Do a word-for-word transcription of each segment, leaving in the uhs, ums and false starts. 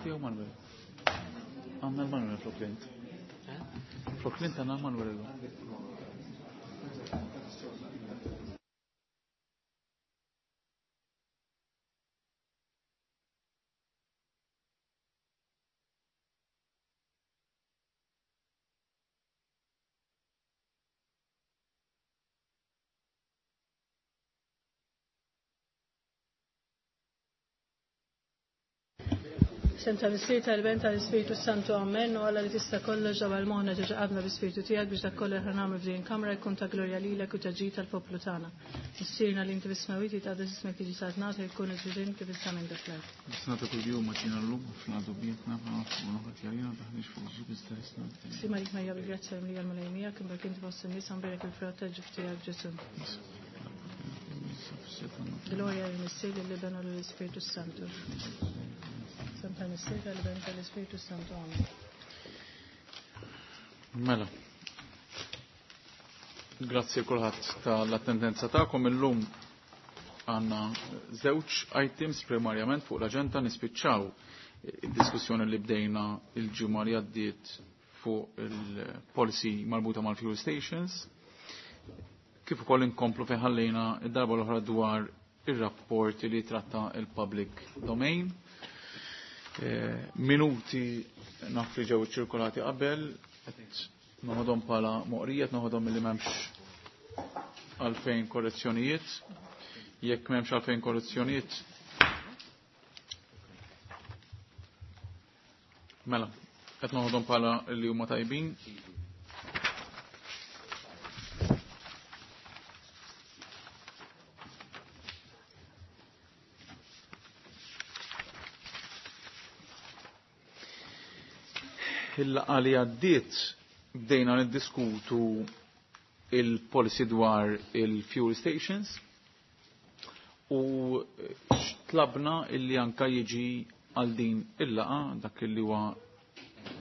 Tiegħu Manuel. Għandna l-Manuel flok Lint. Flok Lint għandna l-Manuel illum. Sem tal-Missier tal-Ben tal-Ispiritu Santu Amen u Alla li tista' kollox ġabal moħħna ġeġa qabna bi-Spiritu tiegħek biex dak kollu li nagħmlu f'din kamra jkun ta' glorja lilek u ta' ġid tal-poplu tagħna. Missierna li inti bis-smewwiet jitqaddes ismek jiġi saltnatek jkun il-ġudin kif issa minn dak l-art. Nisnata kull-jum maċina l-lum, f'nadu bietna, f'nadu ħatjarina, taħniex fuq ġib istarisna. Sima lik Marija bil-grazzja mlija l-Mulej miegħek, imbark inti fost in-nies u nbierek il-frott tal-ġuf tiegħek Ġesù. Gloria lill-Missier lill-Iben u lill-Ispiritu Santu. Sem tal-Missier tal-Iben tal-Ispiritu Santu. Amen. Mela. Grazzi kulħadd tal-attendenza tagħkom illum għandna żewġ items primarjament fuq l-aġenda nispiċċaw id-diskussjoni li bdejna il-ġimgħa li għaddiet fuq il-policy marbuta mal-fuel stations. Kif ukoll inkomplu fejn ħallejna id-darba l-oħra dwar ir-rapport li tratta il-public domain. Eh, minuti naf li ġew ċirkolati qabel, qed noħodhom bħala moqrija, noħodhom milli m'hemmx għalfejn korrezzjonijiet. Jekk m'hemmx għalfejn korrezzjonijiet, mela, qed noħodhom bħala li huma tajbin. Il-laqgħa li għaddiet bdejna niddiskutu il-policy dwar il-fuel stations u tlabna illi anka jiġi għal din il-laqa dak illi huwa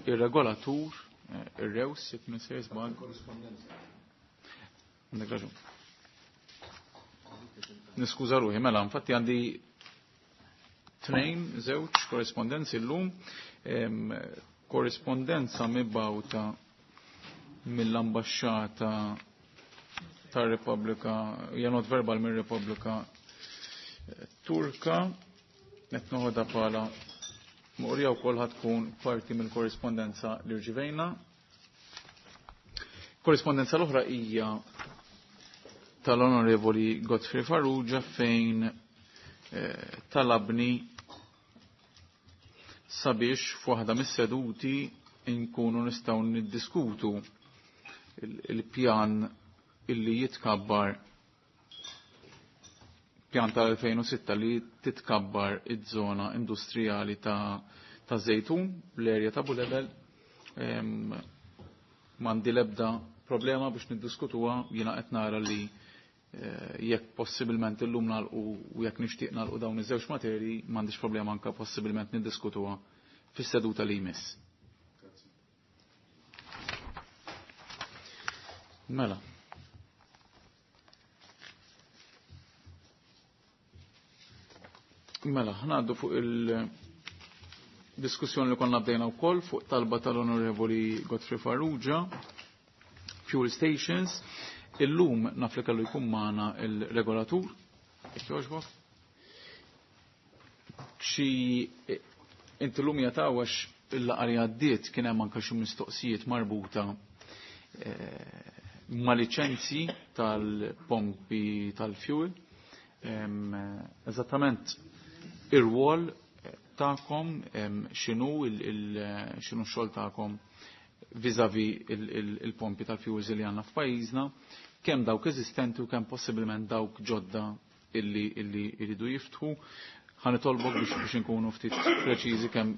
ir-regolatur, ir-rews, jekk nisir żball. Għandek raġun. Niskuża ruħi, mela, infatti għandi tnejn, żewġ korrespondenzi llum, korrespondenza mibgħuta mill-ambasċata tar-Repubblika, janot verbal mir-Repubblika Turka, qed noħodha bħala moqrija wkoll tkun parti mill-korrespondenza li rġivejna. Korrespondenza l-oħra hija tal-Onorevoli Godfrey Farrugia fejn eh, talabni sabiex f'waħda mis-seduti nkunu nistgħu niddiskutu il-pjan illi jitkabbar pjan tal-elfejn u sitta li titkabbar iż-żona industrijali ta' ta' Zejtun, l-erja ta' Bulebel. M'għandi l-ebda problema biex niddiskutuha, jiena qed nara li jekk possibilment illum nagħlqu u jekk nixtieq nagħlqu dawn iż-żewġ materji, m'għandix problema anke possibilment niddiskutuha fis-seduta li jmiss. Mela. Mela, ħnaddu fuq il-diskussjoni li konna bdejna wkoll fuq talba tal-Onorevoli Godfrey Farrugia, fuel stations. Illum naf li kellu jkun magħna il-regolatur, jekk jogħġbok. Xi inti llum jatawax il-laqgħa li għaddiet kien hemm anke xi mistoqsijiet marbuta ma' liċenzji tal-pompi tal-fuel. Eżattament ir-rwol tagħkom x'inhu x'inhu x-xogħol tagħkom vis-à-vis il-pompi tal-fuels li għandna f'pajjiżna, kemm dawk eżistenti u kemm possibilment dawk ġodda illi illi jridu jiftħu. Ħa nitolbok biex biex inkunu ftit preċiżi kemm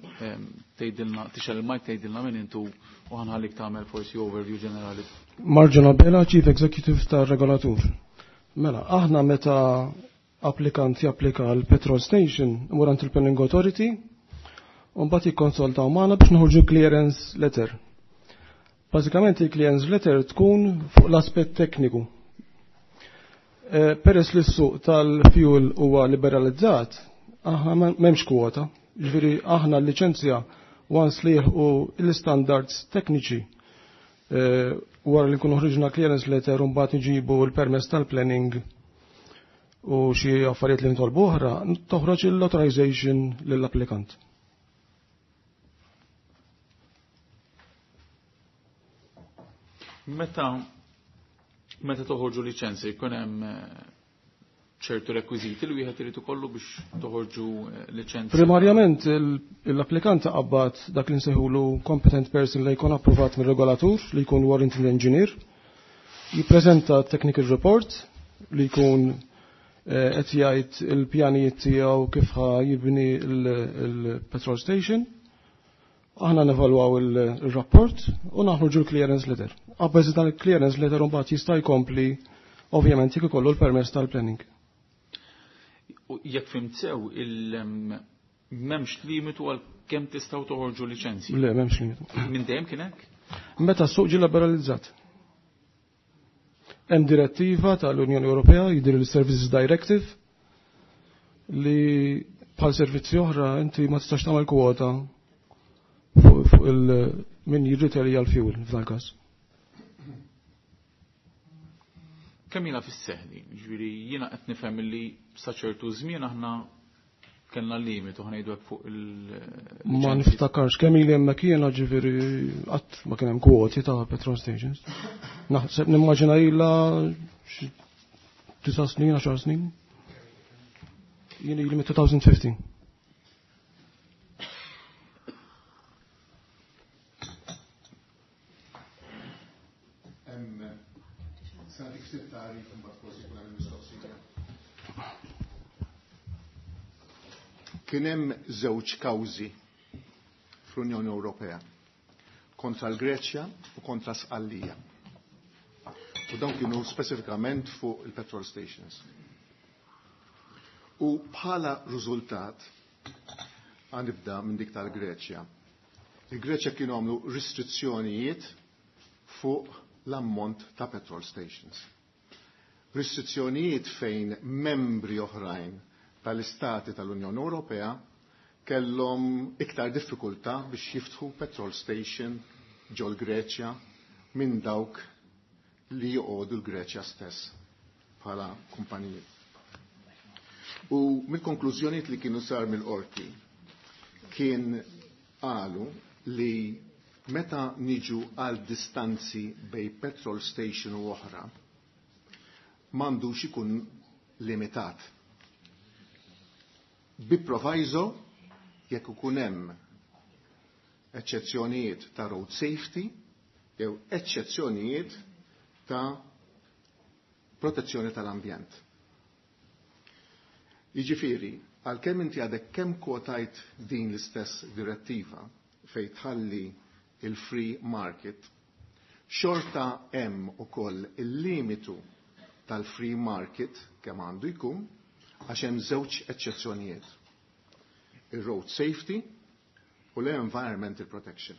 tgħidilna tixel il-mic tgħidilna min intu u ħanħallik tagħmel forsi overview ġenerali. Marġan Abela, Chief Executive tar-Regolatur. Mela, aħna meta applikant japplika għal petrol station imur għand il-Planning Authority u mbagħad jikkonsultaw magħna biex noħorġu clearance letter. Bażikament il-clearance letter tkun fuq l-aspett tekniku. Peress li s-suq tal-fuel huwa liberalizzat, aħna m'hemmx kwota, Ġifieri aħna l-liċenzja once li jilħqu l-standards tekniċi eh, wara li nkunu ħriġna clearance letter u mbagħad nġibu l-permess tal-planning u xi affarijiet li nitolbu oħra, toħroġ l-authorization lill-applikant. Meta meta toħorġu liċenzja jkun hemm eh, ċertu rekwiżiti li wieħed irid ikollu biex toħorġu eh, liċenzja. Primarjament l-applikant qabad dak li nsejħulu competent person li jkun approvat mir-regolatur li jkun warranted engineer, jippreżenta technical report li jkun eh, qed jgħid il-pjanijiet tiegħu kif ħa jibni il-petrol station. Aħna nevalwaw il-rapport u naħruġu l-clearance letter. Abbażi tal-clearance letter mbagħad jista' jkompli ovvjament jekk ikollu l-permess tal-planning. U jekk fhimt sew il m'hemmx limitu għal kemm tistgħu toħorġu liċenzji. Le, m'hemmx limitu. Minn dejjem kien hekk? Meta s-suq ġie liberalizzat. Hemm direttiva tal-Unjoni Ewropea jidher il-Services Directive li bħal servizzi oħra inti ma tistax tagħmel kwota fuq fuq il min jirritelja l-fuel f'dan każ. Kemm ilha fis-seħħ din? Ġifieri jiena qed nifhem li sa ċertu żmien aħna kellna limitu ħa ngħidu hekk fuq il Ma niftakarx kemm ili hemmhekk jiena ġifieri qatt ma kien hemm kwoti ta' petrol stations. Naħseb nimmaġina ilha xi disa' snin, għaxar snin. Jien ili mit-twenty fifteen. Hemm se nagħtik ftit tagħrif imbagħad forsi jkun hemm mistoqsija. Kien hemm żewġ kawżi fl-Unjoni Ewropea kontra l-Greċja u kontra Sqallija. U dawn kienu speċifikament fuq il-petrol stations. U bħala riżultat, għanibda minn dik tal-Greċja. Il-Greċja kienu għamlu restrizzjonijiet fuq l-ammont ta' petrol stations. Restrizzjonijiet fejn membri oħrajn tal-istati tal-Unjoni Ewropea kellhom iktar diffikultà biex jiftħu petrol station ġol Greċja minn dawk li joqogħdu l-Greċja stess bħala kumpaniji. U mill-konklużjonijiet li kienu sar mill-qorti kien qalu li meta niġu għal distanzi bej petrol station u oħra, m'għandux ikun limitat. Bi proviso jekk ikun hemm eċċezzjonijiet ta' road safety jew eċċezzjonijiet ta' protezzjoni tal-ambjent. Jiġifieri, għalkemm inti għadek kemm kwotajt din l-istess direttiva fejn tħalli il-free market, xorta hemm ukoll il-limitu tal-free market kemm għandu jkun għax hemm żewġ eċċezzjonijiet. Il-road safety u l-environmental protection.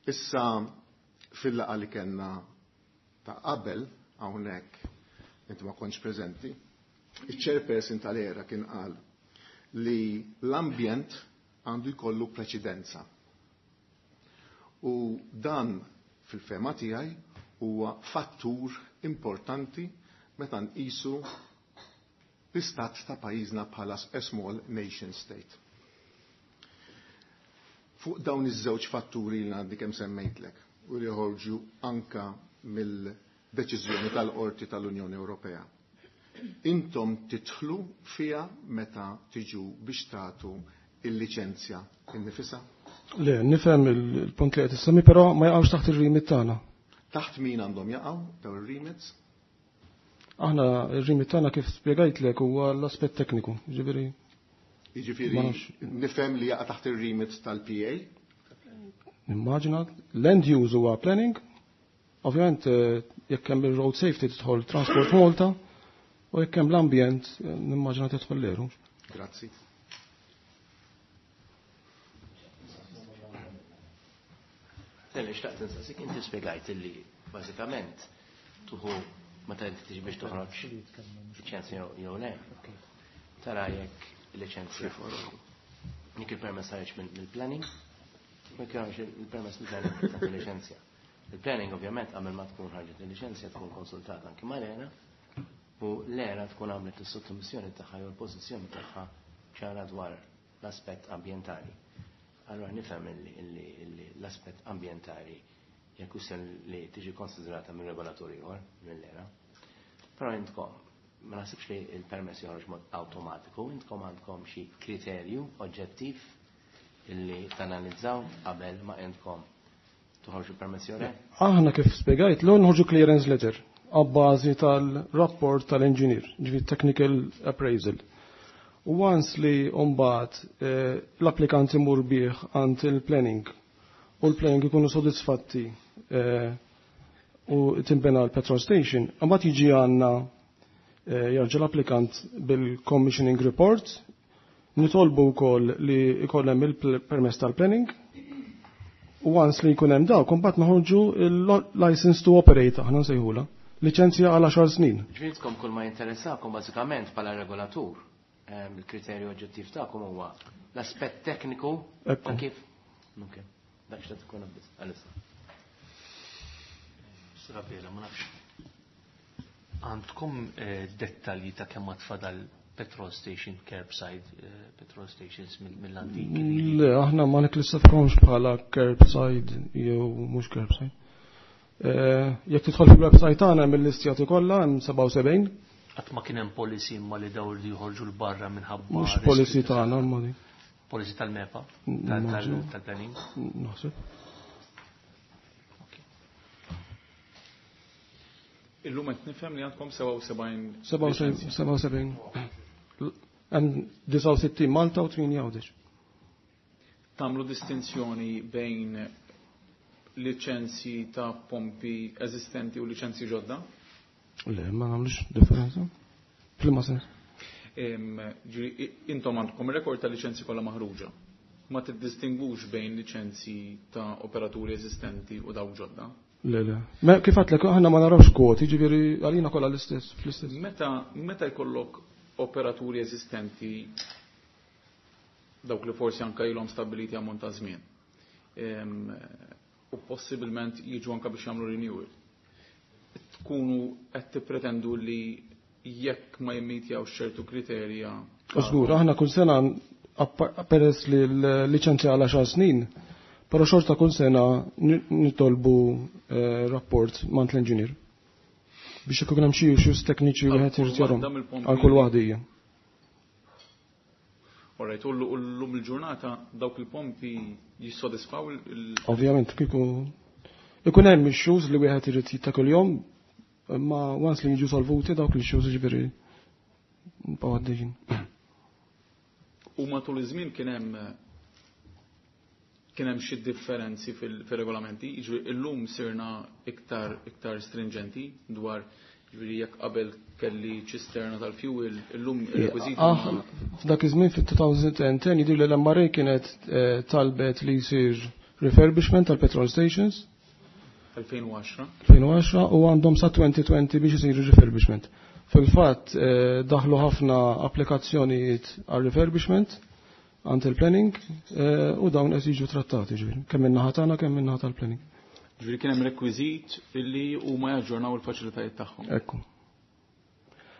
Issa fil-laqgħa li kellna ta' qabel hawnhekk inti ma kontx preżenti, il-chairperson tal-ERA kien qal li l-ambjent għandu jkollu preċedenza. U dan fil-fehma tiegħi huwa fattur importanti meta nqisu l-istat ta' pajjiżna bħala a small nation state. Fuq dawn iż-żewġ fatturi li għandi kemm semmejtlek u li joħorġu anka mill-deċiżjoni tal-Qorti tal-Unjoni Ewropea. Intom tidħlu fiha meta tiġu biex tagħtu il-liċenzja innifisha? Le, nifhem il-punt li qed issemmi, però ma jaqgħux taħt ir-remit tagħna. Taħt min għandhom jaqgħu dawn ir-remits? Aħna ir-remit tagħna kif spjegajtlek huwa l-aspett tekniku, ġifieri Jiġifieri Ma nafx. nifhem li jaqa' taħt ir-remit tal-P A. Nimmaġina land use huwa planning. Ovvjament eh, jekk hemm il-road safety tidħol Transport Malta u jekk hemm l-ambjent eh, nimmaġina tidħol l-ERU. Grazzi. Telli, xtaqt insaqsik, inti spiegajt illi bażikament tuħu meta inti tiġi biex toħroġ liċenzja jew le. Tara jekk il-liċenzja Jekk il-permess ħareġ mill-planning, ma jkunx il-permess mill-planning ta' liċenzja. Il-planning ovvjament qabel ma tkun ħarġet il-liċenzja tkun konsultata anki mal-ERA u l-ERA tkun għamlet is-sottomissjoni tagħha jew l-pożizzjoni tagħha ċara dwar l-aspett ambjentali. Allora nifhem illi l-aspett ambjentali hija kwistjoni li tiġi konsiderata minn regolatur ieħor mill-ERA. Però intkom ma naħsibx li il-permess joħroġ mod awtomatiku, intkom għandkom xi kriterju oġġettiv illi tanalizzaw qabel ma intkom toħorġu permess jew le? Aħna kif spjegajt, l noħorġu clearance letter għabbażi tal-rapport tal-engineer, ġifieri technical appraisal. U once li mbagħad eh, l-applikant imur bih għand il-planning u l-planning ikunu sodisfatti eh, u timbena l-petrol station, mbagħad jiġi għandna eh, jarġa' l-applikant bil-commissioning report, nitolbu wkoll li jkollhem il-permess tal-planning, u once li jkun hemm dawk, imbagħad noħorġu il-license to operate, aħna nsejħula, liċenzja għal għaxar snin. Ġifieri kull ma jinteressakom bażikament bħala regolatur, ehm, il-kriterju oġġettiv tagħkom huwa l-aspett tekniku Ekku. ta' kif. Ok, dak x'ta tkun biss għalissa. Srabela, ma nafx. Għandkom eh, dettalji ta' kemm tfadal petrol station, curbside eh, petrol stations mill- mill-antik? Le, aħna ma nikklassifikawhomx bħala curbside jew mhux curbside. Eh, Jekk tidħol fil-website tagħna hemm il-listjati kollha hemm sebgħa u sebgħin. Qatt ma kien hemm policy imma li daw li joħorġu 'l barra minħabba Mhux riskju policy ta' tagħna imma di. Policy tal-MEPA, Mm, tal- tal- immaġinu. tal-planning. Naħseb. Ok. Illum qed nifhem li għandkom sebgħa u sebgħin sebgħa u sebgħin. sebgħa u sebgħin. Hemm disgħa u sittin Malta u tmienja Għawdex. Tagħmlu distinzjoni bejn liċenzji ta' pompi eżistenti u liċenzji ġodda? Le, ma nagħmlux differenza. F'liema sens? Em, ġiri, i- Intom għandkom rekord ta' liċenzji kollha maħruġa. Ma tiddistingwux bejn liċenzji ta' operaturi eżistenti u dawk ġodda? Le, le. Ma kif għedtlek, aħna ma narawx kwoti, ġifieri għalina kollha l-istess, fl-istess. Meta, meta jkollok operaturi eżistenti, dawk li forsi anka ilhom stabiliti ammont ta' żmien, em, u possibilment jiġu anka biex jagħmlu renewal. Tkunu qed tippretendu li jekk ma jimmitjawx ċertu kriterja. Żgur, aħna kull sena appa- peress li l-liċenzja għal għaxar snin, però xorta kull sena ni- nitolbu eh, rapport mingħand l-engineer. Biex ikun hemm xi issues tekniċi Għal wieħed kull irid jarhom. waħda mill-pompi. Għal kull waħda hija. Alright, u llum il-ġurnata dawk il-pompi jissodisfaw il- Ovvjament, kieku ikun hemm issues li wieħed irid jitta kuljum, imma once li jiġu solvuti dawk l-issues, ġifieri nibqgħu għaddejjin. U matul iż-żmien kien hemm kien hemm xi differenzi fil-regolamenti, jiġifieri illum sirna iktar iktar stringenti dwar, jiġifieri jekk qabel kelli ċisterna tal-fuel, illum ir-rekwiżiti Ah, f'dak iż-żmien fit-elfejn u għaxra jidhir li l-M R A kienet eh, talbet li jsir refurbishment tal-petrol stations. elfejn u għaxra. elfejn u għaxra, u għandhom sa elfejn u għoxrin biex isiru refurbishment. Fil-fatt eh, daħlu ħafna applikazzjonijiet għal refurbishment għand il-planning eh, u dawn qed jiġu trattati, ġifieri kemm min-naħa tagħna, kemm min-naħa tal-planning. Ġifieri kien hemm rekwiżit illi huma jaġġornaw il-faċilitajiet tagħhom. Ekku.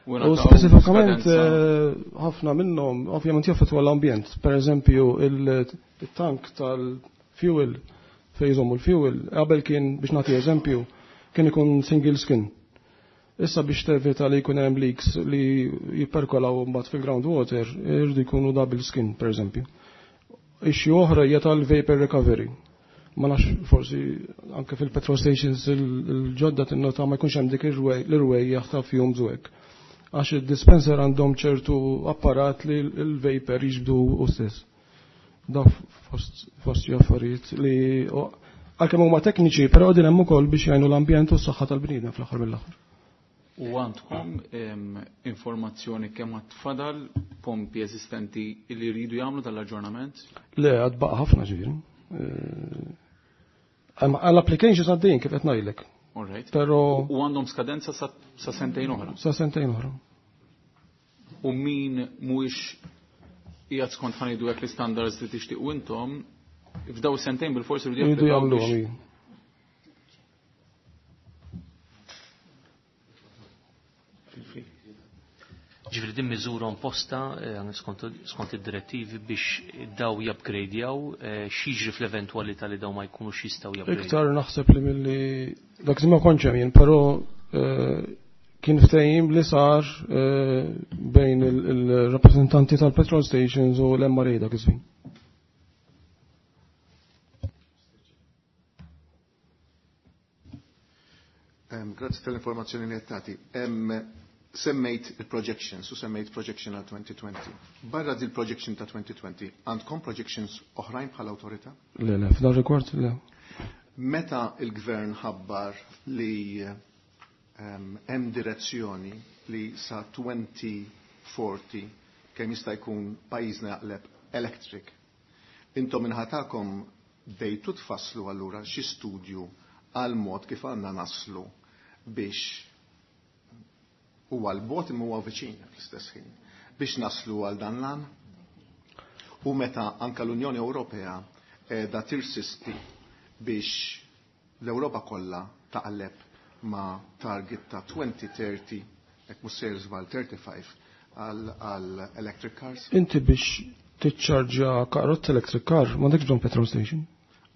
U U ngħataw speċifikament skadenza- eh, ħafna minnhom ovvjament jaffettwa l-ambjent. Per eżempju, il-tank tal-fuel fejn jżommu l-fuel, qabel kien, biex nagħti eżempju, kien ikun single skin. Issa biex tevita li jkun hemm leaks li jipperkolaw mbagħad fil-groundwater, irridu jkunu double skin, per eżempju. Issue oħra hija tal-vapor recovery. Ma nafx, forsi anke fil-petrol stations il-ġodda tinnota ma jkunx hemm dik l-irwejjaħ ta' fumes u hekk. Għax il-dispenser għandhom ċertu apparat li l-vapor jiġbdu u stess. Da fost fost affarijiet li għalkemm huma tekniċi, però din hemm ukoll biex jgħinu l-ambjent u s-saħħa tal-bniedem fl-aħħar mill-aħħar. U għandkom em, informazzjoni kemm għad fadal pompi eżistenti li jridu jagħmlu tal-aġġornament? Le, għad baqa ħafna, ġifieri. Għall-applications għaddejjin, kif qed ngħidlek. All right. Però U għandhom skadenza sa, sa sentejn oħra. Sa sentejn oħra. U min mhuwiex qiegħed skont ħanidu hekk l-istandards li tixtiequ intom, f'daw sentejn bil-forsi rridu jagħmluhom. Ġifieri din miżura imposta skont id-direttivi biex daw jupgradejaw, x'jiġri fl-eventwalità li daw ma jkunux jistgħu jupgradejaw. Iktar naħseb li milli dak ma kontx hemm jien, però kien ftehim li sar bejn il-rappreżentanti tal-petrol stations u l-M R A dak iż-żmien. Grazzi tal-informazzjoni li qed tagħti. Semmejt il-projections u semmejt projection għal twenty twenty. Barra dil projection ta' twenty twenty, għandkom projections oħrajn bħala awtorità? Le, le, f'dan rigward le. Meta il-gvern ħabbar li hemm direzzjoni li sa twenty forty kemm jista' jkun pajjiżna jaqleb electric, intom inħatakom bdejtu tfasslu allura xi studju għal mod kif għandna naslu biex huwa l-bot imma huwa viċin fl-istess ħin biex naslu għal dan l-għan. U meta anka l-Unjoni Ewropea qiegħda tirsisti biex l-Ewropa kollha taqleb ma' target ta' twenty thirty, jekk mhux sejjer żball thirty-five għal electric cars. Inti biex tiċċarġja karozza electric car m'għandekx bżonn petrol station.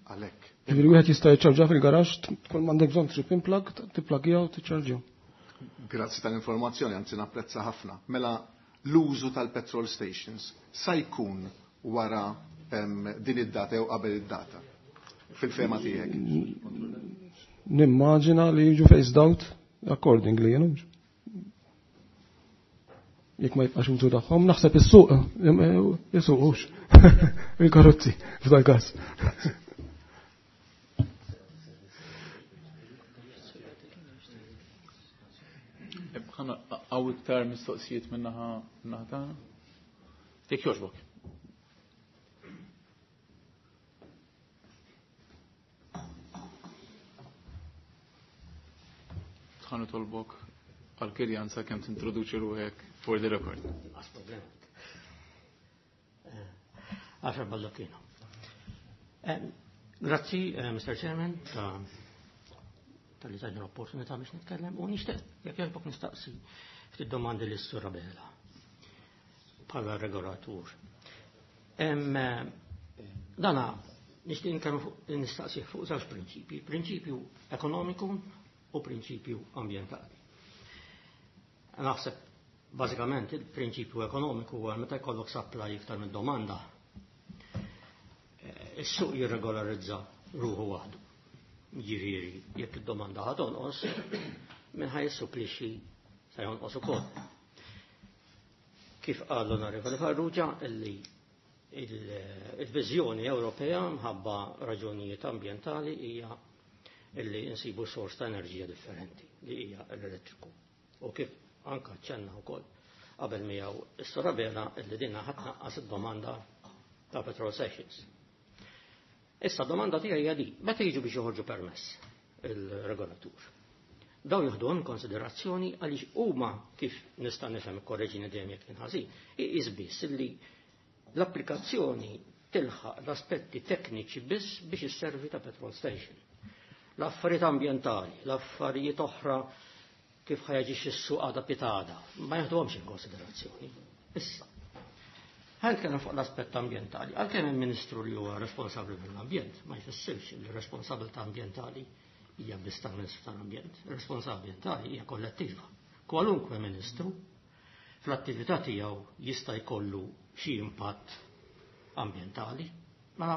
Għalhekk. Ġifieri wieħed jista' jiċċarġja fil-garaxx, tkun m'għandek bżonn tripping plug, tipplagja u tiċċarġja. Grazzi tal-informazzjoni, anzi napprezza ħafna. Mela l-użu tal-petrol stations sa jkun wara din id-data jew qabel id-data fil-fema tiegħek? Nimmaġina li jiġu phased out accordingly, you know. Jekk ma jibqax użu tagħhom, naħseb is-suq jisuqux il-karozzi f'dal każ. Għaw iktar mistoqsijiet minnaħa minnaħa tagħna? Jekk jogħġbok. Ħa nitolbok għal-kirjanza kemm tintroduċi ruħek for the record. Għas problema. Għaxar Baldacchino. Grazzi, Mister Chairman, tal-li tajna l-opportunità biex nitkellem u nixtieq jekk jogħġbok nistaqsi ftit domandi lis Sur Abela bħala regolatur. Dana nixtieq nitkellem nistaqsi fuq żewġ prinċipji, prinċipju ekonomiku u prinċipju ambjentali. Naħseb bażikament il-prinċipju ekonomiku huwa meta jkollok supply iktar minn domanda. Is-suq jirregolarizza ruħu waħdu. Ġifieri, jekk id-domanda ħa tonqos, minn ħaj jissupplixxi se jonqos ukoll. Kif qal l-Onorevoli Farrugia illi il-viżjoni Ewropea mħabba raġunijiet ambjentali hija illi insibu sors ta' enerġija differenti li hija l-elettriku. U kif anka ċenna wkoll qabel miegħu is-Sur Abela illi dinna ħadd naqqas id-domanda ta' petrol stations. Issa domanda tiegħi hija di, meta jiġu biex joħorġu permess il-regolatur. Dawn jieħduhom konsiderazzjoni għaliex huma kif nista' nifhem ikkorreġini dejjem jekk inħażin, iqis biss illi l-applikazzjoni tilħaq l-aspetti tekniċi biss biex isservi ta' petrol station. L-affarijiet ambjentali, l-affarijiet oħra kif ħajaġix is-suq għada pitada, ma jieħduhomx in konsiderazzjoni. Issa, ħan nitkellem fuq l-aspett ambjentali, għalkemm il-Ministru li huwa responsabbli mill-ambjent, ma jfissirx li r-responsabilità ambjentali hija biss tal-Ministru tal-Ambjent, ir-responsabilità ambjentali hija kollettiva. Kwalunkwe Ministru fl-attività tiegħu jista' jkollu xi impatt ambjentali, ma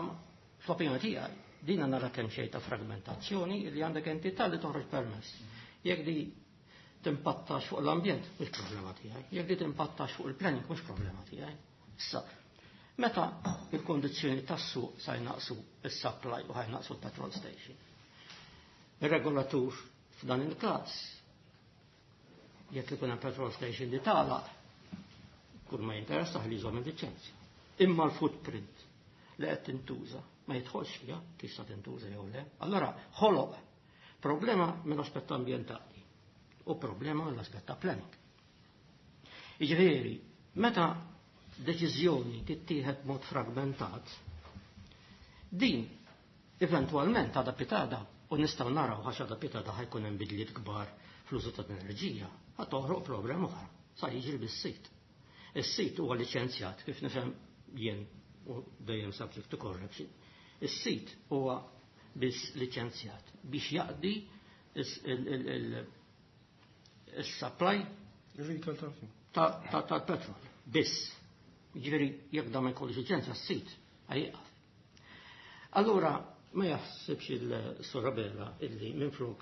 fl-opinjoni tiegħi dina nara kemm xejn ta' fragmentazzjoni li għandek entità li toħroġ permess. Jekk di timpattax fuq l-ambjent, mhux problema tiegħi. Jekk di timpattax fuq il-planning, mhux problema tiegħi. Issa, meta il-kondizzjoni tas-suq sa jnaqsu is-supply u ħajnaqsu l-petrol station. Ir-regolatur f'dan il-każ jekk ikun hemm petrol station li tagħlaq, kull ma jinteressa li jżomm il-liċenzja. Imma l-footprint li qed tintuża ma jidħolx fiha kif sa tintuża jew le. Allora ħoloq problema mill-aspett ambjentali u problema mill-aspett ta' planning. Jiġifieri, meta deċiżjoni tittieħed mod fragmentat, din eventwalment għada pitada u nistgħu naraw għax għada pitada ħajkun hemm bidliet kbar fl-użu tal-enerġija, ħa toħroq problema oħra, sa jiġri bis-sit. Is-sit huwa liċenzjat kif nifhem jien u dejjem subject to correction. Is-sit huwa biss liċenzjat biex jaqdi is-supply tal-petrol. Biss. Ġifieri jekk da ma jkollux liċenzja s-sit ħajqaf. Allura ma jaħsibx il-Sur Abela illi minflok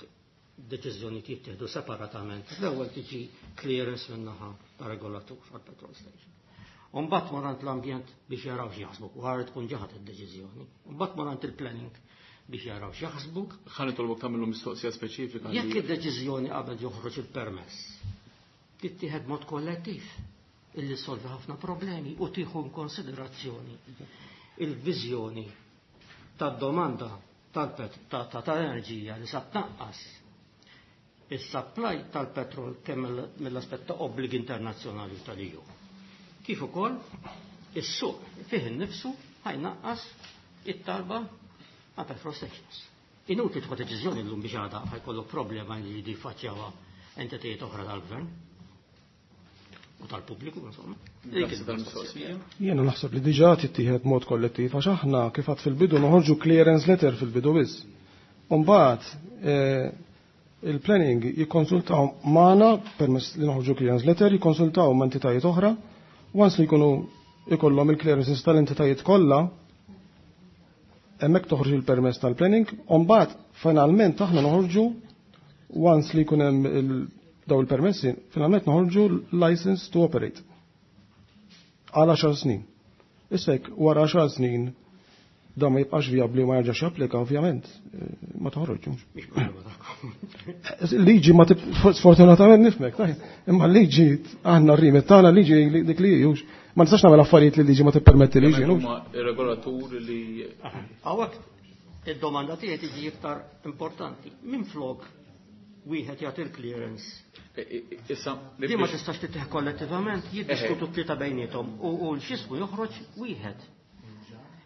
deċiżjoni jittieħdu separatament. L-ewwel tiġi clearance min-naħa ta' regolatur għal-petrol station. Umbagħad morant l-ambjent biex jaraw x'jaħsbu, wara tkun ġaħat id-deċiżjoni. Umbagħad morant il-planning biex jaraw x'jaħsbu. Ħa nitolbok tagħmlu mistoqsija speċifika. Jekk id-deċiżjoni qabel joħroġ il-permess, tittieħed mod kollettiv illi solvi ħafna problemi u tieħu konsiderazzjoni il-viżjoni tad-domanda tal-enerġija li sa tnaqqas is-supply tal-petrol kemm mill-aspett ta' obbligi internazzjonali tal-E U. Kif ukoll is-suq fih innifsu ħajnaqqas it-talba ma' petrol stations. Inutli tieħu deċiżjoni llum biex għada ħajkollok problema li jridu jfaċċjawha entitajiet oħra tal-gvern u tal-pubbliku, insomma. Jiena naħseb li diġà tittieħed mod kollettiv għax aħna kif għad fil-bidu noħorġu clearance letter fil-bidu biss. U mbagħad il-planning jikkonsultaw magħna permess li noħorġu clearance letter, jikkonsultaw ma' entitajiet oħra, once li jkunu ikollhom il-clearances tal-entitajiet kollha, hemmhekk toħroġ il-permess tal-planning, u mbagħad finalment aħna noħorġu once li jkun hemm daw il-permessi, finalment noħorġu license to operate għal għaxar snin. Issa jekk wara għaxar snin da ma jibqax viabli u ma jerġax japplika, ovvjament, ma toħroġux. Liġi ma sfortunatament nifmek, imma liġi aħna r-rimet tagħna liġi dik li jux. Ma nistax nagħmel affarijiet li liġi ma tippermetti liġi. Huma ir-regolatur li Hawnhekk id-domanda tiegħi tiġi iktar importanti. Minflok wieħed jagħti l-clearance. Issa Di ma tistax tittieħ kollettivament, jiddiskutu tlieta bejniethom u l-xismu joħroġ wieħed.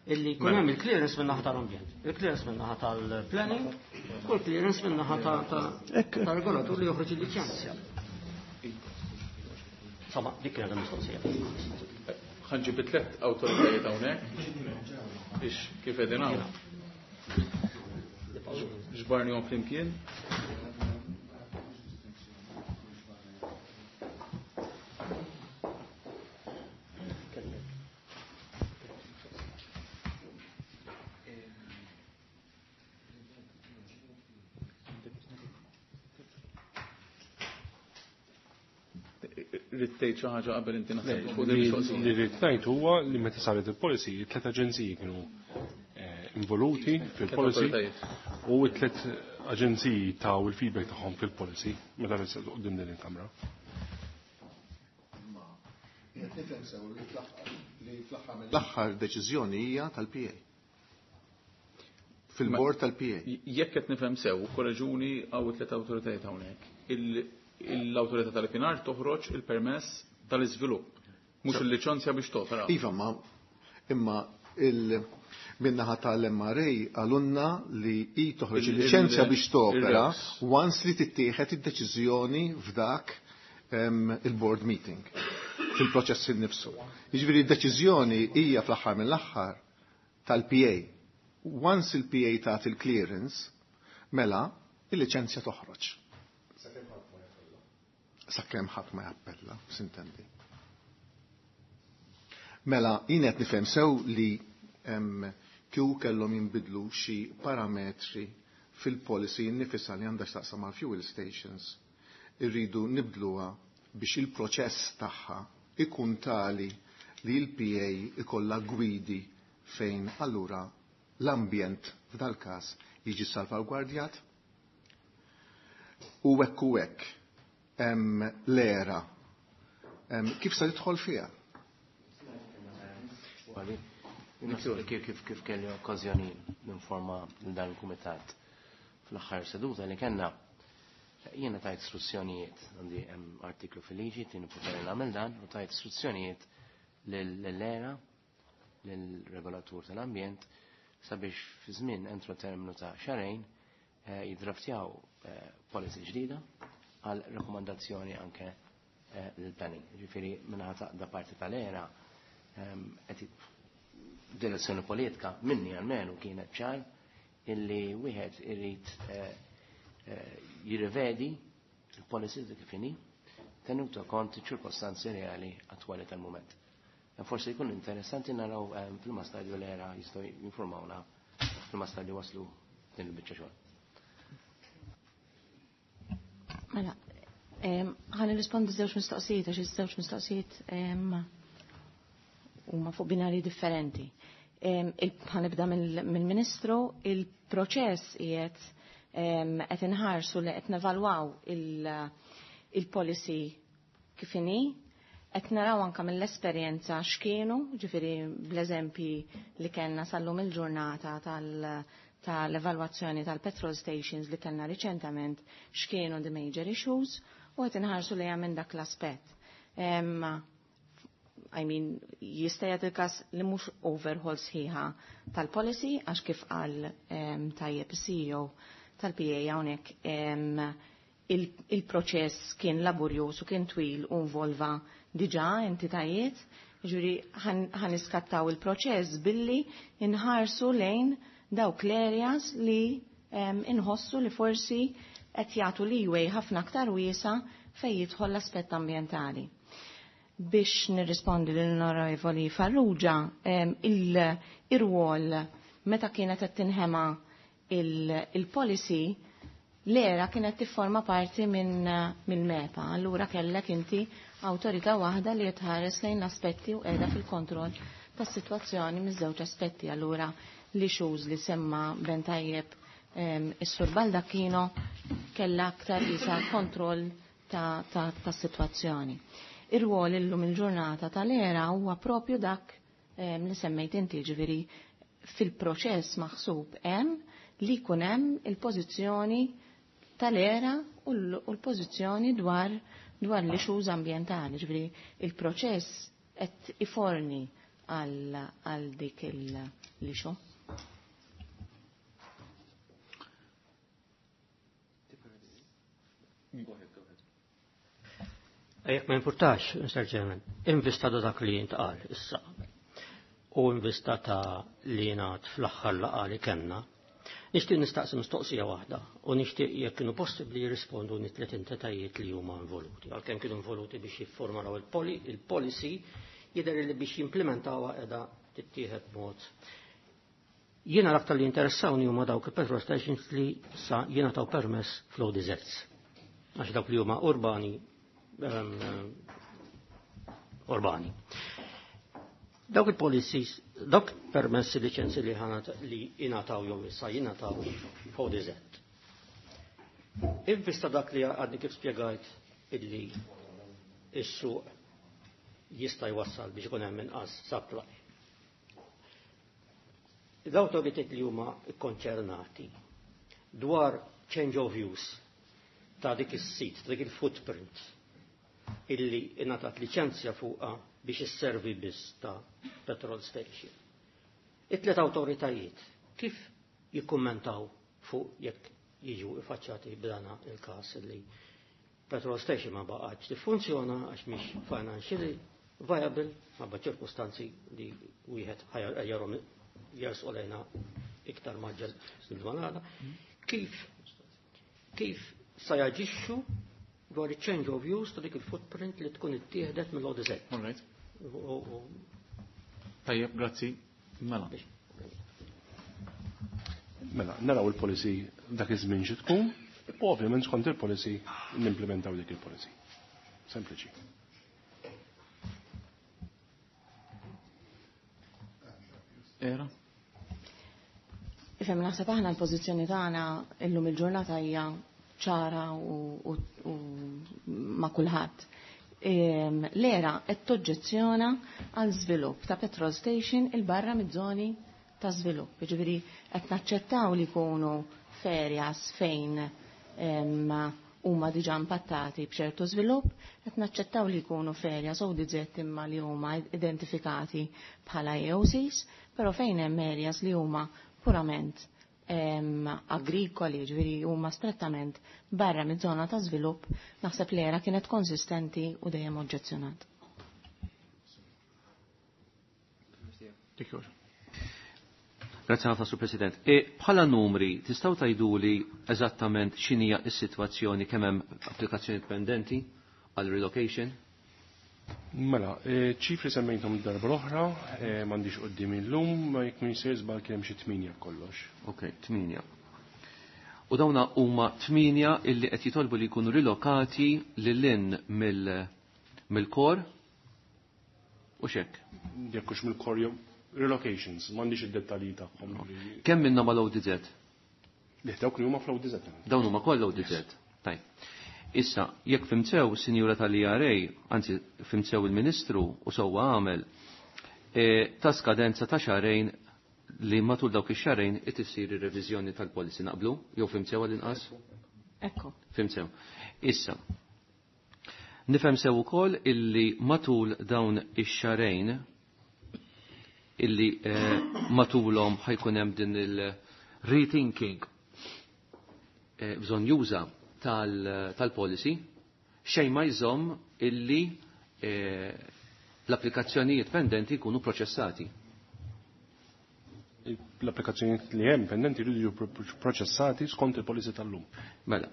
Illi jkun hemm il-clearance minn naħa tal-ambjent, il-clearance minn naħa tal-planning, u l-clearance minn naħa tal-regolatur li joħroġ il-liċenzja. Insomma, dik kienet il-mistoqsija. Ħa nġib tliet awtoritajiet hawnhekk biex kif qegħdin hawn. Ġbarnihom flimkien. Tgħid xi ħaġa qabel inti naħseb fuq din il-mistoqsija. Li rrid ngħid huwa li meta saret il-policy, tliet aġenziji kienu involuti fil-policy u t-tliet aġenziji taw il-feedback tagħhom fil-policy meta resqet quddiem din il-Kamra. L-aħħar deċiżjoni hija tal-P A. Fil-bord tal-P A. Jekk qed nifhem sew, korreġuni hawn it-tliet awtoritajiet hawnhekk. L-awtorità tal-P N R toħroġ il-permess tal-iżvilupp, mhux il-liċenzja biex topera. Iva, ma imma il minnaħa tal-M R A għalunna li i toħroġ il-liċenzja biex topera once li tittieħed id-deċiżjoni f'dak il-board meeting fil-proċess innifsu. Jiġifieri d-deċiżjoni hija fl-aħħar mill-aħħar tal-P A. Once il-P A tagħti il-clearance, mela il-liċenzja toħroġ. Sakemm ħadd ma jappella, s'intendi. Mela, jien qed nifhem sew li kieku kellhom jinbidlu xi parametri fil-policy nnifisha li għandha x'taqsam mal-fuel stations. Irridu nibdluha biex il-proċess tagħha ikun tali li l-P A ikollha gwidi fejn allura l-ambjent f'dal-każ jiġi salvagwardjat. U hekk u hekk hemm l-era. Kif se tidħol fiha? Kif, kif, kif kelli okkażjoni ninforma lil dan il-kumitat fl-aħħar seduta li kellna, jiena tajt istruzzjonijiet, għandi hemm artiklu fil-liġi tieni poteri nagħmel dan, u tajt istruzzjonijiet lill-ERA, lill-regolatur tal-ambjent, sabiex fi żmien entru terminu ta' xahrejn eh, jidraftjaw eh, policy ġdida għal rekomandazzjoni anke eh, l-planning. Ġifieri minħata da parti tal-ERA ehm, qed direzzjoni politika minni għalmenu kienet ċar illi wieħed irid jirrivedi il-policies kif inhi tenuto kont ċirkostanzi reali attwali tal-moment. Forse jkun interessanti naraw ehm, fil stadju l-era jistgħu jinformawna fil stadju waslu din il-biċċa xogħol. Mela, ehm, ħan nirrispondi żewġ mistoqsijiet għax iż-żewġ mistoqsijiet ehm, huma fuq binari differenti. Ħa nibda mill-Ministru, il-proċess qiegħed qed inħarsu li qed nevalwaw il-policy kif inhi, qed naraw anke mill-esperjenza x'kienu, ġifieri bl-eżempji li kellna sal-lum il-ġurnata tal-evalwazzjoni tal-petrol stations li kellna riċentament x'kienu the major issues u qed inħarsu lejha minn dak l-aspett. I mean, jista' jagħti il-każ li mhux overhaul sħiħa tal-policy għax kif qal tajjeb C E O tal-P A hawnhekk, il-proċess kien laborjuż u kien twil u involva diġà entitajiet, ġuri ħan iskattaw il-proċess billi inħarsu lejn dawk l-areas li inħossu li forsi qed jagħtu leeway ħafna aktar wiesa fejn jidħol l-aspett ambjentali. Biex nirrispondi lill-Onorevoli Farrugia, il-rwol meta kienet qed tinħema il-policy, l-ERA kienet tifforma parti minn min MEPA, allura kellek inti awtorità waħda li tħares lejn l-aspetti u qiegħda fil-kontroll tas-sitwazzjoni miż-żewġ aspetti. Allura l-issues li semma ben tajjeb is-Sur Baldacchino kella aktar isa kontroll ta', ta, ta situazzjoni. Ir-rwol illum il-ġurnata tal-ERA huwa propju dak li semmejt inti, ġifieri fil-proċess maħsub hemm li jkun hemm il-pożizzjoni tal-ERA u l-pożizzjoni dwar dwar l-issues ambjentali, ġifieri il-proċess qed iforni għal dik l-issue. Jekk ma importax, Mister Chairman, in vista ta' dak li jintqal issa u in vista ta' li jingħad fl-aħħar laqgħa li kellna, nixtieq nistaqsi mistoqsija waħda u nixtieq jekk kienu possibbli jirrispondu tliet entitajiet li huma involuti. Għalkemm kienu involuti biex jiffurmalaw il-policy, jidher li biex jimplementawha qiegħda tittieħed mod. Jiena l-aktar li interessawni huma dawk il-petrol stations li sa jingħataw permess fl-O D Zs. Għax dawk li huma urbani um, urbani. Dawk il-policies, dawk permessi liċenzi li ħanat li jingħataw jew issa jingħataw F O D Z. In vista dak li għadni kif spjegajt illi is-suq jista' jwassal biex ikun hemm inqas supply. L-awtoritajiet li huma konċernati dwar change of use ta' dik is-sit, ta' dik il-footprint illi ingħatat liċenzja fuqha biex isservi biss ta' petrol station. It-tliet awtoritajiet kif jikkummentaw fuq jekk jiġu iffaċċjati b'dana il-każ li petrol station ma baqgħetx tiffunzjona għax mhix financially viable ħabba ċirkustanzi li wieħed ħajarhom jersqu lejna iktar maġġel bil-ġmanada. Kif kif sa jaġixxu dwar il-change of use ta' dik il-footprint li tkun ittieħdet mill-O D Z? All right. Tajjeb, grazzi. Mela. Mela, naraw il-policy dak iż-żmien xi tkun, u ovvjament skont il-policy nimplementaw dik il-policy. Sempliċi. ERA? Ifhem, naħseb aħna l-pożizzjoni tagħna illum il-ġurnata hija ċara u, u, u ma' kulħadd. L-ERA qed toġġezzjona għal żvilupp ta' petrol station il barra mid-żoni ta' żvilupp. Jiġifieri qed naċċettaw li jkunu f'areas fejn huma diġà impattati b'ċertu żvilupp, qed naċċettaw li jkunu f'areas O D Z imma li huma identifikati bħala A O Cs, però fejn hemm areas li huma purament em, agrikoli, ġifieri huma strettament barra mid-żona ta' żvilupp, naħseb li era kienet konsistenti u dejjem oġġezzjonat. Dik jogħġbok. Grazie ħafna, Sur President. E bħala numri, tistgħu tgħiduli eżattament x'inhija s-sitwazzjoni, kemm hemm applikazzjoni pendenti għal relocation? Mela, eh, ċifri semmejthom darba l-oħra, eh, m'għandix quddiem illum, ma jekk min jsir żball kien hemm xi tminja kollox. Ok, tminja. U dawna huma tminja illi qed jitolbu li jkunu rilokati lil hinn mill- mill-core u xek. Jekk hux mill-core jew relocations, m'għandix id-dettalji tagħhom. Kemm minnhom mal O D Z? Li dawk li huma fl-O D Z. Dawn huma kollha O D Z. Tajb. Issa, jekk fhimt sew, sinjura tal-E R A, anzi fhimt sew il-Ministru u sewwa għamel, e, ta' skadenza ta' xahrejn li matul dawk ix-xahrejn it issir ir-reviżjoni tal-policy, naqblu? Jew fhimt sew għall-inqas? Ekku. Fhimt sew. Issa, nifhem sew ukoll illi matul dawn ix-xahrejn illi eh, matulhom ħa jkun hemm din il-rethinking eh, bżonn juża tal-policy, xejn ma jżomm illi eh, l-applikazzjonijiet pendenti jkunu proċessati. L-applikazzjonijiet li hemm pendenti jridu jiġu proċessati skont il-policy tal-lum. Mela.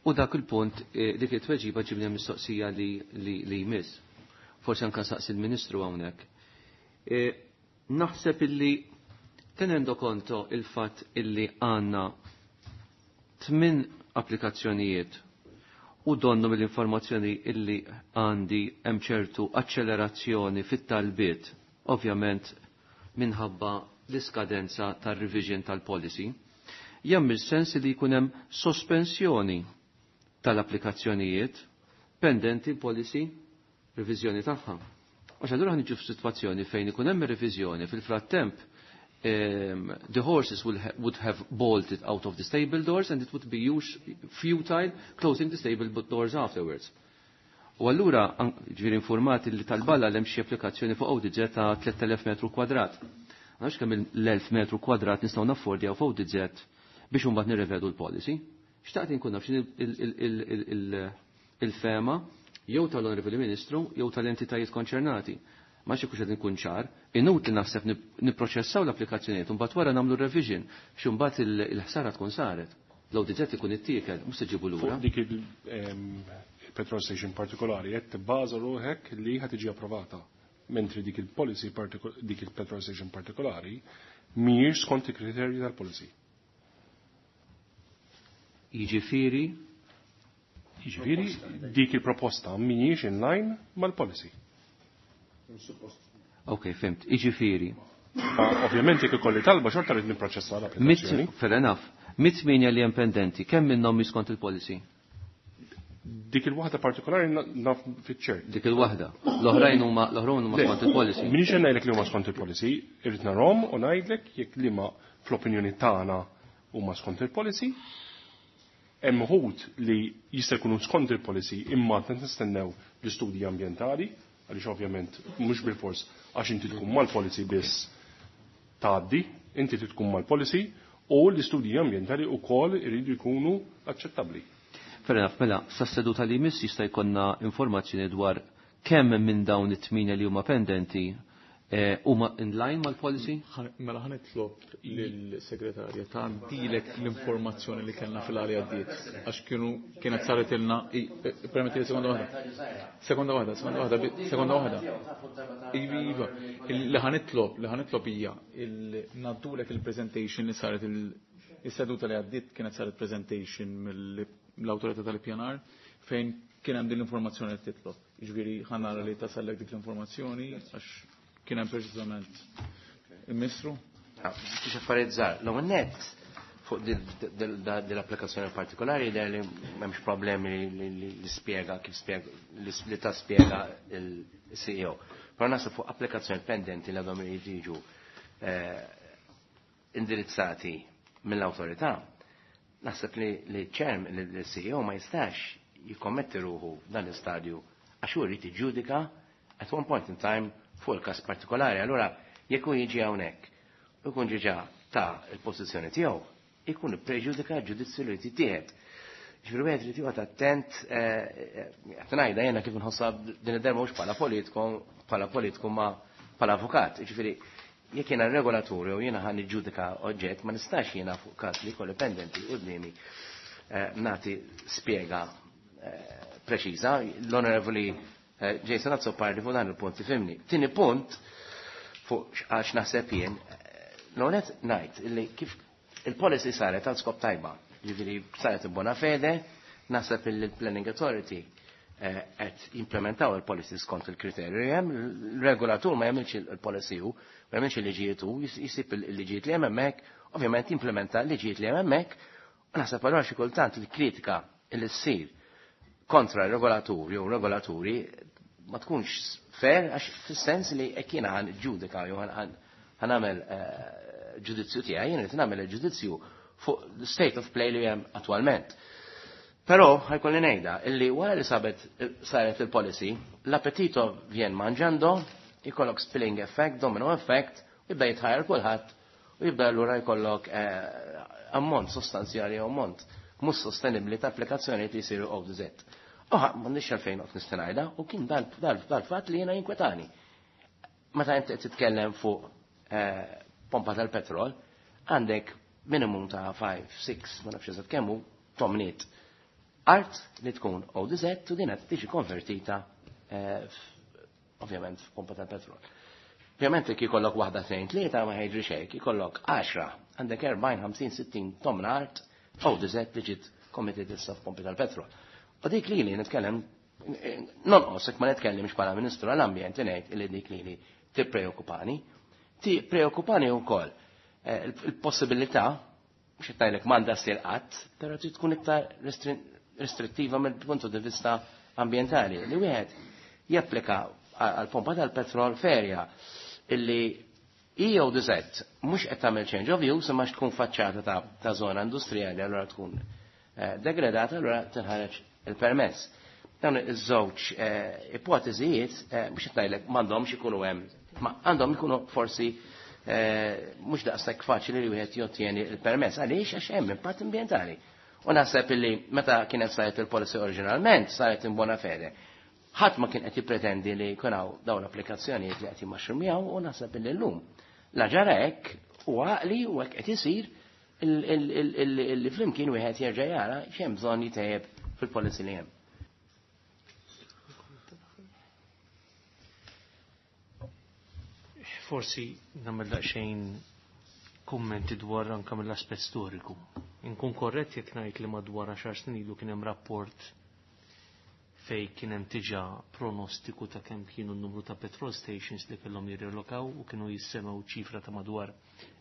U dak il-punt, eh, dik it-tweġiba ġibni mistoqsija li, li, li jmiss. Forsi anka saqsi il-Ministru hawnhekk. Eh, Naħseb illi tenendo conto il-fatt illi għandna tmin applikazzjonijiet u donnu mill-informazzjoni illi għandi hemm ċertu accelerazzjoni fit-talbiet, ovvjament minħabba l-iskadenza tar-revision tal-policy, jagħmel sens li jkun hemm sospensjoni tal-applikazzjonijiet pendenti l-policy reviżjoni tagħha. Għax allura ħa niġu f'sitwazzjoni fejn ikun hemm reviżjoni, fil-frattemp um, the horses will ha would have bolted out of the stable doors and it would be use futile closing the stable doors afterwards. U allura ġifieri informati li tal-balla hemm xi applikazzjoni fuq O D Z ta' tliet elef metru kwadrat. Għax kemm l-elf metru kwadrat nistgħu naffordjaw fuq O D Z biex imbagħad nirrevedu l-policy? Xtaqt inkun naf il-fehma jew tal-Onorevoli Ministru jew tal-entitajiet konċernati. Ma xi kux qed nkun ċar, inutli naħseb nipproċessaw l-applikazzjonijiet u mbagħad wara nagħmlu revision, xi mbagħad il-ħsara tkun saret. L-O D Z ikun ittiekel, mhux se ġibu lura. Fuq dik il-petrol station partikolari qed tibbaża ruħek li ħa tiġi approvata. Mentri dik il-policy, dik il-petrol station partikolari mhijiex skont il-kriterji tal-policy. Jiġifieri Jiġifieri dik il-proposta mhijiex in line mal-policy. Ok, fhimt. Jiġifieri. Ovvjament jekk ikolli talba xorta rrid nipproċessa l-applikazzjoni. Fair enough. Mit-tmienja li hemm pendenti, kemm minnhom skont il-policy? Dik il-waħda partikolari naf fiċ-ċert. Dik il-waħda. L-oħrajn huma l-oħrajn huma skont il-policy. Minix ngħidlek li huma skont il-policy, irrid narhom u ngħidlek jekk li ma fl-opinjoni tagħna huma skont il-policy. Hemm uħud li jista' jkunu skont il-policy imma qed nistennew l-istudji ambjentali, għaliex ovvjament mhux bil-fors għax inti tkun mal-policy biss tgħaddi, inti tkun mal-policy u l-istudji ambjentali wkoll iridu jkunu aċċettabbli. Fair enough, mela, sa seduta li jmiss jista' jkollna informazzjoni dwar kemm minn dawn it-tmienja li huma pendenti eh, huma in line mal-policy? Mela ħa nitlob lill-segretarja tgħaddilek l-informazzjoni li kellna fil-għali għaddiet. Għax kienu kienet saret ilna, permetti sekonda waħda. Sekonda waħda, sekonda waħda, sekonda waħda. Iva, iva. Li ħa nitlob, li ħa nitlob hija ngħaddulek il-presentation li saret il-seduta li għaddiet, kienet saret presentation mill-awtorità tal-ippjanar fejn kien hemm din l-informazzjoni li titlob. Jiġifieri ħa nara li tasallek dik l-informazzjoni għax kien hemm preċiżament il-Ministru. Xi affarijiet żgħar. L-ewwel nett fuq dell-applikazzjoni partikolari jidher li m'hemmx problemi li spjega kif spjega li ta' spjega il-C E O. Però naħseb fuq applikazzjoni pendenti li għadhom jiġu eh, indirizzati mill-awtorità, Naħseb li li ċerm li C E O ma jistax jikkommetti ruħu f'dan l-istadju għax hu jrid jiġġudika at one point in time fuq il-każ partikolari. Allura jekk hu jiġi hawnhekk u jkun diġà ta l-pożizzjoni tiegħu, ikun preġudika ġudizzju li jittieħed. Ġifieri wieħed irid joqgħod attent, qed ngħidha jiena kif nħossha din id-darba, mhux bħala politiku, bħala politiku ma bħala avukat. Ġifieri jekk jiena regolatur jew jiena ħa niġġudika oġġett, ma nistax jiena fuq każ li jkolli pendenti quddiemi nagħti spjega preċiża. L-Onorevoli Jason Azzopardi fuq dan il-punt tifhimni. Tieni punt, fuq għax naħseb jien, l-onet ngħid illi kif il-policy saret għal skop tajba, ġifieri saret in bona fede, naħseb il Planning Authority qed jimplementaw il-policy skont il-kriterju hemm, il-regolatur ma jagħmilx il-policy hu, ma jagħmilx il-liġijiet hu, jisib il-liġijiet li hemm hemmhekk, ovvjament jimplementa l-liġijiet li hemm hemmhekk, u naħseb allura xi kultant il-kritika li ssir kontra regolatur jew regolaturi ma tkunx fair, għax fis-sens li jekk jiena ħa niġġudika jew ħa nagħmel ġudizzju tiegħi, jien qed nagħmel il-ġudizzju fuq the state of play li hemm attwalment. Però ħa jkolli ngħidha illi wara li sabet saret il-policy, l-appetito vien mangiando, jkollok spilling effect, domino effect, u jibda jitħajjar kulħadd u jibda allura jkollok ammont sostanzjali, ammont mhux sostenibbli ta' applikazzjoni li jsiru O D Z. Oħa, m'għandix għalfejn qed nistenajda u kien dal-fatt li jiena jinkwetani. Meta inti qed titkellem fuq pompa tal-petrol, għandek minimum ta' ħamsa, sitta, ma nafx eżatt kemm hu, tomniet art li tkun O D Z u din qed tiġi konvertita ovvjament f'pompa tal-petrol. Ovvjament jekk ikollok waħda, tnejn, tlieta ma ħejġri xejn, ikollok għaxra, għandek erbgħin, ħamsin, sittin tomna art O D Z li ġiet committed issa f'pompi tal-petrol. U dik li li nitkellem nonqos jekk ma nitkellimx bħala Ministru għall-Ambjent, ngħid li dik li li tippreokkupani. Tippreokkupani wkoll il-possibilità, mhux qed ngħidlek m'għandha ssir qatt, però trid tkun iktar restrittiva mill-punt di vista ambientali li wieħed japplika għal pompa tal-petrol f'area illi O D Z mhux qed tagħmel change of use imma tkun faċċata ta', ta zona industrijali, allura tkun eh, degradata, allura tinħareġ il-permess. Dawn iż-żewġ eh, ipoteżijiet eh, mhux qed ngħidlek m'għandhomx ikunu hemm, ma għandhom ikunu forsi mhux daqshekk faċli li wieħed jottieni il-permess. Għaliex? Għax hemm impatt ambjentali. U naħseb illi meta kienet saret il-policy oriġinalment, saret in bona fede. Ħadd ma kien qed jippretendi li jkun hawn dawn l-applikazzjonijiet li qed jimmaxrumjaw u naħseb illi llum la ġara hekk u għaqli u hekk qed isir li flimkien wieħed jerġa' jara x'hemm bżonn jitejjeb fil-policy li hemm. Forsi nagħmel daqsxejn kummenti dwar anke mill-aspett storiku. Inkun korrett jekk ngħid li madwar għaxar snin ilu kien hemm rapport fej kien hemm diġà pronostiku ta' kemm kienu n-numru ta' petrol stations li kellhom jirrelokaw u kienu jissemgħu ċifra ta' madwar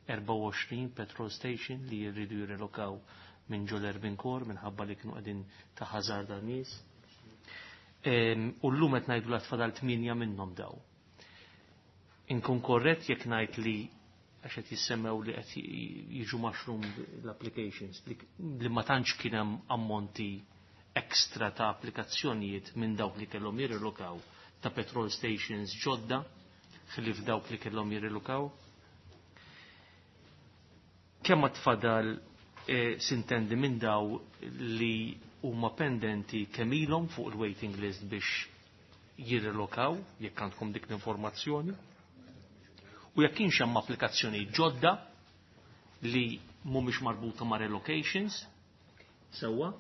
erbgħa u għoxrin petrol station li jridu jirrelokaw minn ġol urban core minħabba li kienu qegħdin ta' ħażar dan nies. U llum qed ngħidu la tfadal tmienja minnhom daw. Inkun korrett jekk ngħid li għax qed jissemmew li qed jiġu mushroom l-applications li ma tantx kien hemm ammonti ekstra ta' applikazzjonijiet minn dawk li kellhom jirrilokaw ta' petrol stations ġodda ħlief dawk li kellhom jirrilokaw. Kemm ma tfadal e, sintendi minn daw li huma pendenti, kemm ilhom fuq il-waiting list biex jirrilokaw, jekk għandkom dik l-informazzjoni? U jekk kienx hemm applikazzjoni ġodda li mhumiex marbuta ma' relocations, sewwa,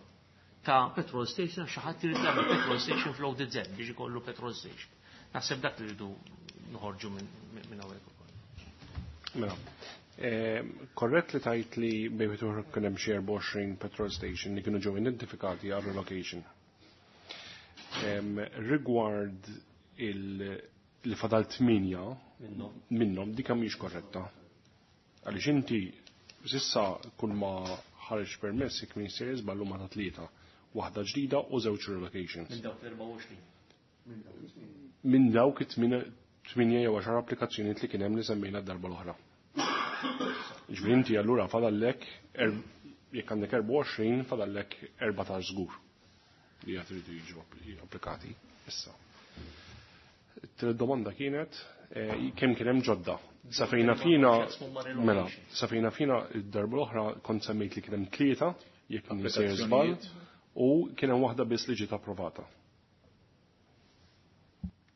ta' petrol station, xi ħadd irid jagħmel petrol station fl-O D Z biex ikollu petrol station. Naħseb dak li rridu noħorġu minn hawnhekk ukoll. Mela, korrett li tajt li bejn kien hemm xi erbgħa u għoxrin petrol station li kienu ġew identifikati għal relocation. Rigward il li fadal tmienja minnhom, dik mhijiex korretta. Għaliex inti s'issa kull ma ħareġ permess, jekk minn sejjer żballu, ma ta' tlieta. Waħda ġdida u żewġ relocations. Minn dawk l-erbgħa u għoxrin. Minn dawk it-tmienja jew għaxar applikazzjonijiet li kien hemm li semmejna d-darba l-oħra. Ġifieri inti allura fadallek er, Jekk għandek erbgħa u għoxrin fadallek erbatax żgur li qed iridu jiġu applikati issa. It-tielet domanda kienet kemm kien hemm ġodda. Sa fejna fina mela, sa fejna fina id-darba l-oħra kont semmejt li kien hemm tlieta jekk sejjer żball u kien hemm waħda biss li ġiet approvata.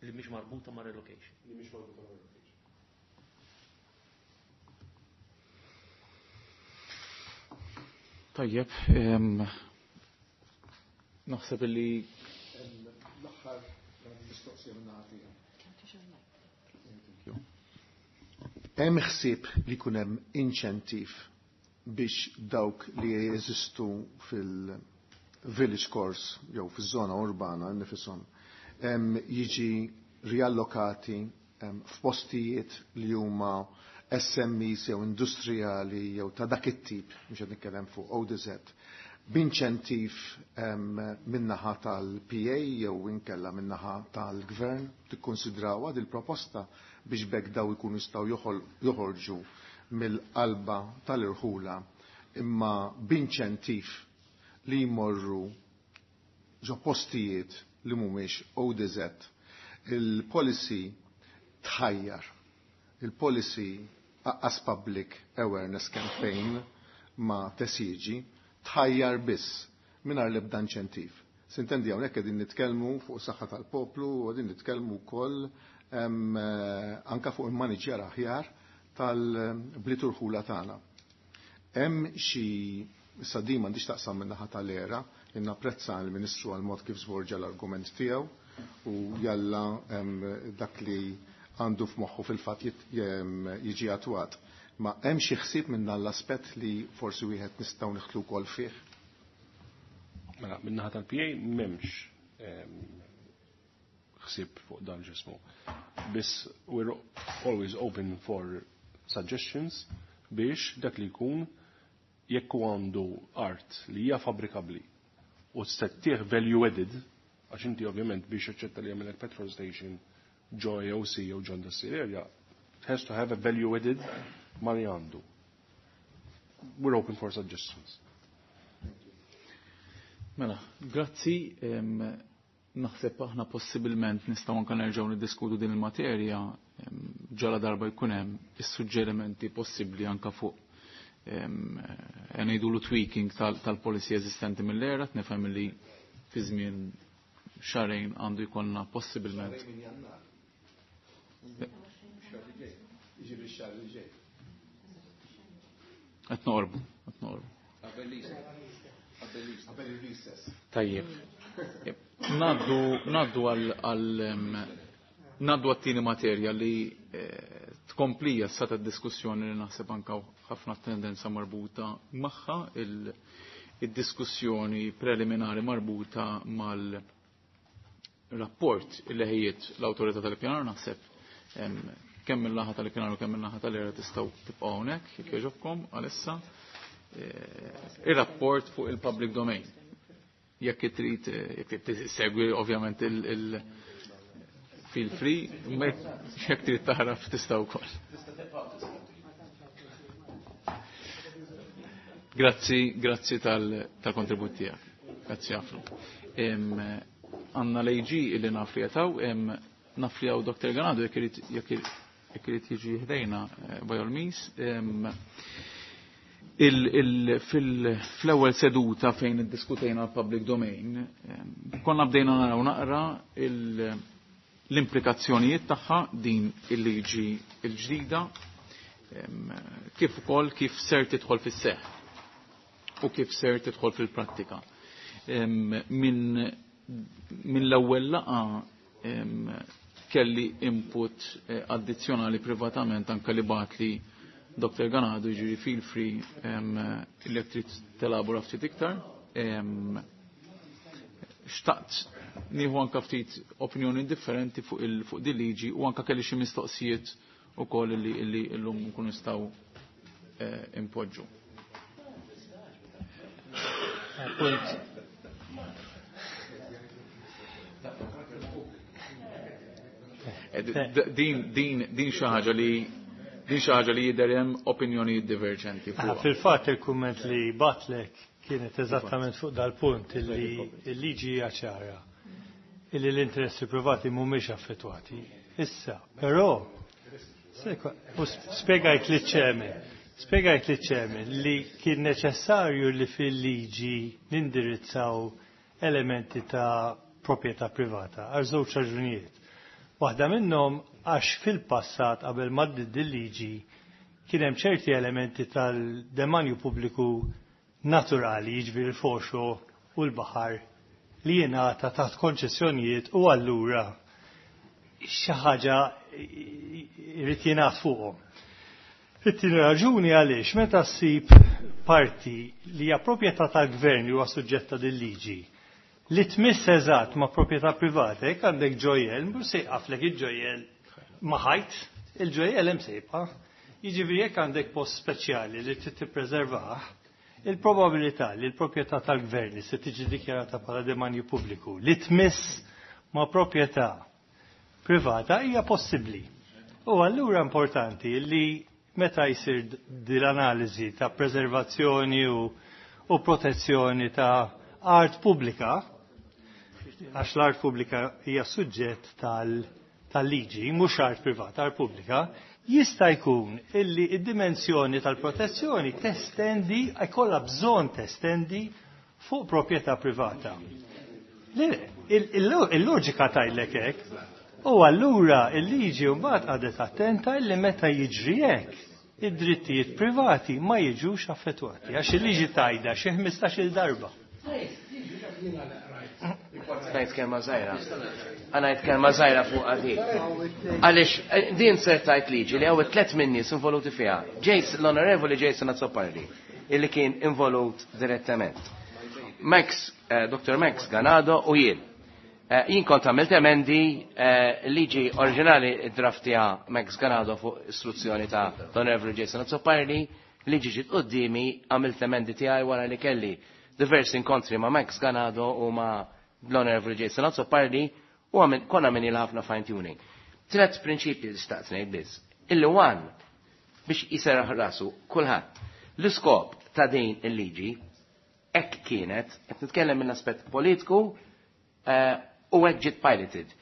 Li mhix marbuta ma' relocation. Li mhix marbuta ma' relocation. Tajjeb, naħseb li l-aħħar mistoqsija minn naħa. Hemm ħsieb li jkun hemm inċentiv biex dawk li jeżistu fil-village course jew fiż-żona urbana nifishom jiġi riallokati f'postijiet li huma S M Es jew industrijali jew ta' dak it-tip, mhux qed nitkellem fuq O D Z, b'inċentiv min-naħa tal-P A jew inkella min-naħa tal-Gvern, tikkonsidrawha dil proposta biex bekk daw ikunu jistgħu joħorġu mill-qalba tal-irħula imma b'inċentiv li jmorru ġo postijiet li mhumiex O D Z. Il-policy tħajjar, il-policy as public awareness campaign ma tesiġi, tħajjar biss mingħajr l-ebda inċentiv. Sintendi hawnhekk qegħdin nitkellmu fuq saħħa tal-poplu u qegħdin nitkellmu wkoll anka fuq il-maniġjar aħjar tal-bliet urħula tagħna. Hemm xi issa din m'għandix taqsam min-naħa tal-era, napprezza l-Ministru għal mod kif żvorġa l-argument tiegħu u jalla dak li għandu f'moħħu fil-fatt jiġi attwat. Ma hemm xi ħsieb minn dan l-aspett li forsi wieħed nistgħu nidħlu wkoll fih? Mela, min-naħa tal-P A m'hemmx ħsieb fuq dan ġismu. Biss we're always open for suggestions biex dak li jkun jekk hu għandu art li hija fabrikabbli u tsettih value added, għax inti ovvjament biex jaċċetta li jagħmel petrol station ġo A O C jew ġo industrial area, it has to have a value added ma li għandu. We're open for suggestions. Mela, grazzi. Naħseb aħna possibilment nistgħu anke nerġgħu niddiskutu din il-materja ġala darba jkun hemm is-suġġerimenti possibbli anke fuq ngħidulu tweaking tal-policy eżistenti mill-era, nifhem li fi żmien xahrejn għandu jkollna possibilment. Qed noqorbu, qed noqorbu. Tajjeb. Naddu, naddu għal, għal, naddu għat-tieni materja li tkomplija s ta' diskussjoni li naħseb anka ħafna tendenza marbuta magħha, il-diskussjoni preliminari marbuta mal-rapport li ħejjiet l-Awtorità tal-Ippjanar, naħseb kemm mill-naħa tal-Ippjanar u kemm mill-naħa tal-era tistgħu tibqgħu hawnhekk jekk jogħġobkom għalissa. Ir-rapport fuq il-public domain. Jekk trid, jekk trid ovvjament il feel free, ma jekk trid taħraf tista' wkoll. Grazzi, grazzi tal-kontribut tiegħek. Grazzi ħafna. Għandna l-A G illi naf li jataw, naf li hawn Doktor Ganado jekk irid, jekk irid jiġi ħdejna by all means. Fl-ewwel seduta fejn iddiskutejna l-public domain, konna bdejna naraw naqra l-implikazzjonijiet tagħha din il-liġi l-ġdida, kif ukoll kif ser tidħol fis-seħħ u kif ser tidħol fil-prattika. Minn min l-ewwel laqgħa kelli input addizzjonali privatament anke li bagħatli Doktor Ganado, jiġifieri feel free li trid telabora ftit iktar. Xtaqt nieħu anke ftit opinjoni differenti fuq il fuq din liġi u anke kelli xi mistoqsijiet ukoll li li llum nkunu nistgħu impoġġu. Punt. Din, din, din xi ħaġa li Din xi ħaġa li jidher hemm opinjonijiet diverġenti fuq. Fil-fatt il-kumment li batlek kienet eżattament fuq dal-punt illi l-liġi hija ċara illi l-interessi privati mhumiex affettwati. Issa, però spjegajt li chairman, spjegajt li chairman li kien neċessarju li fil-liġi nindirizzaw elementi ta' proprjetà privata għal żewġ raġunijiet. Waħda minnhom għax fil-passat qabel ma il-liġi kien hemm ċerti elementi tal-demanju pubbliku naturali, jiġifieri il-foreshore u l-baħar li jingħata taħt konċessjonijiet u allura xi ħaġa jrid jingħad fuqhom. It-tieni raġuni għaliex meta ssib parti li hija proprjetà tal-gvern li huwa suġġetta dil-liġi li tmiss eżatt ma' proprjetà privata, jekk għandek ġojjel, mhux se jqaflek il-ġojjel ma' ħajt, il-ġojjel hemm se jibqa'. Jiġifieri jekk għandek post speċjali li trid tippreservah, il-probabilità li l-proprjetà tal-gvern li se tiġi dikjarata bħala demanju pubbliku li tmiss ma' proprjetà privata hija possibbli. U allura importanti li meta jsir din l-analiżi ta' preservazzjoni u, u protezzjoni ta' art pubblika, għax l-art pubblika hija suġġett tal-liġi, mhux art privata, art pubblika, jista' jkun illi id-dimensjoni tal-protezzjoni testendi, jkollha bżonn testendi fuq proprjetà privata. Il-loġika tajlek hekk, u allura il-liġi mbagħad qagħdet attenta illi meta jiġri hekk id-drittijiet privati ma jiġux affettwati, għax il-liġi tajda xi ħmistax-il darba. Ngħid kelma żgħira. Għana ngħid kelma żgħira fuq għadi. Għaliex din ser tajt liġi li hawn tliet min-nies involuti fiha. Jason, l-Onorevoli Jason Azzopardi, illi kien involut direttament. Max, eh, Dottor Max Ganado u jien. Eh, jien kont għamilt emendi eh, liġi oriġinali draftija Max Ganado fuq istruzzjoni ta' l-Onorevoli Jason Azzopardi, liġi ġiet qudiemi għamilt emendi tiegħi wara li kelli diversi inkontri ma' Max Ganado u ma' l-Onorevoli Jason Azzopardi u għamil, konna minni ħafna fine tuning. Tlet prinċipji li xtaqt ngħid biss. Illi one biex jiserraħ rasu kulħadd. L-iskop ta' din il-liġi hekk kienet, qed nitkellem mill-aspett politiku eh, u hekk ġiet piloted.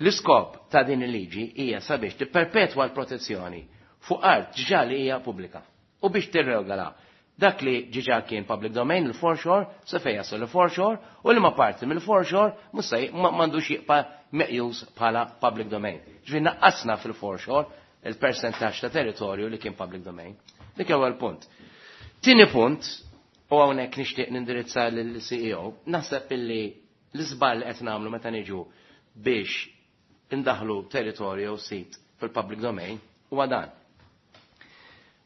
L-iskop ta' din il-liġi hija sabiex tipperpetwa l-protezzjoni fuq art ġa li hija pubblika u biex tirregola dak li ġiġa kien public domain, il-foreshore, sa fejn jasal il-foreshore, u li ma parti mill-foreshore mhux se m'għandux jibqa' meqjus bħala public domain. Ġifieri naqqasna fil-foreshore il-percentaġġ ta' territorju li kien public domain. Dik ewwel punt. Tieni punt, u hawnhekk nixtieq nindirizza lill-C E O, naħseb illi l-iżball li qed nagħmlu meta niġu biex indaħlu territorju u sit fil-public domain huwa dan.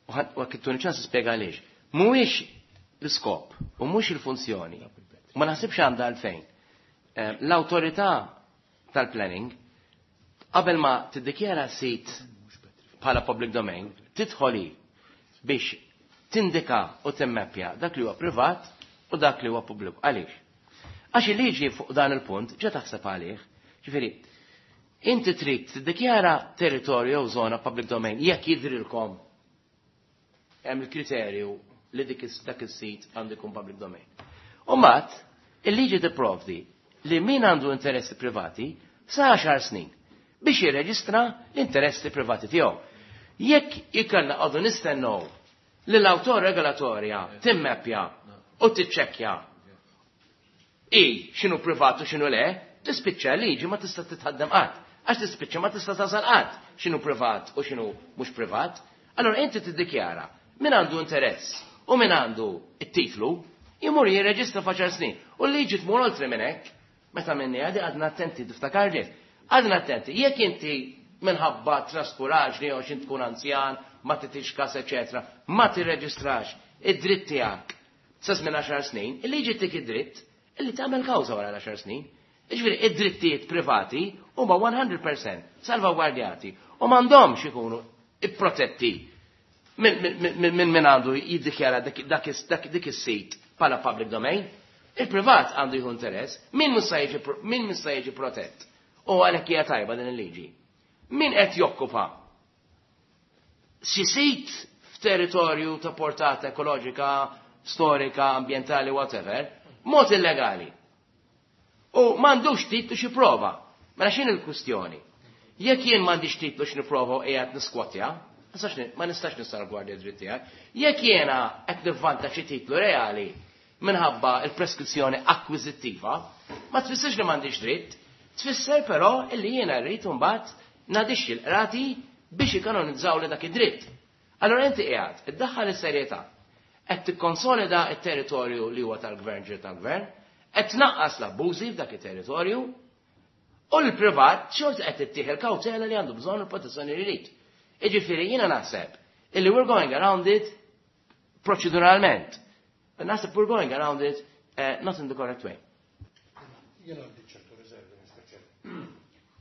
U kittuni ċans nispjega għaliex. Mhuwiex l-iskop u mhux il-funzjoni. Ma naħsibx għandha għalfejn. Eh, L-awtorità tal-planning qabel ma tiddikjara sit bħala public domain, tidħoli biex tindika u timmeppja dak li huwa privat u dak li huwa pubbliku. Għaliex? Għax il-liġi fuq dan il-punt ġa taħseb għalih. Ġifieri, inti trid tiddikjara territorju jew żona public domain jekk jidrilkom hemm il-kriterju li dik is- dak is-sit għandu jkun public domain. U mbagħad il-liġi tipprovdi li min għandu interessi privati sa għaxar snin biex jirreġistra l-interessi privati tiegħu. Jekk ikonna għadu nistennew li l-awtorità regolatorja timmeppja u tiċċekkja i x'inhu privat u x'inhu le, tispiċċa liġi ma tista' titħaddem qatt. Għax tispiċċa ma tista' tasal qatt x'inhu privat u x'inhu mhux privat. Allora inti tiddikjara min għandu interess u min għandu it-titlu jimur jirreġistra f'għaxar snin. U l-liġi tmur oltre minn hekk, meta minni għadi għadna attenti, tiftakar ġiet. Għadna attenti, jekk inti minħabba traskuraġni jew x'int tkun anzjan, ma titix kas, eċetera, ma tirreġistrax id-dritt tiegħek sa żmien għaxar snin, il-liġi tik id-dritt illi tagħmel kawża wara l-għaxar snin. Jiġifieri id-drittijiet privati huma mija fil-mija salvagwardjati u m'għandhomx ikunu ipprotetti minn min, min, min għandu jiddikjara dak, dak, dak, dik is-sit bħala public domain. Il-privat għandu jieħu interess, min mhux se jiġi min mhux se jiġi protett. U għalhekk hija tajba din il-liġi. Min qed jokkupa xi sit f'territorju ta' portata ekoloġika, storika, ambientali, whatever, mod illegali. U m'għandux titlu xi prova. Mela x'in il-kwistjoni? Jekk jien m'għandix titlu x'nipprova u qiegħed niskwatja, ma nistax nissalvgwardja dritt tiegħek. Jekk jiena qed nivvanta xi titlu reali minħabba il-preskrizzjoni akkwiżittiva, ma tfissirx li m'għandix dritt, tfisser però illi jiena rrid imbagħad nadixxi l-qrati biex ikanonizzaw li dak id-dritt. Allora inti qiegħed iddaħħal is-serjetà, qed tikkonsolida t-territorju li huwa tal-gvern ġir tal-gvern, qed tnaqqas l-abbużi f'dak it-territorju, u l-privat xorta qed ittieħ il-kawtela li għandu bżonn il-protezzjoni li jrid. Jiġifieri jiena naħseb illi we're going around it proċeduralment. Naħseb we're going around it uh, not in the correct way. Jien għandi ċertu riservi, Mister Chair.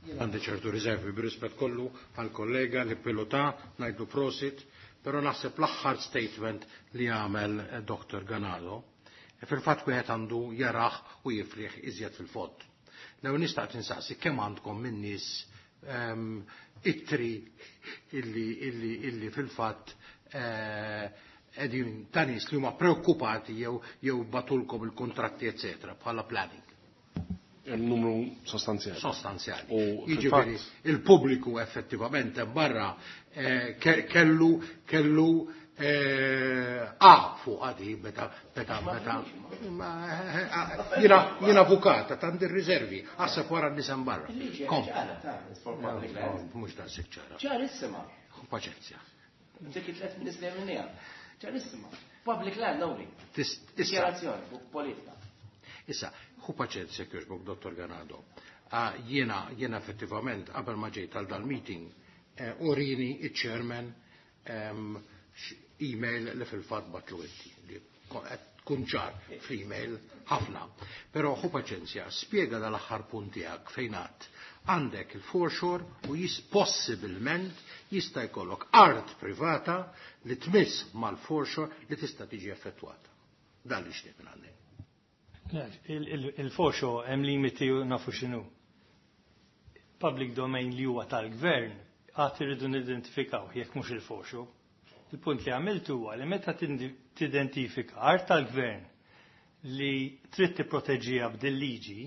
Jien għandi ċertu riservi b'rispett kollu għal-kollega li pilota ngħidlu prosit, però naħseb l-aħħar statement li għamel Doktor Ganado, fil-fatt wieħed għandu jaraħ u jifriħ iżjed fil-fond. Lew nistaq tinsaqsi kemm għandkom minn nies um, ittri illi, illi, illi fil-fatt qegħdin uh, ta' nies li huma preokkupati jew jew batulkom il-kontratti eccetera bħala planning. Hemm numru sostanzjali. Sostanzjali. Jiġifieri il-pubbliku effettivament barra eh, kellu kellu A fuq għadi, meta, meta, meta, jina, jina avukata, tandi riservi, għasab wara nisem barra. Kom. Mux dan ċara. Ċarissima. Paċenzja. Dik it-tlet ministri minnija. Ċarissima. Public land only. Dikjarazzjoni fuq politika. Issa, hu paċenzja kjoġbok, Dottor Ganado. Jiena, jiena effettivament, qabel ma ġejt għal dal-meeting, urini il-chairman email li fil-fatt batlu inti, li tkun ċar fl-email ħafna. Però hu paċenzja, spjega dal-aħħar punt tiegħek fejn għad. Għandek il-foreshore u jis possibilment jista' jkollok art privata li tmiss mal-foreshore li tista' tiġi effettwata. Dan li xtieq minn għandek. Il-foreshore hemm limiti u nafu x'inhu. Public domain li huwa tal-gvern għad irridu nidentifikaw jekk mhux il-foreshore. Il-punt li għamiltu huwa li meta tidentifika art tal-gvern li trid tipproteġiha b'dil-liġi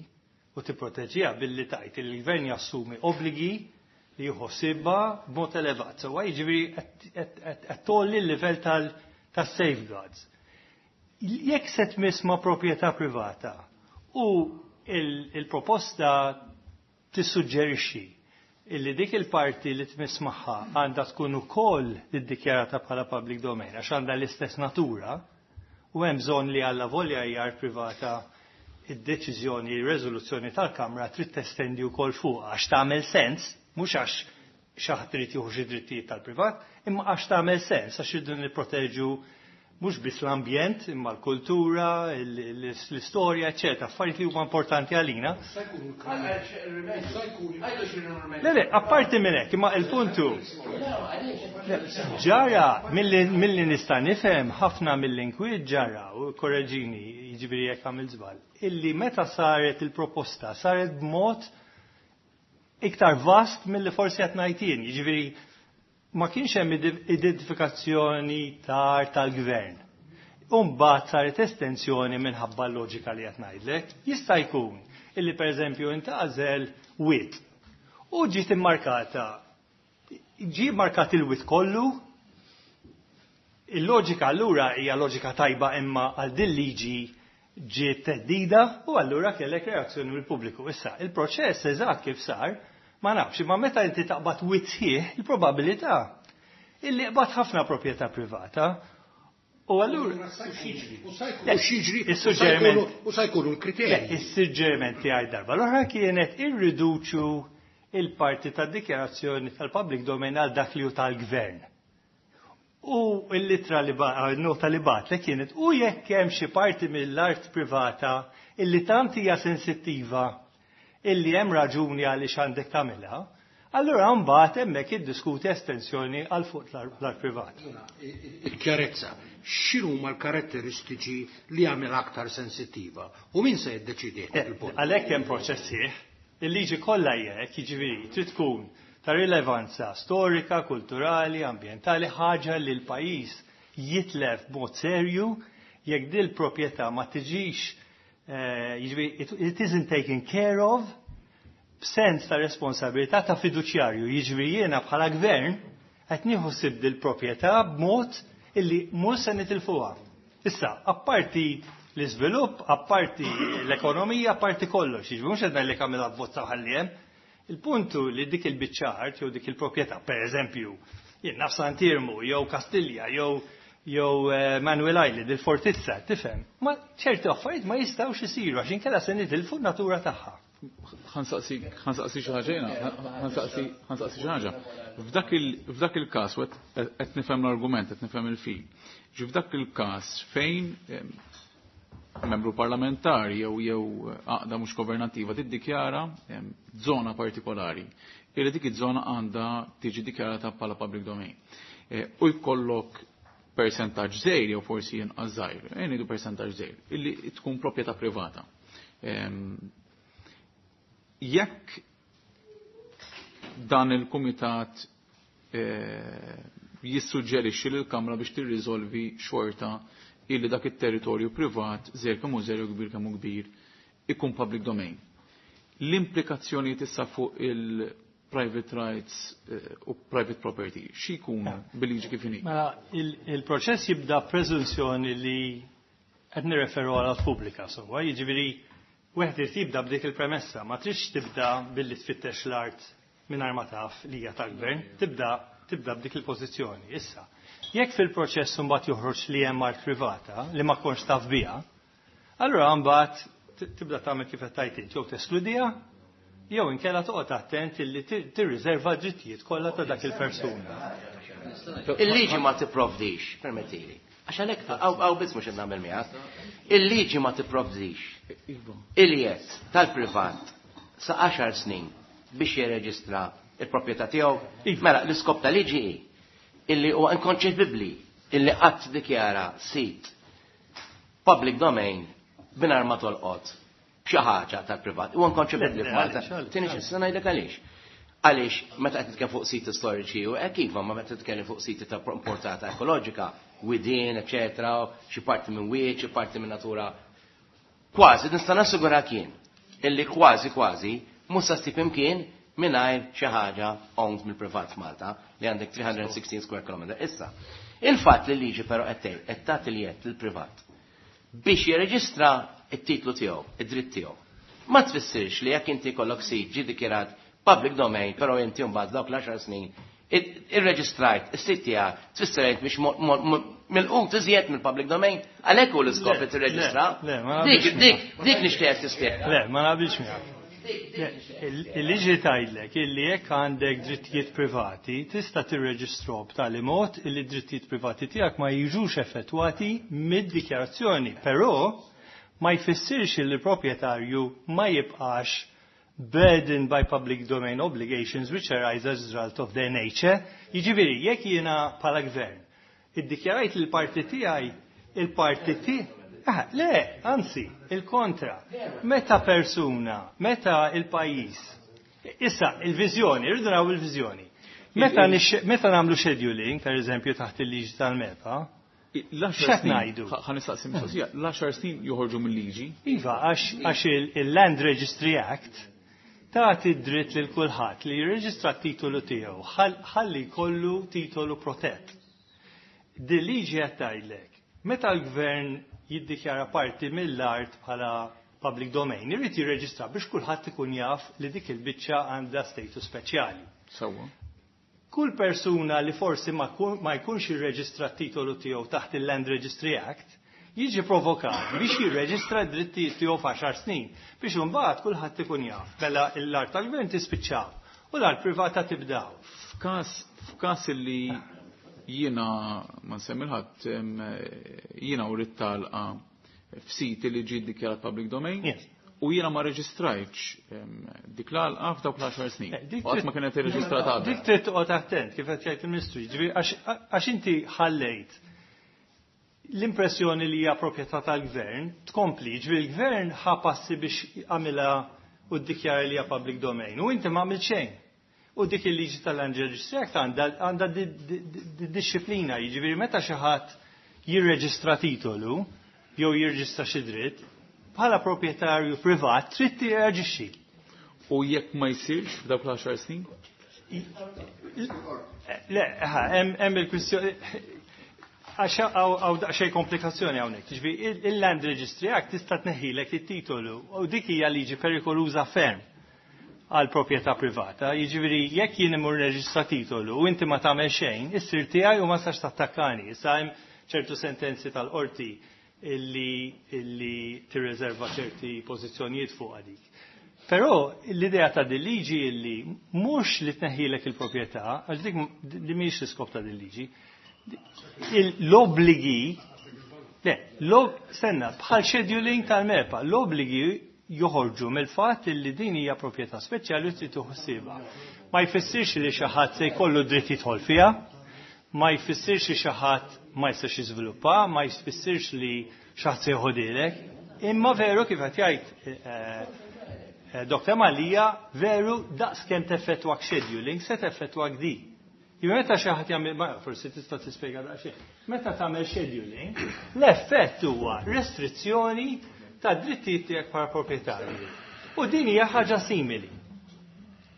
u tipproteġiha billi tajt li l-gvern jassumi obbligi li jħossibha b'mod elevat. Sewwa jiġifieri qed tgħolli l-livell tas-safeguards. Jekk se tmiss ma' proprjetà privata u il-proposta tissuġġerixxi illi dik il-parti li tmiss magħha għandha tkun ukoll iddikjarata bħala public domain għax għandha l-istess natura u hemm bżonn li alla volja hija art privata id-deċiżjoni, ir-reżoluzzjoni tal-Kamra trid testendi wkoll fuq għax tagħmel sens, mhux għax xi ħadd irid jieħu xi drittijiet tal-privat, imma għax tagħmel sens għax irridu nipproteġu mhux biss l-ambjent, imma l-kultura, l-istorja, eċċetera, affarijiet li huma importanti għalina. Le, le, apparti minn hekk, imma il-puntu ġara milli nista' nifhem ħafna mill-inkwiet ġara, u korreġini, jiġifieri jekk għamil żball, illi meta saret il-proposta saret b'mod iktar vast milli forsi qed ngħid jien, jiġifieri ma kienx hemm identifikazzjoni tar tal-gvern. Umbagħad saret estensjoni minħabba l-loġika li qed ngħidlek. Jista' jkun illi pereżempju intgħażel wit u ġiet immarkata. Ġie markat il-wit kollu. Il-loġika allura hija loġika tajba imma għal din liġi ġiet teddida u allura kellek reazzjoni mill-pubbliku. Issa, il-proċess eżatt kif sar ma nafx, imma meta inti taqbad wit sħiħ, il-probabilità illi qbad ħafna proprjetà privata. U allura is-suġġeriment u sa jkunu l-kriterji. Is-suġġeriment tiegħi darba l-oħra kienet irriduċu il-parti tad-dikjarazzjoni tal-public domain għal dak li hu tal-gvern. U l-litra li nota li batlek kienet u jekk hemm xi parti mill-art privata illi tant hija sensittiva illi hemm raġuni għaliex għandek tagħmilha, allura mbagħad hemmhekk iddiskuti estensjoni għal fuq l-art privat. Il-kjarezza, x'inhuma l-karatteristiċi li jagħmel aktar sensittiva u min se jiddeċidi il-punt? Għalhekk hemm proċess sieħ, il-liġi kollha hija hekk, jiġifieri trid tkun ta' rilevanza storika, kulturali, ambjentali, ħaġa li l-pajjiż jitlef b'mod serju jekk dil proprjetà ma tiġix eh, jiġifieri it isn't taken care of b'sens ta' responsabilità ta' fiduċjarju. Jiġifieri jiena bħala gvern qed nieħu ħsieb dil proprjetà b'mod illi mhux se nitilfuha. Issa, apparti l-iżvilupp, apparti l-ekonomija, apparti kollox, jiġifieri mhux qed ngħidlek għamilha bozza ħalli hemm. Il-puntu li dik il-biċċa art jew dik il-proprjetà, per eżempju, jien naf Sant'Iermu, jew Kastilja, jew jew eh, Manuel Island, il-fortizza, tifhem. Ma ċerti affarijiet ma jistgħux isiru għax inkella se nitilfu n-natura tagħha. Ħa nsaqsi xi ħaġa jiena, ħa nsaqsi xi ħaġa. F'dak il-każ qed nifhem l-argument, qed nifhem il-fil. Ġi f'dak il-każ fejn membru parlamentari jew jew għaqda mhux governattiva tiddikjara żona partikolari illi dik iż-żona għandha tiġi dikjarata bħala public domain. E, u jkollok percentaġġ żgħir jew forsi inqas żgħir, e ngħidu percentaġġ żgħir, illi tkun proprjetà privata. Jekk dan il-kumitat e, jissuġġerixxi lill-Kamra biex tirriżolvi xorta illi dak it-territorju privat, żgħir kemm hu żgħir kbir kemm hu kbir, ikun public domain. L-implikazzjoni issa fuq il-private rights eh, u private property, xi jkun bil-liġi kif inhi? Mela, il-proċess jibda preżunzjoni li qed nirreferu għal pubblika sewwa, jiġifieri wieħed irid jibda b'dik il-premessa, ma tridx tibda billi tfittex l-art mingħajr ma taf li hija tal-gvern, tibda tibda b'dik il-pożizzjoni. Issa, jekk fil-proċess mbagħad joħroġ li hemm art privata li ma kontx taf biha, allura mbagħad tibda tagħmel kif qed tgħid int, jew teskludiha, jew inkella toqgħod attent illi tirriserva d-drittijiet kollha ta' dak il-persuna. Il-liġi ma tipprovdix, permettili. Għax għalhekk hawn biss mhux qed nagħmel miegħek. Il-liġi ma tipprovdix il-jedd tal-privat sa għaxar snin biex jirreġistra il-proprjetà tiegħu. Mela, l-iskop tal-liġi hi illi huwa inkonċepibbli illi qatt dikjara sit public domain mingħajr ma tolqot xi ħaġa tal-privat. Huwa inkonċepibbli f'Malta. Tieni xi ngħidlek għaliex. Għaliex meta qed titkellem fuq siti storiċi u hekk iva, ma meta titkellem fuq siti ta' importanza ekoloġika, widien, eċetera, xi parti minn wied, xi parti minn natura. Kważi nista' nassigura kien illi kważi kważi mhux se ssib imkien mingħajr xi ħaġa owned mill-privat f'Malta li għandek tliet mija u sittax square kilometer. Issa, il-fatt li liġi però qed tgħid qed tagħti l-jedd lill-privat biex jirreġistra it-titlu tiegħu, id-dritt tiegħu. Ma tfissirx li jekk inti kollok sit ġi dikjarat public domain, però inti mbagħad dawk l-għaxar snin irreġistrajt is-sit tiegħek, tfisser int biex mill-qut iżjed mill-public domain, għalhekk hu l-iskop li tirreġistra. Dik dik dik nixtieq tispjega. Le, ma naqbilx miegħek. Il-liġi tgħidlek illi jekk għandek drittijiet privati tista' tirreġistru b'tali mod illi drittijiet privati tiegħek ma jiġux effettwati mid-dikjarazzjoni, però ma jfissirx li l-proprjetarju ma jibqax burdened by public domain obligations which arise as a result of their nature. Jiġifieri, jekk jiena bħala gvern iddikjarajt il-parti tiegħi, il-parti tiegħi. Ah, le, anzi, il-kontra. Meta persuna, meta il-pajjiż. Issa, il-viżjoni, irridu naraw il-viżjoni. Meta, meta nagħmlu scheduling, per eżempju, taħt il-liġi tal-MEPA, x'qed ngħidu? Ħa nistaqsi mistoqsija, l-għaxar snin joħorġu mill-liġi? Iva, għax il-Land Registry Act tagħti dritt lil kulħadd li jirreġistra t-titolu tiegħu ħalli jkollu titolu protett. Din liġi qed tgħidlek, meta l-gvern jiddikjara parti mill-art bħala public domain, irid jirreġistra biex kulħadd ikun jaf li dik il-biċċa għandha status speċjali. Sewwa. Kull persuna li forsi ma jkunx irreġistra t-titolu tiegħu taħt il-Land Registry Act jiġi provokat biex jirreġistra d-drittijiet tiegħu f'għaxar snin biex imbagħad kulħadd ikun jaf. Mela l-art tal-gvern tispiċċaw u l-art privata tibdaw. F'każ f'każ li jiena ma nsemmi ħadd, jiena u talqa f'siti li ġie dikjarat public domain. U jiena ma reġistrajtx dik l-għalqa f'dawk l-għaxar snin. Qatt ma kienet irreġistrata. Dik trid toqgħod attent kif qed jgħid il-Ministru, jiġifieri għax inti ħallejt l-impressjoni li hija proprjetà tal-gvern tkompli, jiġifieri l-gvern ħa passi biex għamilha u ddikjara li hija public domain u inti ma għamilt xejn. U dik il-liġi tal-Land Registry Act għandha disċiplina, jiġifieri meta xi ħadd jirreġistra titolu jew jirreġistra xi dritt, bħala proprjetarju privat trid tirreaġixxi. U jekk ma jsirx f'dawk l-għaxar snin? Le, hemm il-kwistjoni għax hawn daqsxejn komplikazzjoni hawnhekk. Jiġifieri il-Land Registry Act tista' tneħħilek it-titolu u dik hija liġi perikoluża ferm għal proprjetà privata. Jiġifieri jekk jien imur reġistra titolu u inti ma tagħmel xejn, issir tiegħi u ma sax tattakkani. Issa hemm ċertu sentenzi tal-qorti illi illi tirreserva ċerti pożizzjonijiet fuq dik. Però l-idea ta' din liġi illi mhux li tneħħilek il-proprjetà, għax dik li mhix l-iskop ta' din liġi, l-obbligi, le, stenna, bħal scheduling tal-MEPA, l-obbligi joħorġu mill-fatt li din hija proprjetà speċjali u trid tieħu. Ma jfissirx li xi ħadd se jkollu dritt jidħol fiha, ma jfissirx li xi ħadd ma jistax jiżviluppa, ma jfissirx li xi ħadd se joħodilek, imma veru kif qed jgħid Doktor Mallia, veru daqs kemm teffettwak scheduling se teffettwak di. Jien meta xi ħadd jagħmel, ma forsi tista' tispjega daqsxejn. Meta tagħmel scheduling, l-effett huwa restrizzjoni ta' drittijiet tiegħek bħala proprjetarju. U din hija ħaġa simili.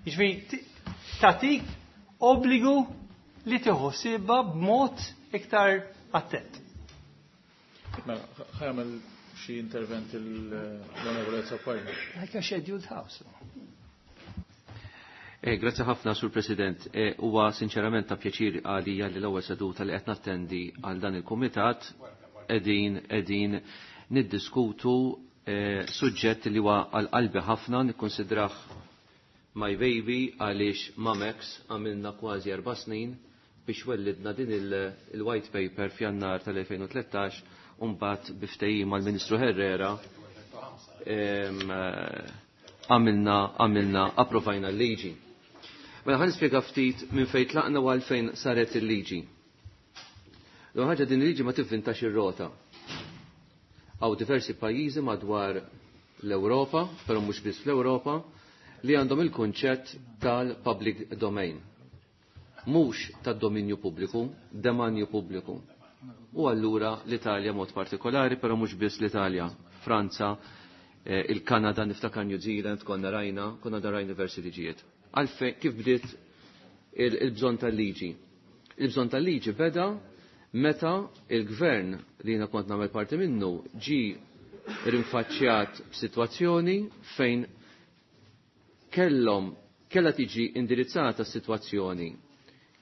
Jiġifieri tagħtik obbligu li tieħu ħsiebha b'mod iktar attent. Mela, ħa jagħmel xi intervent l-Onorevole Azzopardi. Like a scheduled house. Eh, Grazzi ħafna, Sur President. Huwa sinċerament ta' pjaċir għalija li l-ewwel seduta li qed nattendi għal dan il-kumitat qegħdin qegħdin niddiskutu eh, suġġett li huwa għal qalbi ħafna, nikkonsidrah my baby għaliex ma' Max għamilna kważi erba' snin biex wellidna din il-white paper f'Jannar tal-elfejn u tlettax u mbagħad bi ftehim mal-Ministru Herrera għamilna għamilna approvajna l-liġi. Mela ħa nispjega ftit minn fejn tlaqna u għalfejn saret il-liġi. L-ewwel ħaġa, din il-liġi ma tivvintax ir-rota. Hawn diversi pajjiżi madwar l-Ewropa, però mhux biss fl-Ewropa, li għandhom il-kunċett tal-public domain. Mhux tad-dominju pubbliku, demanju pubbliku. U allura l-Italja mod partikolari, però mhux biss l-Italja, Franza, eh, il-Kanada, niftakar New Zealand, konna rajna, konna rajna diversi liġijiet. Għalfejn kif bdiet il-bżonn tal-liġi? Il-bżonn tal-liġi beda meta il-gvern li jiena kont nagħmel parti minnu ġi rinfaċċjat b'sitwazzjoni fejn kellhom kellha tiġi indirizzata s-sitwazzjoni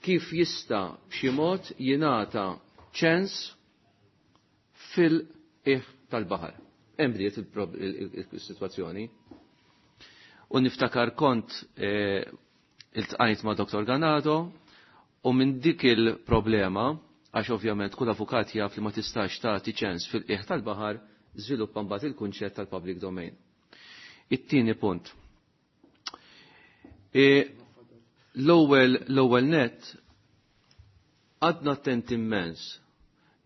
kif jista' b'xi mod jingħata ċens fil-qiegħ tal-baħar. Hemm bdiet il-sitwazzjoni. U niftakar kont iltqajt ma' Doktor Ganado u minn dik il-problema, għax ovvjament kull avukat jaf li ma tistax tagħti ċens fil-qiegħ tal-baħar, żviluppa mbagħad il-kunċett tal-public domain. It-tieni punt. L-ewwel l-ewwel net għadna attent immens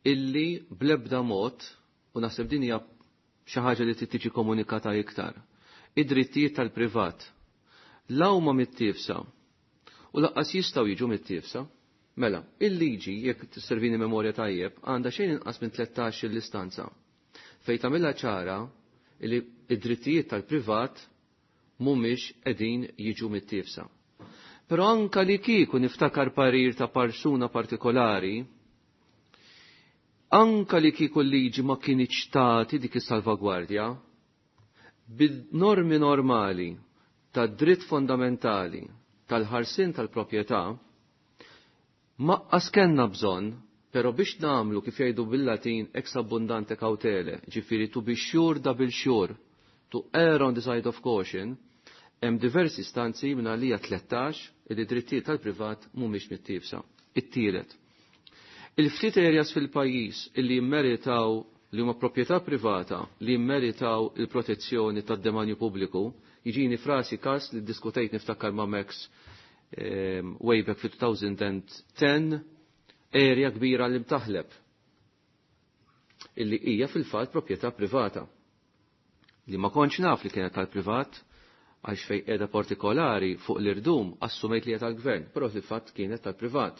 illi bl-ebda mod, u naħseb din hija xi ħaġa li trid tiġi komunikata iktar, id-drittijiet tal-privat la huma mittiefsa u laqqas jistgħu jiġu mittiefsa. Mela, il-liġi, jekk tisservini memorja tajjeb, għandha xejn inqas minn tlettax l-istanza fejn tagħmilha ċara li id-drittijiet tal-privat mhumiex qegħdin jiġu mittiefsa. Però anka li kieku niftakar parir ta' persuna partikolari, anka li kieku l-liġi ma kinitx tagħti dik is-salvagwardja, bid-normi normali tad dritt fondamentali tal-ħarsien tal-proprjetà, maqqas kellna bżonn, però biex nagħmlu kif jgħidu bil-Latin ex abundante cautele, ġifieri to be sure double sure, to err on the side of caution, hemm diversi stanzi minn għalija tlettax li drittijiet tal-privat mhumiex mittiefsa. It-tielet. Il-ftit areas fil-pajjiż illi jimmeritaw li huma proprjetà privata li jimmeritaw il-protezzjoni tad-demanju pubbliku, jiġini frasi kas li diskutejt niftakar ma' Max um, way back fi two thousand ten, area kbira li mtaħleb illi hija fil-fatt proprjetà privata li ma kontx naf li kienet tal-privat Għax fej qiegħda partikolari fuq l-irdum assumejt li hija tal-gvern, però fil-fatt kienet tal-privat.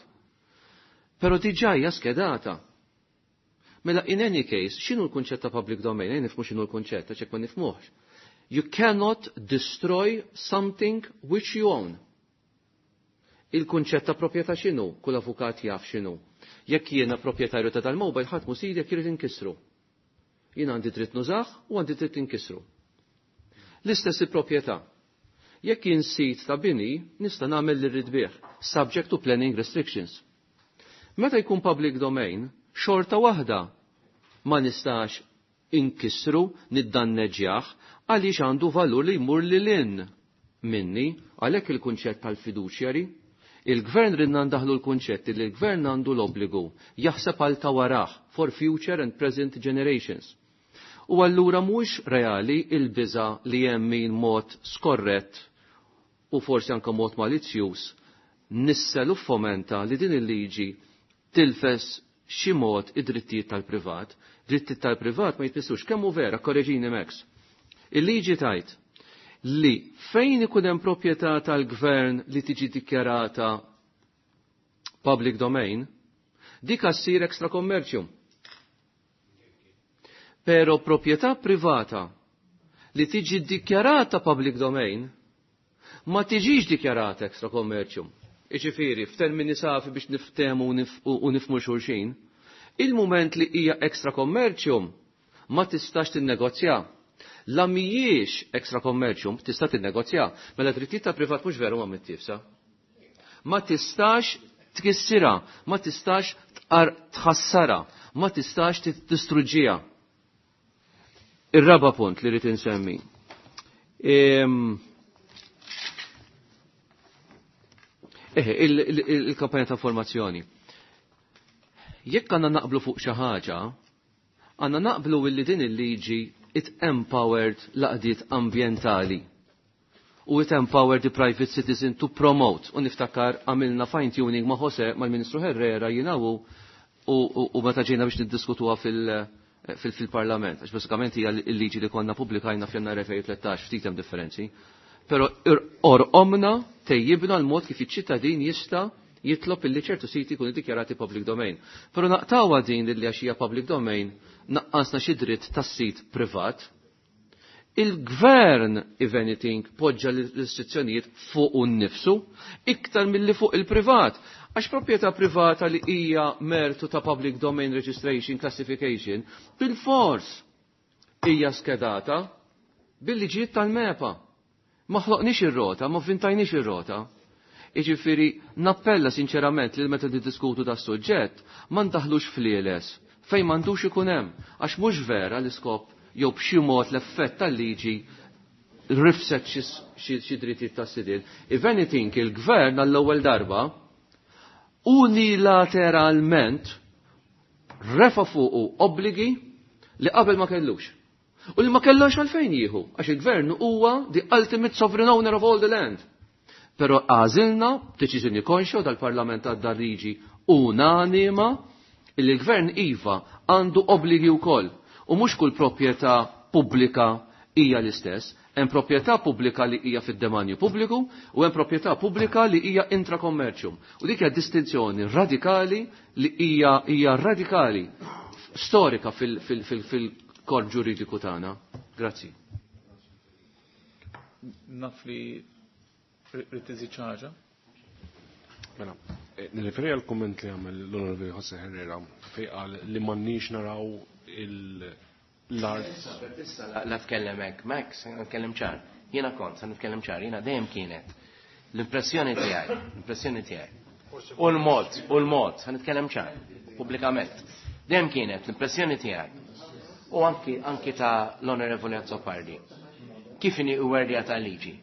Però diġà hija skedata. Mela in any case, x'inhu l-kunċett ta' public domain? Ejja nifhmu x'inhu l-kunċett, għax hekk ma nifhmuhx. You cannot destroy something which you own. Il-kunċett ta' proprjetà x'inhu? Kull avukat jaf x'inhu. Jekk jiena proprjetarju ta' dal-mobile ħadd mhu sidi jekk irid inkissru. Jien għandi dritt nużah u għandi dritt inkissru. L-istess il-proprjetà. Jekk jien sid ta' bini, nista' nagħmel li rrid bih, subject to planning restrictions. Meta jkun public domain, xorta waħda ma nistax inkissru, niddanneġġjah, għaliex għandu valur li jmur lil hinn minni, għalhekk il-kunċett tal-fiduċjari. Il-gvern ridna ndaħlu l-kunċett li l-gvern għandu l-obbligu jaħseb għal ta' warah for future and present generations. U allura mhux reali il-biża li hemm min mod skorrett u forsi anke mod malizzjuż nissel u fomenta li din il-liġi tilfes xi mod id-drittijiet tal-privat. Drittijiet tal-privat ma jitmissux kemm hu vera, korreġini Max. Il-liġi tajt li fejn ikun hemm proprjetà tal-gvern li tiġi dikjarata public domain, dik ssir extra commercium. Pero proprjetà privata li tiġi dikjarata public domain ma tiġix dikjarata extra commercium. Iġifieri, f'termini safi biex niftehmu u nifhmu xulxin, il-moment li hija extra commercium ma tistax tinnegozja. La mhijiex extra commercium tista' tinnegozja, mela drittijiet ta' privat mhux veru ma mittifsa. Ma tistax tkissira, ma tistax tħassara, ma tistax tistruġġiha. Ir-raba punt li rrid insemmi. Eħe, il-kampanja ta' formazzjoni. Jekk għandna naqblu fuq xi ħaġa, għandna naqblu illi din il-liġi it empowered l-għaqdiet ambjentali u it empowered the private citizen to promote. U niftakar għamilna fine tuning ma' Jose, mal-Ministru Herrera, jinawu u meta ġejna biex niddiskutuha fil-Parlament. Għax basikament hija l-liġi li konna pubblikajna f'Jannar elfejn u tlettax, ftit hemm differenzi. Però orqomna tejjibna l-mod kif iċ-ċittadin jista' jitlob illi ċertu siti jkunu dikjarati public domain. Però naqtawha din li għax hija public domain naqqasna xi dritt tas-sit privat. Il-gvern, if anything, poġġa l-istituzzjonijiet fuq nnifsu iktar milli fuq il-privat. Għax proprjetà privata li hija mertu ta' public domain registration classification bil-fors hija skedata bil-liġijiet tal-MEPA. Ma ħloqniex ir-rota, ma vvintajniex ir-rota. Iġifieri nappella sinċerament li meta niddiskutu da suġġett ma ndaħlux flieles fejn m'għandux ikun hemm, għax mhux vera l-iskop jew b'xi mod l-effett tal-liġi rifset xi drittijiet tas-sidien. If anything, il-gvern għall-ewwel darba unilateralment refa fuqu obbligi li qabel ma kellux. U li ma kellux għalfejn jieħu, għax il-gvern huwa the ultimate sovereign owner of all the land. Però għażilna b'deċiżjoni konxja dal-Parlament għadda liġi unanima illi l-gvern iva għandu obbligi wkoll. U mhux kull proprjetà pubblika hija l-istess. Hemm proprjetà pubblika li hija fid-demanju pubbliku u hemm proprjetà pubblika li hija intrakommerċjum. U dik hija distinzjoni radikali li hija hija radikali storika fil-korp ġuridiku tagħna. Grazzi. Naf li rrid iżid xi ħaġa? Mela, nirriferi għal komment li għamel l-Onorevoli Jose Herrera fej qal li m'għandniex naraw l-art. Issa la tkellem hekk, Max, nitkellem ċar. Jiena kont, sa nitkellem ċar, jiena dejjem kienet l-impressjoni tiegħi, l-impressjoni tiegħi. U l-mod, u l-mod, sa nitkellem ċar, pubblikament. Dejjem kienet l-impressjoni tiegħi. U anki anki ta' l-Onorevoli Azzopardi. Kif inhi werdja ta' liġi?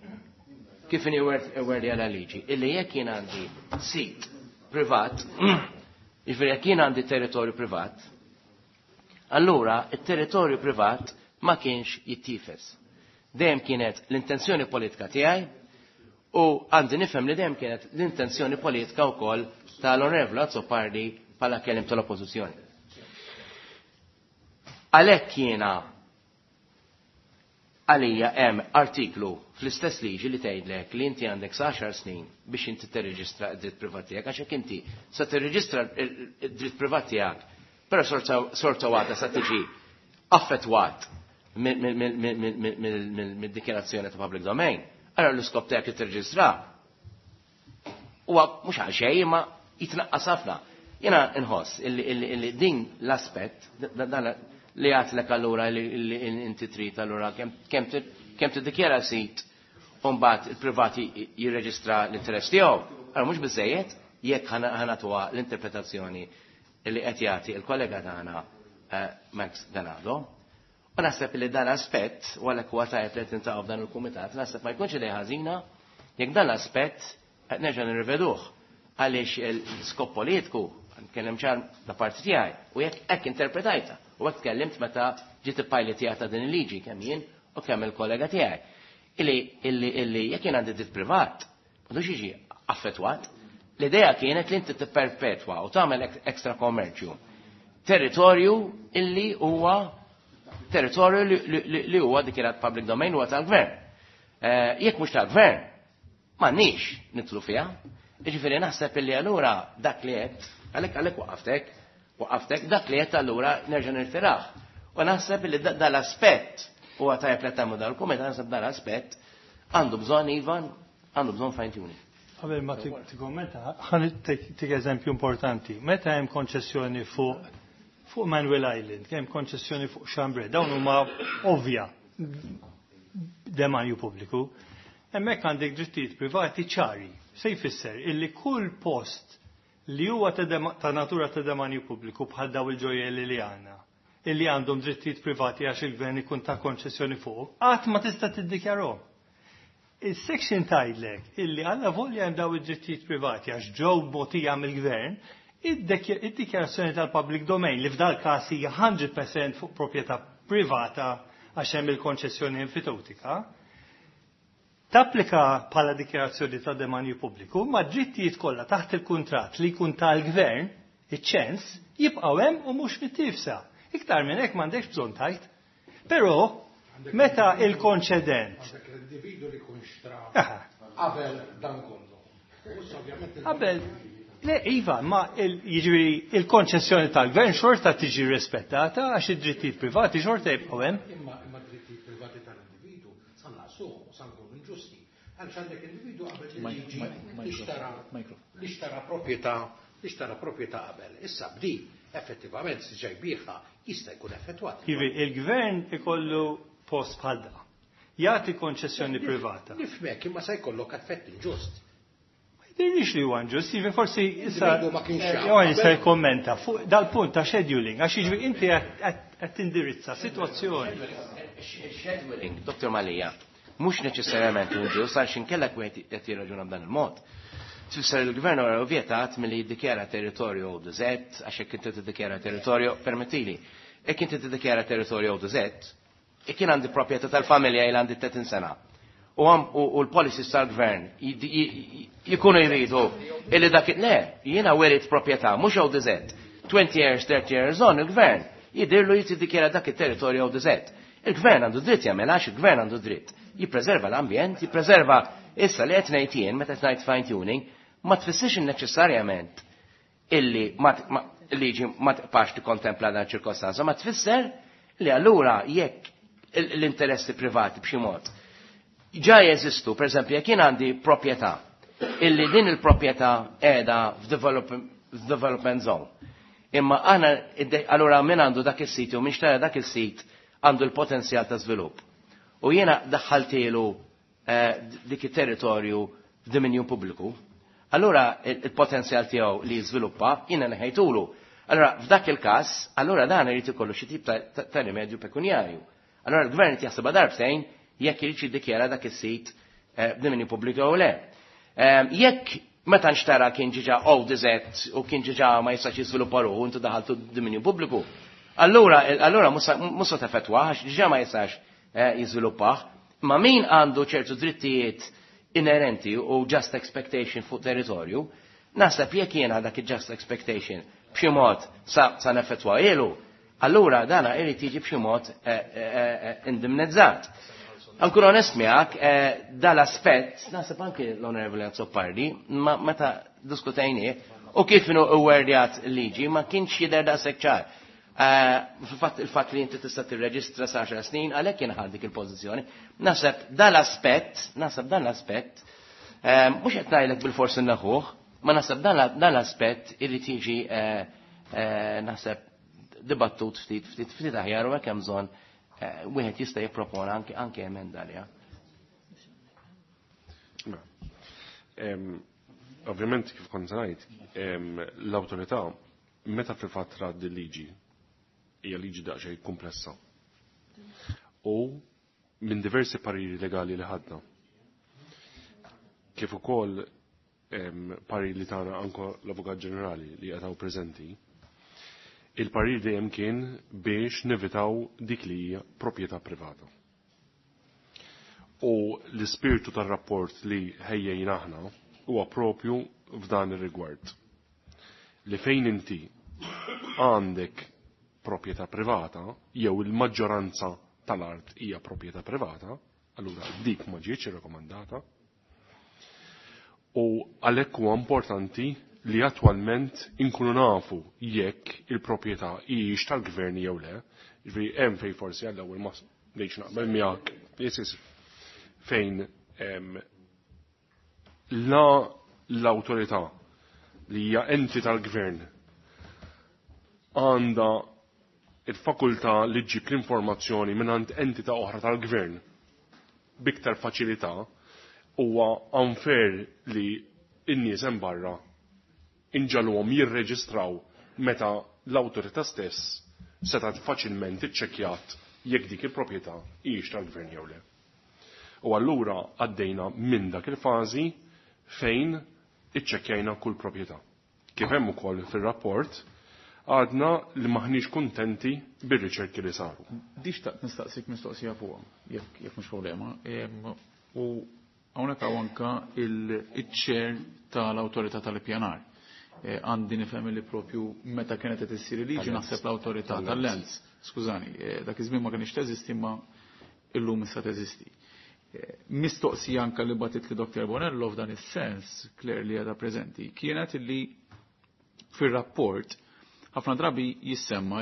Kif inhi werdja ta' liġi? Illi jekk jien għandi sit privat, jiġifieri jekk jien għandi territorju privat, allura il-territorju privat ma kienx jittifes. Dejjem kienet l-intenzjoni politika tiegħi u għandi nifhem li dejjem kienet l-intenzjoni politika wkoll tal-Onorevoli Azzopardi bħala kelliem tal-Oppożizzjoni. Għalhekk jiena Għalija hemm artiklu fl-istess liġi li tgħidlek li inti għandek sa għaxar snin biex inti tirreġistra d-dritt privat tiegħek, għax jekk inti sa tirreġistra d-dritt privat tiegħek, però sorta waħda sa tiġi affettwat mid-dikjarazzjoni ta' public domain, allora l-iskop tiegħek li tirreġistra huwa mhux għal xejn imma jitnaqqas ħafna. Jiena nħoss illi din l-aspett li għatlek allura li inti trid allura kemm tiddikjara sit u mbagħad il-privati jirreġistra l-interess tiegħu. Allora mhux biżejjed jekk ħanatuha l-interpretazzjoni li qed jagħti il-kollega tagħna Max Ganado. U naħseb li dan aspett, u għalhekk huwa tajjeb li tintaqgħu f'dan il-kumitat, naħseb ma jkunx idea ħażina jekk dan l-aspett qed nerġa' nirriveduh għaliex il-skop politiku nkellem ċar da parti tiegħi u jekk hekk interpretajta u hekk tkellimt meta ġiet ippiletjata din il-liġi kemm jien u kemm il-kollega tiegħi. Illi illi illi jekk jien għandi dritt privat, m'għandux jiġi affettwat. L-idea kienet li inti tipperpetwa u tagħmel ekstra kommerċju. Territorju illi huwa territorju li huwa dikjarat public domain huwa tal-gvern. Jekk mhux tal-gvern, m'għandniex nidħlu fiha. Jiġifieri naħseb illi allura dak li qed, għalhekk għalhekk waqaftek, waqaftek, dak li qed allura nerġa' nirtiraħ. U naħseb illi dal-aspett huwa tajjeb li tagħmlu dal-kumitat, naħseb dal-aspett għandu bżonn Ivan, għandu bżonn fine tuning. Qabel ma tikkommenta, ħa tik eżempju importanti. Meta hemm konċessjoni fuq fuq Manuel Island, hemm konċessjoni fuq Chambray, dawn huma ovvja demanju pubbliku. Hemmhekk għandek drittijiet privati ċari. Se jfisser illi kull post li huwa ta' natura ta' demanju pubbliku bħal daw il-ġojjelli li għandna, illi għandhom drittijiet privati għax il-gvern ikun ta' konċessjoni fuq, qatt ma tista' tiddikjarhom. Il-section tgħidlek illi għalla volja hemm daw id-drittijiet privati għax ġew mogħtija mill-gvern, id-dikjarazzjoni tal-public domain li f'dal każ hija hundred percent fuq proprjetà privata għax hemm il-konċessjoni enfitewtika, tapplika bħala dikjarazzjoni ta' demanju pubbliku, ma drittijiet kollha taħt il-kuntratt li jkun tal-gvern, iċ-ċens, jibqgħu hemm u mhux mit-tifsa. Iktar minn hekk m'għandekx bżonn tajt. Però meta il-konċedent għandek l-individu li jkun xtra qabel dan kollu. Qabel, le, iva, ma jiġifieri il-konċessjoni tal-gvern xorta tiġi rispettata għax id-drittijiet privati xorta jibqgħu hemm. Imma imma drittijiet privati tal-individu sa naqsuhom u sa nkunu inġusti. Għaliex għandek individu qabel il-liġi li xtara li xtara proprjetà, li xtara proprjetà qabel. Issa bdi effettivament se ġej biħa jista' jkun effettwat. Ivi, il-gvern ikollu post bħal da. Jagħti konċessjoni privata. Nifhmek, imma se jkollok effett inġust. Ma jidhirlix li huwa inġust, jiġifieri forsi issa Individu ma kienx jaf. Johan se jikkommenta fuq dal-punt ta' scheduling, għax jiġifieri inti qed tindirizza sitwazzjoni. Scheduling, Doktor Mallia, mhux neċessarjament inġust għax inkellek wieħed qed jirraġuna b'dan il-mod. Tfisser il-gvern huwa ovvjetat milli jiddikjara territorju deżert, għax jekk inti tiddikjara territorju, permettili, jekk inti tiddikjara territorju deżert, jekk jien għandi proprjetà tal-familja il għandi tletin sena. U għam, u, u l-policies tal-gvern jikunu jridu illi dak le, jiena werit proprjetà, mhux jew deżert. twenty years, thirty years on, il-gvern jidirlu jiddikjara dak it-territorju jew deżert. Il-gvern għandu dritt jagħmel għax il-gvern għandu dritt. Jippreserva l-ambjent, jippreserva issa li qed ngħid jien meta qed ngħid fine tuning, ma tfissirx neċessarjament illi ma t-, ma, liġi ma tibqax tikkontempla dan ċirkostanza, ma tfisser li allura jekk l-interessi privati b'xi mod ġa jeżistu, per eżempju, jekk jien għandi proprjetà illi din il-proprjetà qiegħda f'development zone. Imma aħna allura min għandu dak is-sit u min xtara dak is-sit għandu l-potenzjal ta' żvilupp. U jiena daħħaltilu, eh, dik it-territorju f'dominju pubbliku, allura il-potenzjal tiegħu li jiżviluppa jiena neħejtulu. Allura f'dak il-każ, allura dan irid ikollu xi tip ta', ta', ta' rimedju pekunjarju. Allura l-gvern qed jaħsibha darbtejn jekk irid jiddikjara dak is-sit, eh, b'dominju pubbliku jew le. Ehm, jekk meta nxtara kien ġiġa O D Z u kien ġiġa ma jistax jiżviluppa ruħu intu daħaltu dominju pubbliku, allura, allura mhux se teffettwah għax ġiġa ma jistax, eh, jiżviluppah. Ma min għandu ċertu drittijiet inerenti u just expectation fuq territorju, naħseb jekk jiena dak il-just expectation b'xi mod sa, sa neffettwa ilu, allura dana irid jiġi b'xi mod, eh, eh, eh, indemnizzat. Ankun onest miegħek, eh, dal-aspett, naħseb anke l-Onorevoli Azzopardi, ma meta diskutejnieh u kif inhu wordjat liġi ma kienx jidher daqshekk ċar. Eh, fil-fatt il-fatt li inti tista' tirreġistra sa għaxar snin għalhekk jien ħadt dik il-pożizzjoni. Naħseb dal-aspett, naħseb dan l-aspett, eh, mhux qed ngħidlek bil-forsi naħuh, ma naħseb dan l-aspett irid jiġi naħseb dibattut ftit ftit ftit aħjar u hekk hemm bżonn wieħed jista' jippropona anke anke emenda għaliha. Ovvjament kif kont ngħid, l-awtorità meta fil-fatt rat liġi hija liġi daqsxejn komplessa. U minn diversi pariri legali li ħadna. Kif ukoll pariri li tagħna anke l-Avukat Ġenerali li qed preżenti, il-parir dejjem kien biex nevitaw dik li hija proprjetà privata. U l-ispirtu tar-rapport li ħejjejna aħna huwa propju f'dan ir-rigward. Li fejn inti għandek proprjetà privata jew il-maġġoranza tal-art hija proprjetà privata, allura dik ma ġietx irrakkomandata. U għalhekk huwa importanti li attwalment inkunu nafu jekk il-proprjetà hijiex tal-gvern jew le. Ġifieri hemm fejn forsi għall-ewwel ma ngħidx naqbel miegħek. Yes, yes. Fejn la l-awtorità li hija enti tal-gvern għandha il-fakultà li ġġib l-informazzjoni mingħand entità oħra tal-gvern biktar faċilità, huwa unfair li n-nies hemm barra inġalhom jirreġistraw meta l-awtorità stess setgħet faċilment iċċekkjat jekk dik il-proprjetà hijiex tal-gvern jew le. U allura għaddejna minn dak il-fażi fejn iċċekkjajna kull proprjetà. Kif hemm ukoll fir-rapport, għadna li maħniex kuntenti bir-riċerki li saru. Di xtaqt nistaqsik mistoqsija fuqha, jekk jekk mhux problema. U hawnhekk hawn anke il-chair tal-awtorità tal-ippjanar. Għandi nifhem li propju meta kienet qed issir liġi naħseb l-awtorità tal-Lands. Skużani, dak iż-żmien ma kienx teżisti ma illum issa teżisti. Mistoqsija anke li batit li Doktor Bonello f'dan is-sens, Claire li għadha preżenti, kienet illi fir-rapport ħafna drabi jissemma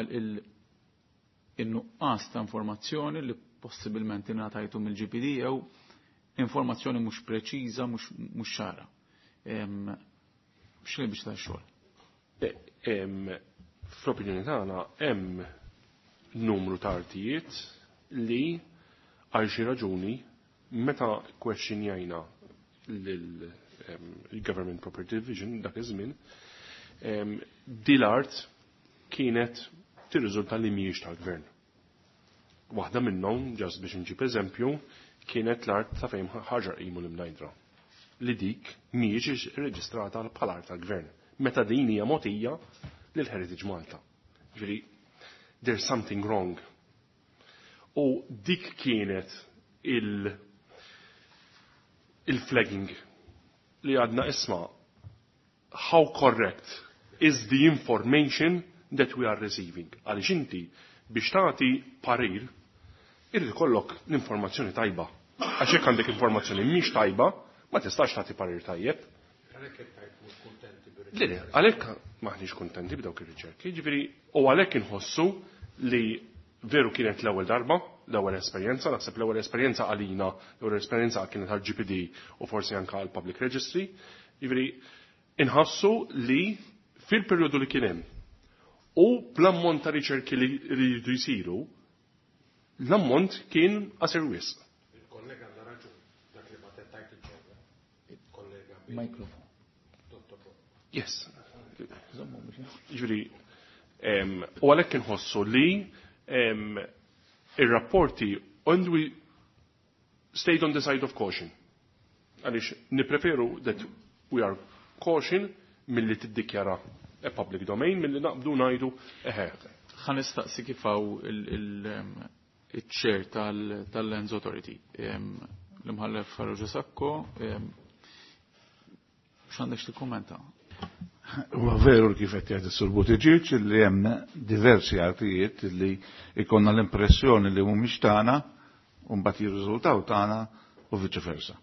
il-nuqqas ta' informazzjoni li possibilment ingħatajtu mill-G P D jew informazzjoni mhux preċiża, mhux ċara. X'li biex ta' xogħol? Fl-opinjoni tagħna hemm numru ta' artijiet li għal xi raġuni meta kwexxinjajna lill-Government Property Division dak iż-żmien, di l-art kienet tirriżulta li mhijiex tal-gvern. Waħda minnhom, ġast biex inġib eżempju, kienet l-art ta' fejn ħaġar qimu l-Imnajdra, li dik mhijiex irreġistrata bħala art tal-gvern, meta din hija mogħtija lil Heritage Malta. Ġifieri, there's something wrong. U dik kienet il- il-flagging li għadna isma' how correct is the information that we are receiving. Għaliex inti biex tagħti parir irid ikollok l-informazzjoni tajba. Għax jekk għandek informazzjoni mhix tajba, ma tistax tagħti parir tajjeb. Le, le, għalhekk maħniex kuntenti b'dawk ir-riċerki, jiġifieri u għalhekk inħossu li veru kienet l-ewwel darba, l-ewwel esperjenza, naħseb l-ewwel esperjenza għalina, l-ewwel esperjenza kienet għall G P D u forsi anke għall Public Registry, jiġifieri inħossu li fil-perjodu li kien hemm u bl-ammont ta' riċerki li jridu jsiru, l-ammont kien qasir wisq. Il-kollega għandha raġun dak li ma tettajt il-ġewwa. Il-kollega Mikrofon. Yes. Jiġifieri, u għalhekk inħossu li ir-rapporti and we stayed on the side of caution. Għaliex nippreferu that we are caution milli tiddikjara a public domain milli naqbdu ngħidu eħe. Ħa nistaqsi kif hawn il-chair tal-Lands Authority, l-imħallef Farrugia Sacco, x'għandek tikkummenta? Huwa veru kif qed jgħid is-Sur Buttigieg li hemm diversi artijiet li ikonna l-impressjoni li mhumiex tagħna u mbagħad jirriżultaw tagħna u viċi versa.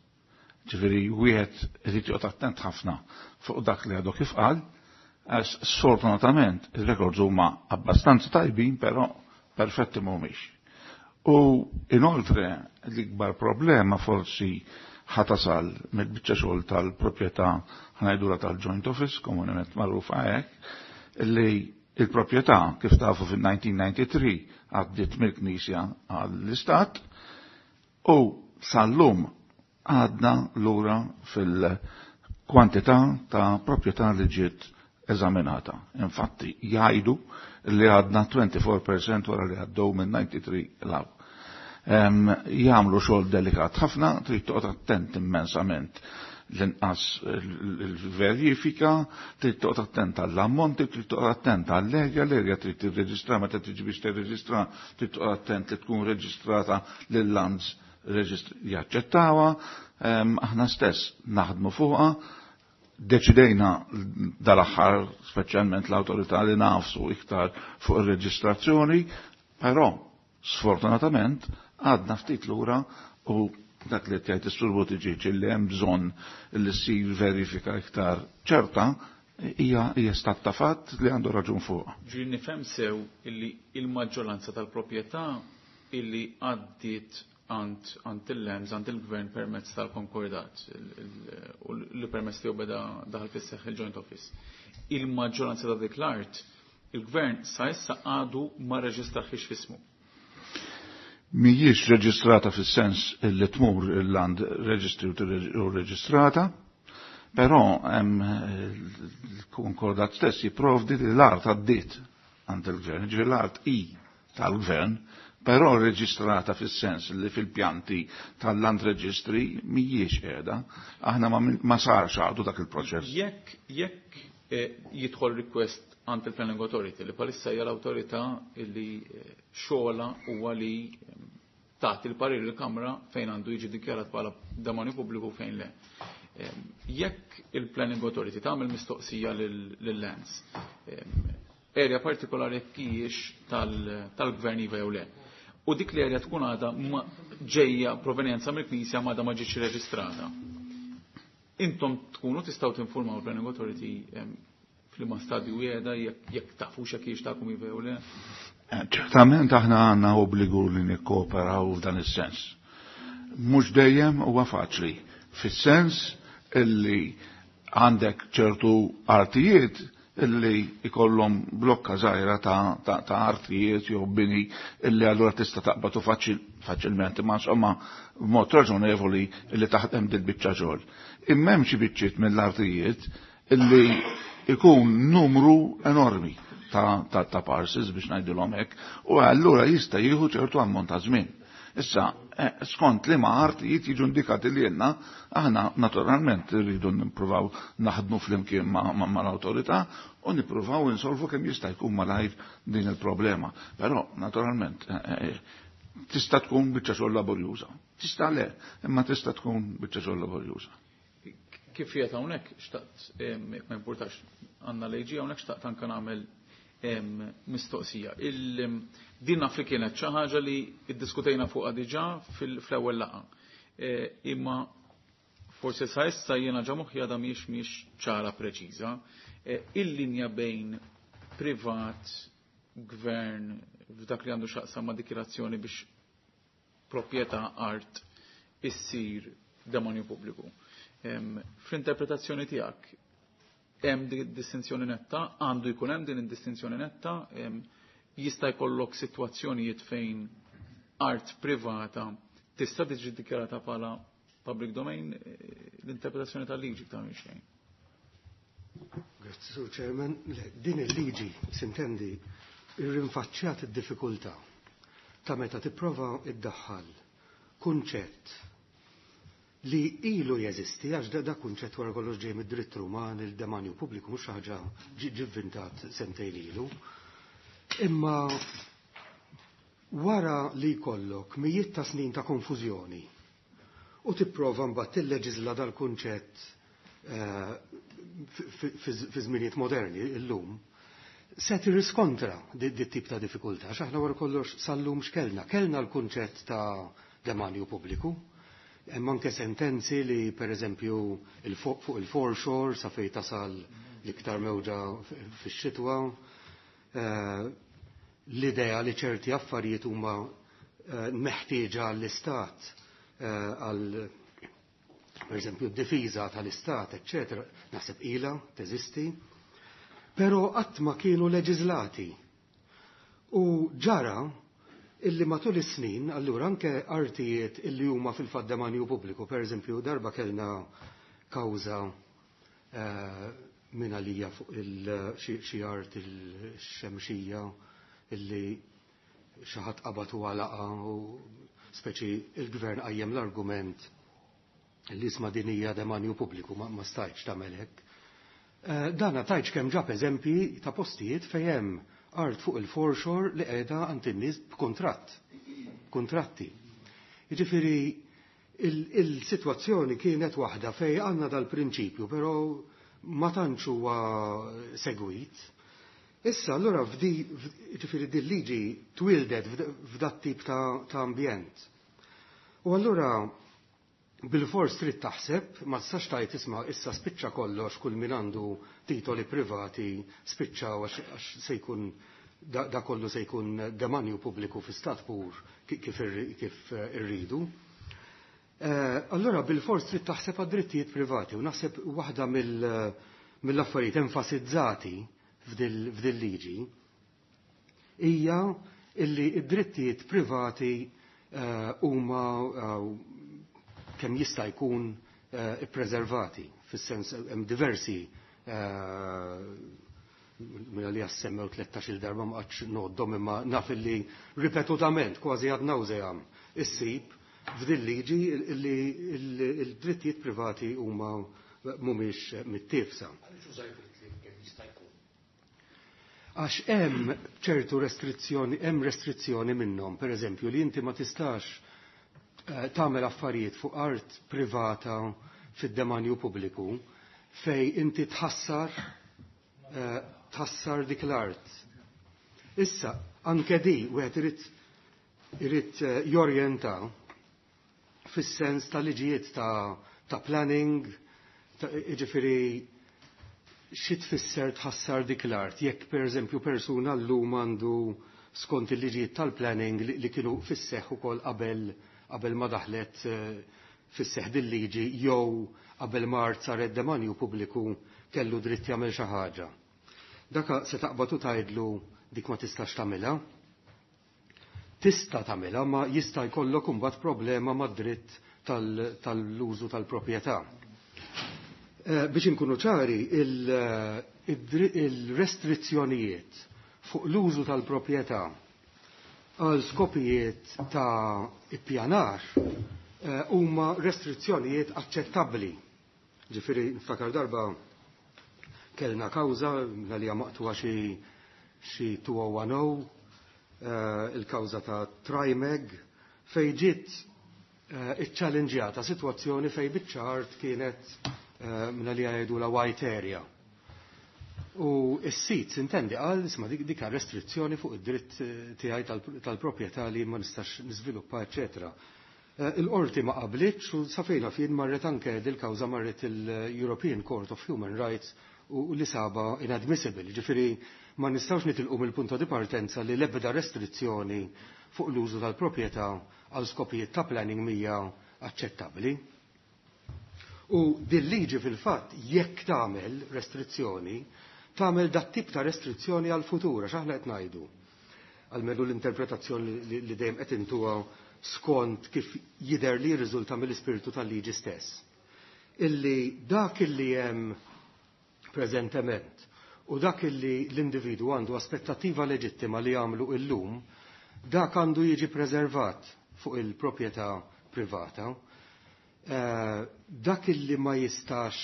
Ġifieri wieħed irid joqgħod attent ħafna fuq dak li għadu kif qal, għax sfortunatament ir-records huma abbastanza tajbin, però perfetti mhumiex. U inoltre l-ikbar problema forsi ħatasal mill-biċċa xogħol tal-proprjetà ħnajdura tal-joint office, komunement magħrufa hekk, li il-proprjetà kif tafu fil-elf disa' mija u tnejn u disgħin għaddiet mill-Knisja għall-Istat u sal-lum għadna lura fil-kwantità ta' proprjetà li ġiet eżaminata. Infatti jgħidu li għadna wieħed u disgħin fil-mija wara li għaddew minn tnejn u disgħin 'l hawn. Jagħmlu xogħol delikat ħafna, trid toqgħod attent immensament l-inqas il-verifika, trid toqgħod attent għall-ammonti, trid toqgħod attent għall-erja, l-erja trid tirreġistra meta tiġi biex tirreġistra, trid toqgħod attent li tkun reġistrata lill-lands jaċċettawha, aħna stess naħdmu fuqha, deċidejna dal-aħħar speċjalment l-awtorità li nafsu iktar fuq ir-reġistrazzjoni, però sfortunatament għadna ftit lura u dak li tgħid is-Sur Buttigieg li hemm bżonn li ssir verifika iktar ċerta hija hija stat ta' fatt li għandu raġun fuq. Ġiri nifhem sew illi il-maġġoranza tal-proprjetà illi għaddiet għand għand il-L E M S, għand il-gvern permezz tal-konkordat u li permezz tiegħu beda daħal fis-seħħ il-joint office. Il-maġġoranza ta' dik l-art, il-gvern sa issa għadu ma reġistraħiex f'ismu. Mhijiex reġistrata fis-sens li tmur il-land registry u reġistrata, però hemm il-konkordat stess jipprovdi li l-art għaddiet għand il-gvern, ġifieri l-art i tal-gvern, però reġistrata fis-sens li fil-pjanti tal-land registry mhijiex qiegħda. Aħna ma sarx għadu dak il-proċess. Jekk jekk eh, jidħol request għand il-Planning Authority li palissa hija l-awtorità li eh, xogħla huwa li eh, tagħti l-parir il-Kamra fejn għandu jiġi dikjarat bħala demonju pubbliku fejn le. Jekk il-Planning Authority tagħmel mistoqsija lill-lands, area partikolari jekk hijiex tal-gvern iva jew le. U dik l-area tkun għadha ġejja provenjenza mill-Knisja ma ma ġietx reġistrata. Intom tkunu tistgħu tinformaw il-Planning Authority f'liema stadju qiegħda jekk tafux jekk hijiex tagħkom iva jew le? Ċertament aħna għandna obbligu li nikkooperaw f'dan is-sens. Mhux dejjem huwa faċli, fis-sens illi għandek ċertu artijiet illi ikollhom blokka żgħira ta', ta, ta artijiet jew bini illi allura tista' taqbatu faċilment, imma insomma b'mod raġonevoli illi taħdem dil biċċa xogħol. Imma hemm xi biċċiet mill-artijiet illi ikun numru enormi ta', ta, ta parcels biex ngħidilhom hekk, u allura jista' jieħu ċertu ammont ta' żmien. Issa, skont li ma artijiet jiġu indikati li jenna, aħna naturalment rridu nippruvaw naħdmu flimkien ma, ma, ma l-autorità u nippruvaw insolvu kemm jista' jkun malajr din il-problema. Però, naturalment, tista' tkun biċċa xogħol laborjuża. Tista' le, imma tista' tkun biċċa xogħol laborjuża. Kif qiegħed hawnhekk xtaqt, jekk ma importax għandna l-A G hawnhekk, xtaqt anke nagħmel mistoqsija. Din naf li kienet xi ħaġa li iddiskutejna fuqha diġà fl-ewwel laqgħa. Imma forsi sa issa jiena ġa moħħi għadha mhijiex mhijiex ċara preċiża. Il-linja bejn privat, gvern, f'dak li għandu x'jaqsam ma' dikjarazzjoni biex proprjetà art issir demonju pubbliku. Fl-interpretazzjoni tiegħek hemm din distinzjoni netta, għandu jkun hemm din id-distinzjoni netta, jista' jkollok sitwazzjonijiet fejn art privata tista' tiġi dikjarata bħala public domain, l-interpretazzjoni tal-liġi ta' minn xejn. Grazzi, Sur Chairman. Din il-liġi, sintendi, irrinfaċċjat id-diffikultà ta' meta tipprova iddaħħal kunċett li ilu jeżisti, għax da, da kunċett wara kollox ġej mid-dritt Ruman, il-demanju pubbliku mhux ħaġa ġivvintat sentejn ilu. Imma wara li jkollok mijiet ta' snin ta' konfużjoni u tipprova mbagħad tilleġisla dal-kunċett eh, fi żminijiet moderni illum, se tirriskontra di tip ta' diffikultà, għax aħna wara kollox sal-lum x'kellna. Kellna l-kunċett ta' demanju pubbliku. Hemm anke sentenzi li pereżempju fuq il-foreshore sa fejn tasal l-iktar mewġa fix-xitwa, eh, l-idea li ċerti affarijiet huma eh, meħtieġa għall-istat eh, għal per eżempju d-difiża tal-istat, eċċetera, naħseb ilha teżisti, però qatt ma kienu leġiżlati. U ġara illi matul is-snin, allura anke artijiet illi huma fil-fatt demanju pubbliku, per eżempju darba kellna kawża eh, minn għalija fuq xi art il-xemxija illi xi ħadd qabad u għalaqa u speċi il-gvern qajjem l-argument li isma' din hija demanju pubbliku ma, ma stajtx tagħmel hekk. Eh, dana tajtx kemm ġab eżempji ta' postijiet fejn hemm art fuq il-foreshore li qiegħda għand in-nies b'kuntratt, kuntratti. Jiġifieri il-sitwazzjoni kienet waħda fejn għandna dal-prinċipju, però ma tantx huwa segwit. Issa allura f'di ġifieri din liġi twildet f'dat tip ta', ta' ambjent. U allura bil-fors trid taħseb, ma tistax tgħid isma' issa spiċċa kollox kull min għandu titoli privati spiċċa għax se jkun da, da kollu se jkun demanju pubbliku fi stat pur kif, kif irridu. Eh, allora bil-fors trid taħseb għad-drittijiet privati u naħseb waħda mill-affarijiet enfasizzati f'dil liġi hija illi id-drittijiet privati eh, huma eh, kemm jista' jkun ippreservati fis-sens hemm diversi minna li jassemmew tlettax-il darba ma qatx ngħoddhom imma naf illi ripetutament kważi ad nauseam issib f'din liġi li l-drittijiet privati huma mhumiex mittiefsa. Għax hemm ċertu restrizzjoni, hemm restrizzjoni minnhom, pereżempju li inti ma tistax eh, tagħmel affarijiet fuq art privata fid-demanju pubbliku fej inti tħassar eh, tħassar dik l-art. Issa, anke di wieħed irid irid eh, jorjenta fis-sens ta' liġijiet ta', ta' planning, ta' jiġifieri xi tfisser tħassar dik l-art, jekk pereżempju persuna llum għandu skont il-liġijiet tal-planning li, li kienu fis-seħħ ukoll qabel qabel ma daħlet eh, fis-seħħ din liġi jew qabel ma art saret demanju pubbliku kellu dritt jagħmel xi ħaġa. Daka se taqbad u tgħidlu dik ma tistax tagħmilha. Tista' tagħmilha ma jista' jkollok imbagħad problema mad-dritt tal-użu tal-proprjetà. Eh, biex inkunu ċari, il-restrizzjonijiet fuq l-użu tal-proprjetà għal skopijiet ta' ippjanar eh, huma restrizzjonijiet aċċettabbli. Ġifieri niftakar darba kellna kawża għalija maqtuha xi xi two oh one oh, eh, il-kawża ta' Trimeg fej ġiet iċċallenġjata sitwazzjoni fej biċċa art kienet minna li jgħidu la white area. U s-sit intendi qal isma' dik dik restrizzjoni fuq id-dritt tiegħi tal-proprjetà li ma nistax niżviluppa, eċetera. Il-qorti ma qablitx u safejna fin marret anke dil-kawża marret il-European Court of Human Rights u li saba inadmissible. Ġifieri ma nistgħux nitilqu mill-punto di partenza li l-ebda restrizzjoni fuq l-użu tal-proprjetà għal skopijiet ta' planning mija aċċettabbli. U din liġi fil-fatt jekk tagħmel restrizzjoni, tagħmel dat tip ta' restrizzjoni għal futur għax aħna qed ngħidu. Almenu l-interpretazzjoni li, li dejjem qed intuha skont kif jidher li jirriżulta mill-ispirtu tal-liġi stess. Illi dak illi hemm preżentement u dak illi l-individu għandu aspettattiva leġittima li jagħmlu illum, dak għandu jiġi preservat fuq il-proprjetà privata. Eh, dak illi ma jistax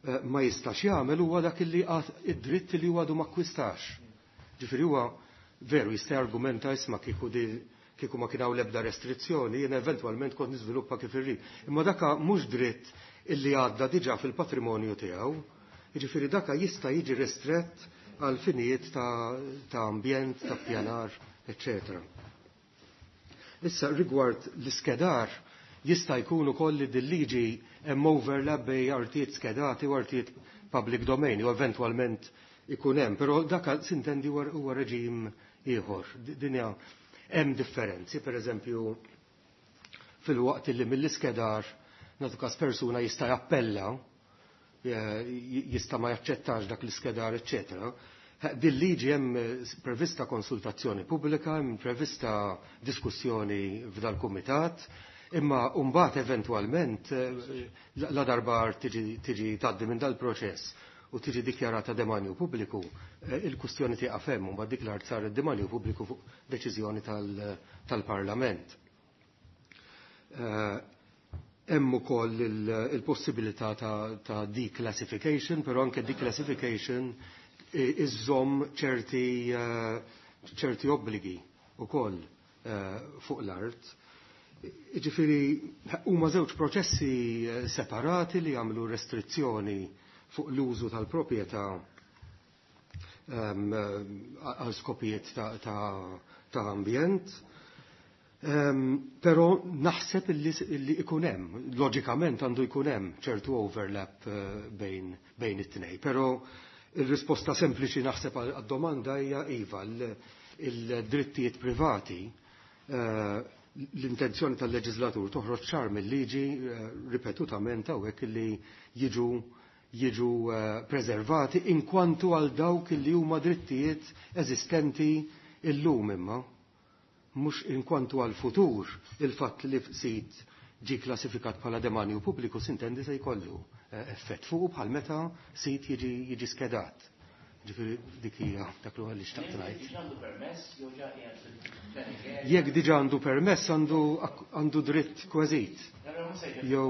eh, ma jistax jagħmel huwa dak illi id-dritt li huwa għadu ma akkwistax. Ġifieri huwa veru jista' argumenta isma' kieku di kieku ma kien hawn l-ebda restrizzjoni, jiena eventwalment kont niżviluppa kif irrid. Imma daka mhux dritt illi għadda diġà fil-patrimonju tiegħu. Jiġifieri daka jista' jiġi ristrett għal finijiet ta', ta ambjent, ta' pjanar, eċċetera. Issa rigward l-iskedar jista' jkun ukoll li dil-liġi hemm overlap bejn artijiet skedati u artijiet public domain u eventwalment ikun hemm, però dak sintendi huwa reġim ieħor. Din hija hemm differenzi, pereżempju fil-waqt li mill-iskedar nagħtu każ persuna jista' jappella, jista' ma jaċċettax dak l-iskedar, eċċetera. Din liġi hemm prevista konsultazzjoni pubblika, hemm prevista diskussjoni f'dal-kumitat, imma mbagħad eventwalment la darba tiġi tiġi tgħaddi minn dal-proċess u tiġi dikjarata demanju pubbliku, il-kustjoni tieqaf hemm u mbagħad dik l-art saret demanju pubbliku fuq deċiżjoni tal-Parlament. Hemm ukoll il-possibilità ta' declassification, però anke declassification iżżomm ċerti ċerti obbligi ukoll fuq l-art. Ġifieri huma żewġ proċessi separati li jagħmlu restrizzjoni fuq l-użu tal-proprjetà għal skopijiet ta', ta, ta ambjent. Um, pero naħseb illi, illi ikun hemm, loġikament għandu jkun hemm ċertu overlap uh, bejn, bejn it-tnej. Pero il-risposta sempliċi naħseb għad-domanda hija iva, il-drittijiet privati, uh, l-intenzjoni tal-leġislatur toħroġ ċar mill-liġi uh, ripetutament hawnhekk illi jiġu jiġu preservati inkwantu għal dawk li huma drittijiet eżistenti illum imma. Mhux inkwantu għal futur il-fatt li sit ġi klassifikat bħala demanju pubbliku sintendi se jkollu effett fuq bħal meta sit jiġi jiġi skedat. Ġifieri dik hija dak li xtaqt ngħid. Jekk diġà għandu permess għandu għandu dritt kważit. Jew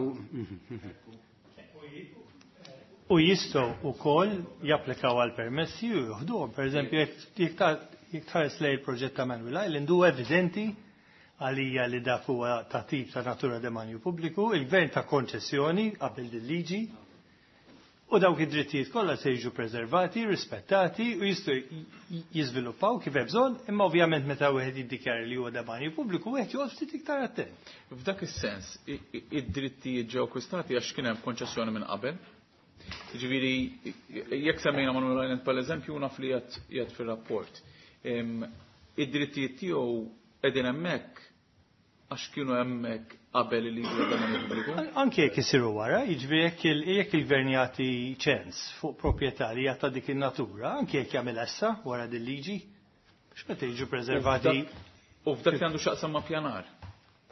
U jistgħu wkoll japplikaw għal permessi u joħduhom. Pereżempju, jekk tħares lejn il-proġett ta' Manuel Island huwa evidenti għalija li dak huwa ta' tip ta' natura demanju pubbliku, il-gvern ta' konċessjoni qabel din liġi u dawk id-drittijiet kollha se jiġu preservati, rispettati u jistgħu jiżviluppaw kif hemm bżonn, imma ovvjament meta wieħed jiddikjara li huwa demanju pubbliku wieħed joqgħod ftit iktar attent. F'dak is-sens, id-drittijiet ġew akkwistati għax kien hemm konċessjoni minn qabel. Ġifieri, jekk semmejna Manuel Island pal eżempju naf li jgħid fir-rapport. Id-drittijiet tiegħu qegħdin hemmhekk għax kienu hemmhekk qabel li jiġu demanju pubbliku. Anke jekk isiru wara, jiġifieri jekk il-gvern jagħti ċens fuq proprjetà li jagħta dik in-natura, anke jekk jagħmel essa wara din liġi, biex meta jiġu preservati. U f'dak li għandu x'aqsam ma' pjanar.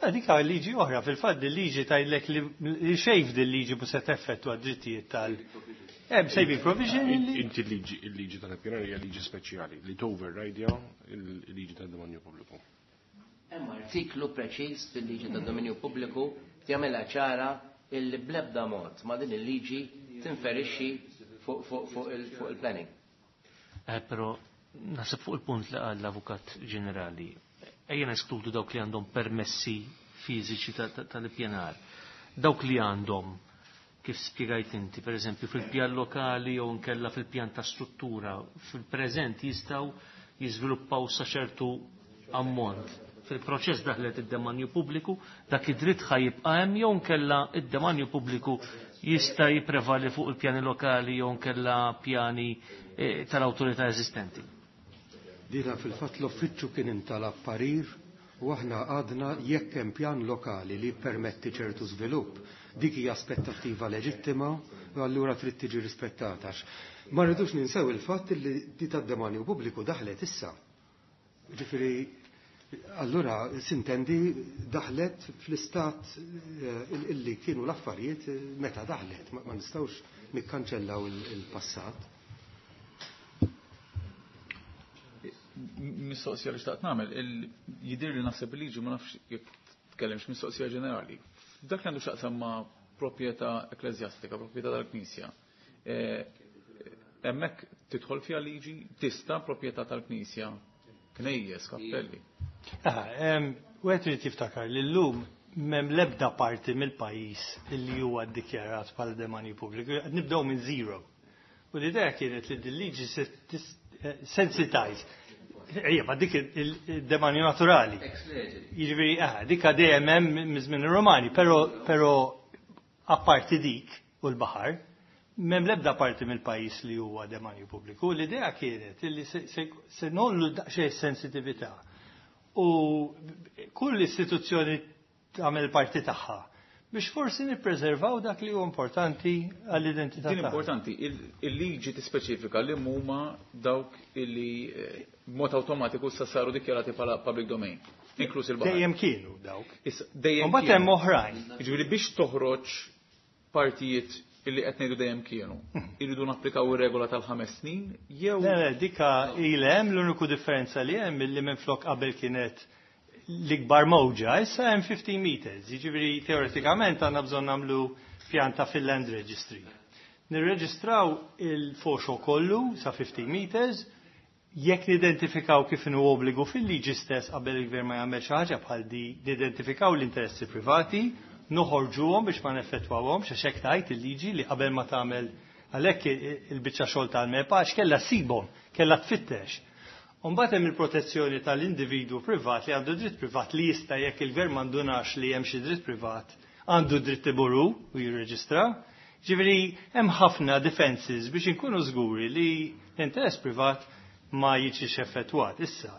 Dik liġi oħra, fil-fatt din liġi tgħidlek li xejn din liġi mhux se teffettwa d-drittijiet tal. Hemm saving provision li. Inti l-liġi il-liġi tal-pjanar hija liġi speċjali li toverridja il-liġi tad-demanju pubbliku. Hemm artiklu preċiż fil-liġi tad-dominju pubbliku jagħmilha ċara illi bl-ebda mod ma din il-liġi tinferixxi fuq il-planning. Eh, però naħseb fuq il-punt li qal l-Avukat Ġenerali, ejja neskludu dawk li għandhom permessi fiżiċi tal-ippjanar. Dawk li għandhom, kif spjegajt inti, per eżempju, fil-pjan lokali jew nkella fil-pjan ta' struttura, fil-preżent jistgħu jiżviluppaw sa ċertu ammont. Fil-proċess daħlet id-demanju pubbliku, dak id-dritt ħa jibqa' hemm jew nkella id-demanju pubbliku jista' jipprevali fuq il-pjani lokali jew nkella pjani tal-awtorità eżistenti. Dina fil-fatt l-uffiċċju kien intalab parir u aħna għadna jekk hemm pjan lokali li permetti ċertu żvilupp, dik hija aspettattiva leġittima u allura trid tiġi rispettata. Ma rridux ninsew il-fatt li di tad-demanju pubbliku daħlet issa. Ġifieri allura sintendi daħlet fl-istat illi kienu l-affarijiet meta daħlet, ma nistgħux nikkanċellaw il-passat. Mistoqsija li xtaqt nagħmel, jidher li naħseb il-liġi ma nafx jekk tkellimx mistoqsija ġenerali. Dak li għandu x'aqsam ma' proprjetà ekklesjastika, proprjetà tal-Knisja. Hemmhekk tidħol fiha liġi tista' proprjetà tal-Knisja, knejjes, kappelli. Wieħed irid jiftakar li llum m'hemm l-ebda parti mill-pajjiż li huwa ddikjarat bħala demanju pubbliku, qed nibdew minn zero. U l-idea kienet li din liġi sensitize. Ejja, ma dik il-demanju naturali. Jiġifieri, eh, dik dejjem hemm miż-żmien ir-Romani, però però apparti dik u l-baħar, m'hemm l-ebda parti mill-pajjiż li huwa demanju pubbliku. L-idea kienet li se nollu daqsxejn sensitività. U kull istituzzjoni tagħmel parti tagħha biex forsi nippreservaw dak li huwa importanti għall-identità. Din importanti, il-liġi tispeċifika li huma dawk illi eh, b'mod awtomatiku sa saru dikjarati bħala public domain, inkluż il-baħar. Dejjem kienu dawk. Dejjem Mbagħad hemm oħrajn. Jiġifieri biex toħroġ partijiet illi qed ngħidu dejjem kienu, irridu napplikaw ir-regola tal-ħames snin jew Le, le, dika ilhem l-uniku differenza li hemm illi minflok qabel kienet l-ikbar mowġa, issa hemm fifteen meters, jiġifieri teoretikament għandna bżonn nagħmlu pjanta fil-land registry. Nirreġistraw il-foxo kollu sa fifteen meters, jekk nidentifikaw kif inhu obbligu fil-liġi stess qabel il-gvern ma jagħmel xi ħaġa bħal di, nidentifikaw l-interessi privati, noħorġuhom biex ma neffettwawhomx, għax hekk tgħid il-liġi li qabel ma tagħmel għalhekk il-biċċa xogħol tal-MEPA għax kellha ssibhom, kellha tfittex. Umbagħad hemm il-protezzjoni tal-individwu privat li għandu dritt privat li jista' jekk il-gvern m'għandunax li hemm xi dritt privat, għandu dritt iburu u jirreġistra. Ġifieri hemm ħafna defenses biex inkunu żguri li l-interess privat ma jiġix effettwat. Issa,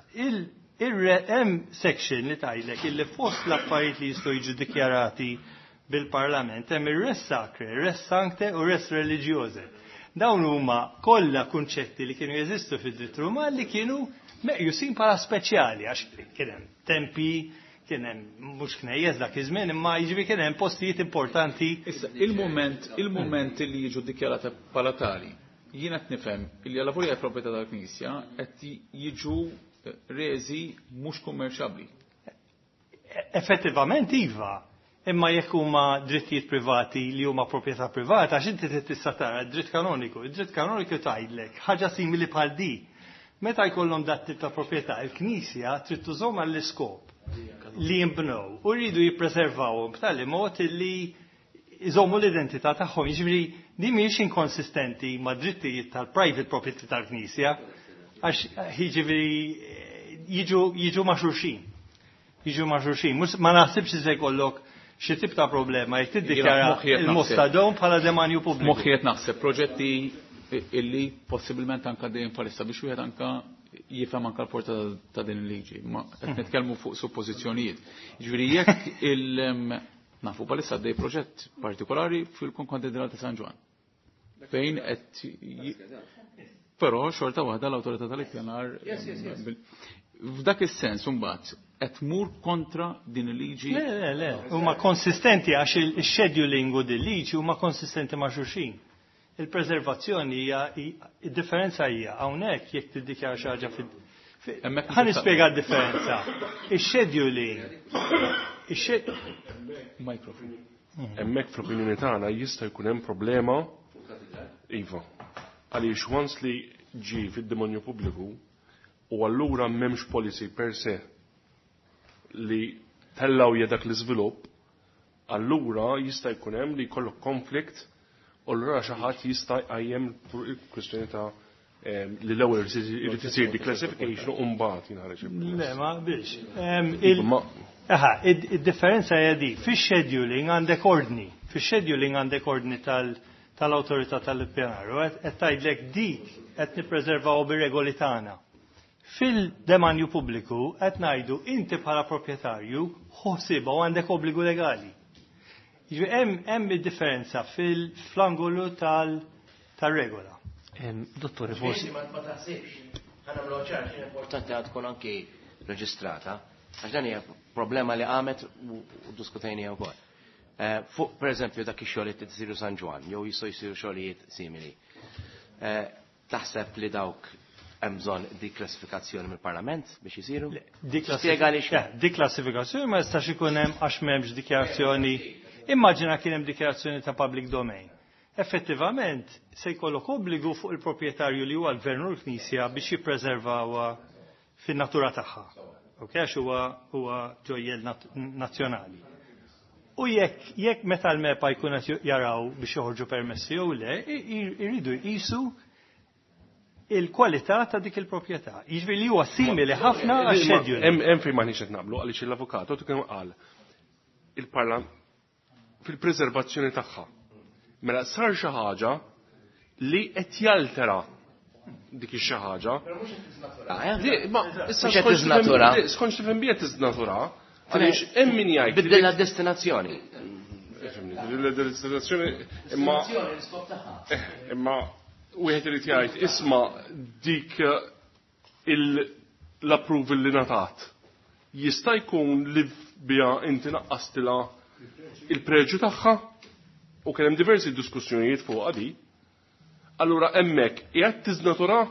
hemm section li tgħidlek illi fost l-affarijiet li jistgħu jiġu dikjarati bil-Parlament hemm ir-res sacre, res sancte u res religiose. Dawn huma kollha kunċetti li kienu jeżistu fid-dritt Ruman li kienu meqjusin bħala speċjali għax kien hemm tempi, kien hemm mhux knejjes dak iż-żmien, imma jiġifieri kien hemm postijiet importanti. Issa, il-mument, il-mument li jiġu dikjarati bħala tali, jien qed nifhem li għal avolja proprjetà tal-Knisja qed jiġu reżi mhux kummerċjabbli. Effettivament iva. Imma jekk huma drittijiet privati li huma proprjetà privata, għax inti trid tista' tara d-dritt kanoniku. Id-dritt kanoniku tgħidlek ħaġa simili bħal di. Meta jkollhom dat tip ta' proprjetà, il-Knisja trid tużhom għall-iskop li jinbnew u rridu jippreservawhom b'tali mod li jżommu l-identità tagħhom. Jiġifieri din mhijiex inkonsistenti ma' drittijiet tal-private property tal-Knisja, għax jiġifieri jiġu, jiġu ma' xulxin. Jiġu ma' xulxin. Ma naħsibx se jkollok xi tip ta' problema jekk tiddikjara il-Mostadon bħala demanju pubbliku. Moħħi qed naħseb proġetti illi possibilment anka dejjem palissa biex wieħed anka jifhem anka l-porta ta' din il-liġi. Ma qed nitkellmu fuq suppożizzjonijiet. Jiġifieri jekk il nafu palissa għaddej proġett partikolari fil-Konkatedrali ta' San Ġwann. Fejn qed però xorta waħda l-awtorità tal-ippjanar f'dak is-sens imbagħad qed tmur kontra din il-liġi. Le, le, le, huma konsistenti għax il-scheduling u din liġi huma konsistenti ma' xulxin. Il-preservazzjoni hija id-differenza hija hawnhekk jekk tiddikjara xi ħaġa fid Ħa nispjega d-differenza. Ix-scheduling. Microphone. Hemmhekk fl-opinjoni tagħna jista' jkun hemm problema. Iva. Għaliex once li ġie fid-demonju pubbliku u allura m'hemmx policy per se li tellaw dak l-iżvilupp, allura jista' jkun hemm li jkollok konflikt u allura xi ħadd jista' jqajjem il-kwistjoni ta' li l-ewwel irid isir declassification u mbagħad jinħareġ. Le, ma biex. Aha, id-differenza hija di, fix-scheduling għandek ordni, fix-scheduling għandek ordni tal-awtorità tal-ippjanar u qed tgħidlek dik qed nippreservaw bir-regoli tagħna. Fil-demanju pubbliku qed ngħidu inti bħala proprjetarju ħossibha u għandek obbligu legali. Jiġifieri hemm id-differenza fil-angolu tal-regola. Dottore, forsi. Ma taħsibx, ħa nagħmlu ċar, x'inhi importanti għad tkun anki reġistrata, għax dan hija problema li qamet u diskutejniha wkoll. Fuq pereżempju dak ix-xogħlijiet li tisiru San Ġwann, jew jistgħu jsiru xogħlijiet simili. Taħseb li dawk hemm bżonn diklassifikazzjoni mill-Parlament biex isiru? Spjega li x'hemm. Diklassifikazzjoni ma jistax ikun hemm għax m'hemmx dikjarazzjoni. Immaġina kien hemm dikjarazzjoni ta' public domain. Effettivament se jkollok obbligu fuq il-proprjetarju li huwa l-gvern u l-Knisja biex jippreservawha fin-natura tagħha. Ok, għax huwa huwa ġojjel nazzjonali. U jekk jekk meta l-MEPA jkun qed jaraw biex joħorġu permessi jew le, iridu jqisu il-kwalità ta' dik il-proprjetà. Jiġifieri li huwa simili ħafna għax-schedule. Hemm fejn m'aħniex qed naqblu għaliex l-avukat kien qal il-parlament fil-preservazzjoni tagħha. Mela sar xi ħaġa li qed jaltera dik xi ħaġa. Ma issa skont tifhem bija tiżnatura, għaliex hemm min jgħid. Biddilha destinazzjoni. Biddilha destinazzjoni imma imma wieħed irid jgħid isma' dik l-approval li ngħatat. Jista' jkun li biha inti naqqastilha il-preġju tagħha u kien hemm diversi diskussjonijiet fuq di. Allura hemmhekk qiegħed tiżnatura,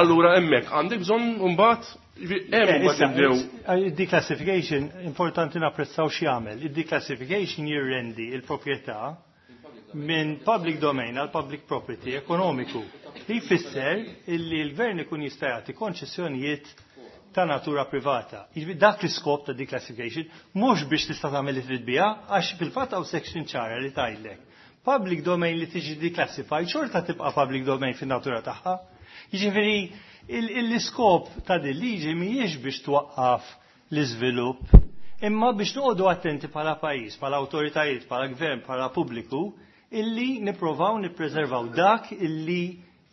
allura hemmhekk għandek bżonn imbagħad hemm mbagħad nibdew. Il-declassification importanti napprezzaw x'jagħmel. Il-declassification jirrendi il-proprjetà minn public domain għal public property ekonomiku. Li jfisser illi l-gvern ikun jista' jagħti konċessjonijiet ta' natura privata. Dak l-iskop ta' declassification mhux biex tista' tagħmel li trid biha, għax fil-fatt hawn section ċara li tgħidlek. Public domain li tiġi declassified xorta tibqa' public domain fin-natura tagħha. Jiġifieri l-iskop ta' din liġi mhijiex biex twaqqaf l-iżvilupp, imma biex noqogħdu attenti bħala pajjiż, bħala awtoritajiet, bħala gvern, bħala pubbliku, illi nipprovaw nippreservaw dak illi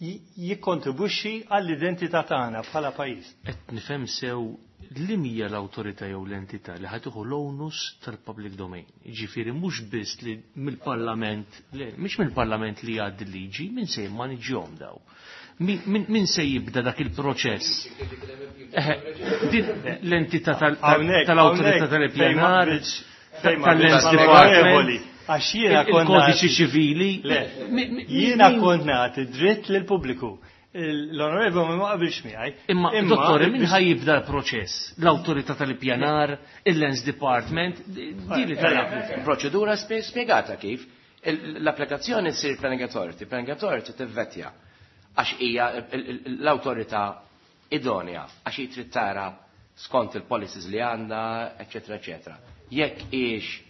jikkontribwixxi għall-identità tagħna bħala pajjiż. Qed nifhem sew li hija l-awtorità jew l-entità li ħa tieħu l-onus tal-public domain. Jiġifieri mhux biss li mill-Parlament, le, mhix mill-Parlament li jgħaddi liġi, min se jimmaniġġjahom daw. Min se jibda dak il-proċess? Din l-entità tal-awtorità tal-ippjanar, tal-Lands Department, Għax jiena kont il-kodiċi ċivili. Jiena kont nagħti dritt lill-pubbliku. L-onorevoli ma qabilx miegħi. Imma dottore, min ħa jibda l-proċess? L-awtorità tal-ippjanar, il-Lands Department, di li tal Proċedura spjegata kif l-applikazzjoni ssir Planning Authority, Planning Authority tivvettja għax hija l-awtorità idonea, għax hi trid tara skont il-policies li għandha, eċetera, eċetera. Jekk hix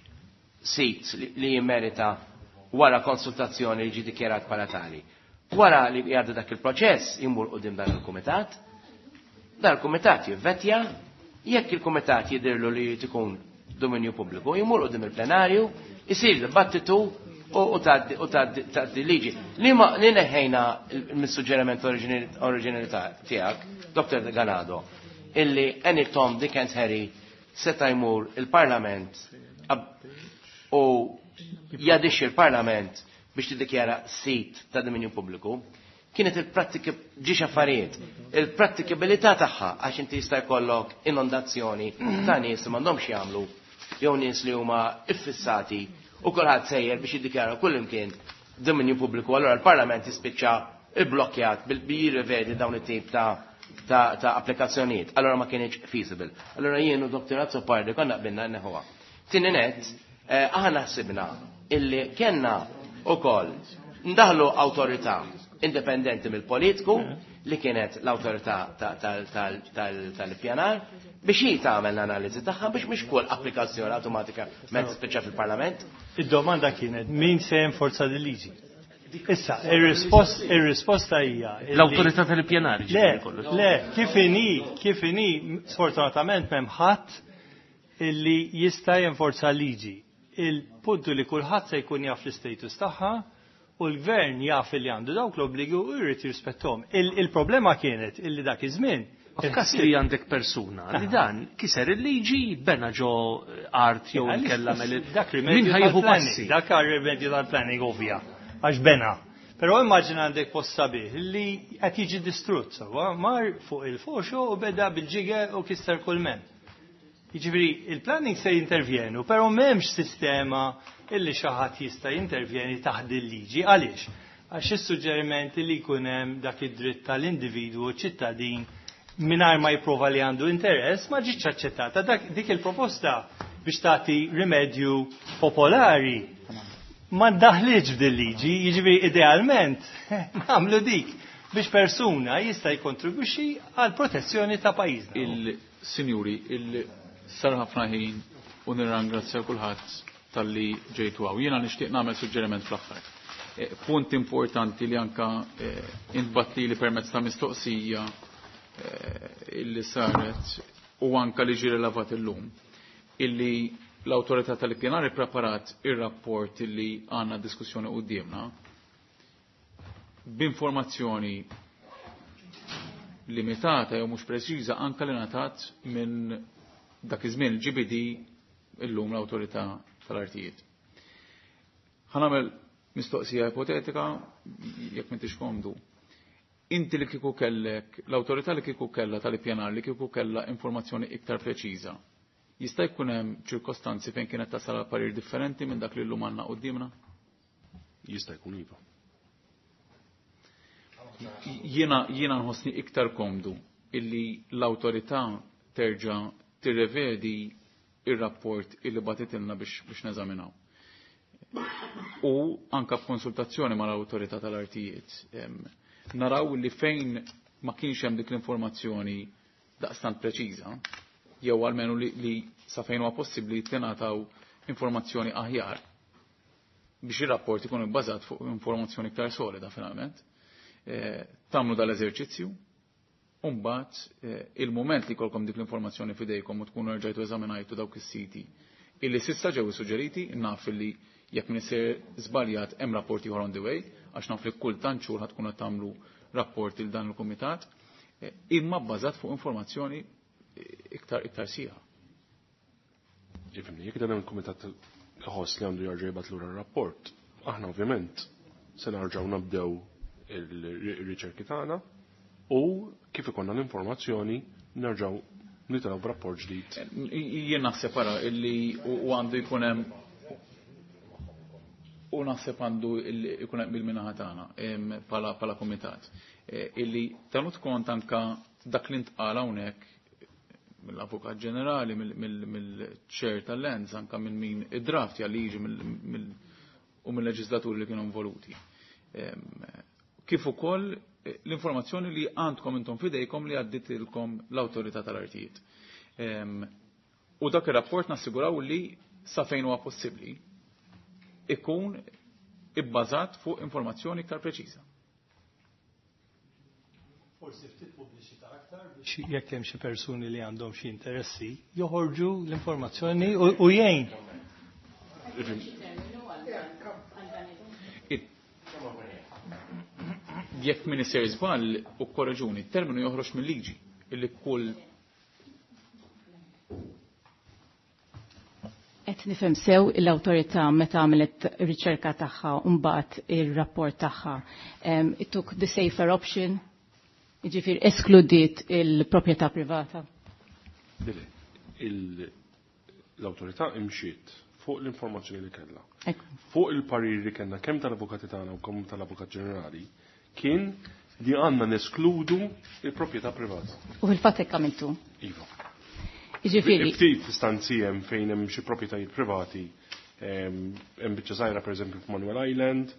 sit li jimmerita wara konsultazzjoni li ġi dikjarat bħala tali. Wara li jgħaddi dak il-proċess jimur quddiem dan il-kumitat, dan il-kumitat jivvetja, jekk il-kumitat jidirlu li tikun dominju pubbliku, jimur quddiem il-plenarju, isir dibattitu u tgħaddi liġi. Li ma li neħejna mis-suġġeriment oriġinali tiegħek, Doktor Ganado, illi any Tom, Dick and Harry seta' jmur il-Parlament u jadix il-Parlament biex tiddikjara sit ta' dominju pubbliku, kienet il-prattiki ġiex affarijiet, il-prattikabilità tagħha għax inti jista' jkollok inondazzjoni ta' nies li m'għandhomx jagħmlu jew nies li huma iffissati u kulħadd sejjer biex jiddikjara kull imkien dominju pubbliku, allura l-Parlament jispiċċa ibblokjat bil jirrivedi dawn it-tip ta' ta' ta' applikazzjonijiet. Allora ma kienx feasible. Allora jien u Doktor Azzopardi konna qbilna neħuha. Tieni net, aħna ħsibna illi kellna ukoll ndaħlu awtorità indipendenti mill-politiku li kienet l-awtorità tal-ippjanar biex hi tagħmel l-analiżi tagħha biex mhix kull applikazzjoni awtomatika mezz tispiċċa fil-Parlament. Id-domanda kienet min se jenforza din liġi? Issa, ir-risposta hija l-awtorità tal-ippjanar. Le, le, kif inhi, kif inhi, sfortunatament m'hemm ħadd illi jista' jenforza liġi. Il-puntu li kulħadd se jkun jaf l-istatus tagħha u l-gvern jaf li għandu dawk l-obbligi u jrid jirrispettom. Il-problema kienet illi dak iż-żmien. F'każ li għandek persuna li dan kiser il-liġi bena ġo art jew inkella dak rimedju passi. Dak rimedju tal-planning ovvja, għax bena. Però immaġina għandek post sabiħ li qed jiġi distrutt sewwa, mar fuq il-foxo u beda bil-ġiger u kisser kull men. Jiġifieri il-planning se jintervjenu, però m'hemmx sistema illi xi ħadd jista' jintervjeni taħt il-liġi. Għaliex? Għax is-suġġerimenti li jkun hemm dak id-dritt tal-individwu ċittadin mingħajr ma jipprova li għandu interess ma ġietx aċċettata. Dak dik il-proposta biex tagħti rimedju popolari ma ddaħliġ f'din liġi, jiġifieri idealment nagħmlu dik biex persuna jista' jikkontribwixxi għal protezzjoni ta' pajjiżna. Il-sinjuri, il sar ħafna ħin u nirrangrazzja kulħadd talli ġejtu hawn. Jiena nixtieq nagħmel suġġeriment fl-aħħar. Eh, punt importanti li anka eh, intbatli li permezz ta' mistoqsija eh, illi saret u anka li ġi rilevat illum illi l-autorità tal-ippjanar ippreparat ir-rapport illi għandna diskussjoni qudiemna b'informazzjoni limitata jew mhux preċiża anka li ngħatat minn dak iż-żmien il-G B D, illum l-Awtorità tal-Artijiet. Ħa nagħmel mistoqsija ipotetika jekk m'intix komdu. Inti li kieku kellek, l-awtorità li kieku kella tal-ippjanar li kieku kella informazzjoni iktar preċiża, jista' jkun hemm ċirkostanzi fejn kienet tasal għal parir differenti minn dak li llum għandna quddiemna? Jista' jkun, iva. Jiena jiena nħossni iktar komdu illi l-awtorità terġa' tirrevedi ir-rapport illi bagħtitilna biex biex neżaminaw. U anka f'konsultazzjoni mal-awtorità tal-artijiet. Naraw li fejn ma kienx hemm dik l-informazzjoni daqstant preċiża, jew almenu li, li sa fejn huwa possibbli tingħataw informazzjoni aħjar biex ir-rapport ikun ibbażat fuq informazzjoni iktar solida finalment. E, tagħmlu dal-eżerċizzju, u mbagħad eh, il-moment li jkollkom dik l-informazzjoni fidejkom u tkunu rġajtu eżaminajtu dawk is-siti illi s'issa ġew suġġeriti, naf li jekk min isir żbaljat hemm rapporti ieħor on the way, għax naf li kull tant xhur ħad tkun qed tagħmlu rapport il dan il-kumitat, eh, imma bbażat fuq informazzjoni eh, iktar iktar sieħa. Ifhimni, jekk dan il-kumitat iħoss li għandu jarġa' jibgħat lura r-rapport, aħna ovvjament se nerġgħu nabdew il-riċerki tagħna u kif ikollna l-informazzjoni nerġgħu nitilgħu b'rapport ġdid. Jien naħseb ara illi u għandu jkun hemm u naħseb għandu jkun hemm il-minaħa tagħna bħala bħala kumitat. E, illi tenut kont anka dak li ntqal hawnhekk mill-Avukat Ġenerali, mill-chair tal-Lands, anka minn min id-draft liġi u mill-leġislaturi li kienu involuti. Kif ukoll l-informazzjoni li għandkom intom fidejkom li għadditilkom l-awtorità tal-artijiet. U dak ir-rapport nassiguraw li sa fejn huwa possibbli ikun ibbażat fuq informazzjoni iktar preċiża. Forsi ftit pubbliċità aktar biex jekk hemm xi persuni li għandhom xi interessi joħorġu l-informazzjoni u jgħin. Jekk min isir żball u korreġuni, terminu joħroġ mill-liġi illi kull Qed nifhem sew l-awtorità meta għamlet riċerka tagħha u mbagħad ir-rapport tagħha. It took the safer option, jiġifieri eskludiet il-proprjetà privata. L-awtorità imxiet fuq l-informazzjoni li kellha. Fuq il-parir li kellna kemm tal-avukati tagħna u kemm tal-Avukat Ġenerali kien li għandna neskludu il-proprjetà privata. U fil-fatt hekk għamiltu? Iva. Jiġifieri. Ftit istanzi hemm fejn hemm xi proprjetajiet privati, hemm biċċa żgħira pereżempju f'Manuel Island,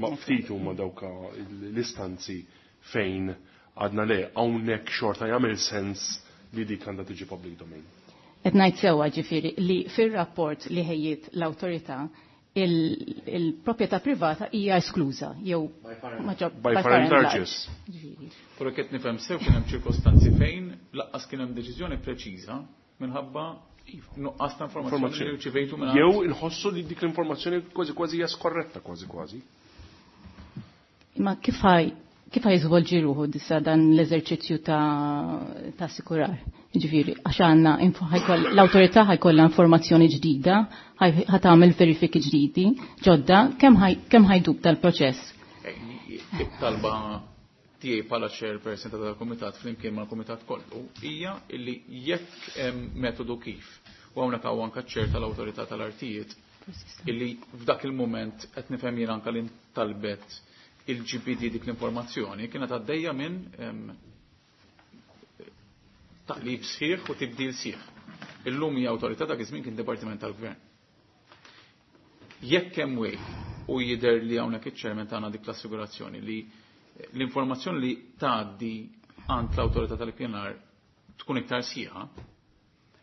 ma ftit huma dawk l-istanzi fejn għadna le hawnhekk xorta jagħmel sens li dik għandha tiġi public domain. Qed ngħid sewwa ġifieri li fir-rapport li ħejjiet l-awtorità il-proprjetà privata hija eskluża jew by far and large. Però qed nifhem sew kien hemm ċirkostanzi fejn lanqas kien hemm deċiżjoni preċiża minħabba nuqqas ta' informazzjoni li rċivejtu minn Jew inħossu li dik l-informazzjoni kważi kważi hija skorretta kważi kważi. Imma kif ħaj kif ħaj jiżvolġi ruħu dissa dan l-eżerċizzju ta' ta' sikurar? Jiġifieri, għax għandna l-awtorità ħajkollha informazzjoni ġdida, ħa tagħmel verifiki ġdidi, ġodda, kemm ħajdub dal-proċess? It-talba tiegħi bħala chairperson ta' dal-kumitat flimkien mal-kumitat kollu hija illi jekk hemm metodu kif u hawnhekk hawn anke ċ-chair tal-awtorità tal-artijiet illi f'dak il-mument qed nifhem jien anke li ntalbet il-G P D dik l-informazzjoni kienet għaddejja minn taqlib sħiħ u tibdil sħiħ. Illum hija awtorità, dak iż-żmien kien dipartiment tal-gvern. Jekk hemm way u jidher li hawnhekk iċ-chairman tagħna dik l-assigurazzjoni li l-informazzjoni li tgħaddi għand l-awtorità tal-ippjanar tkun iktar sħiħa,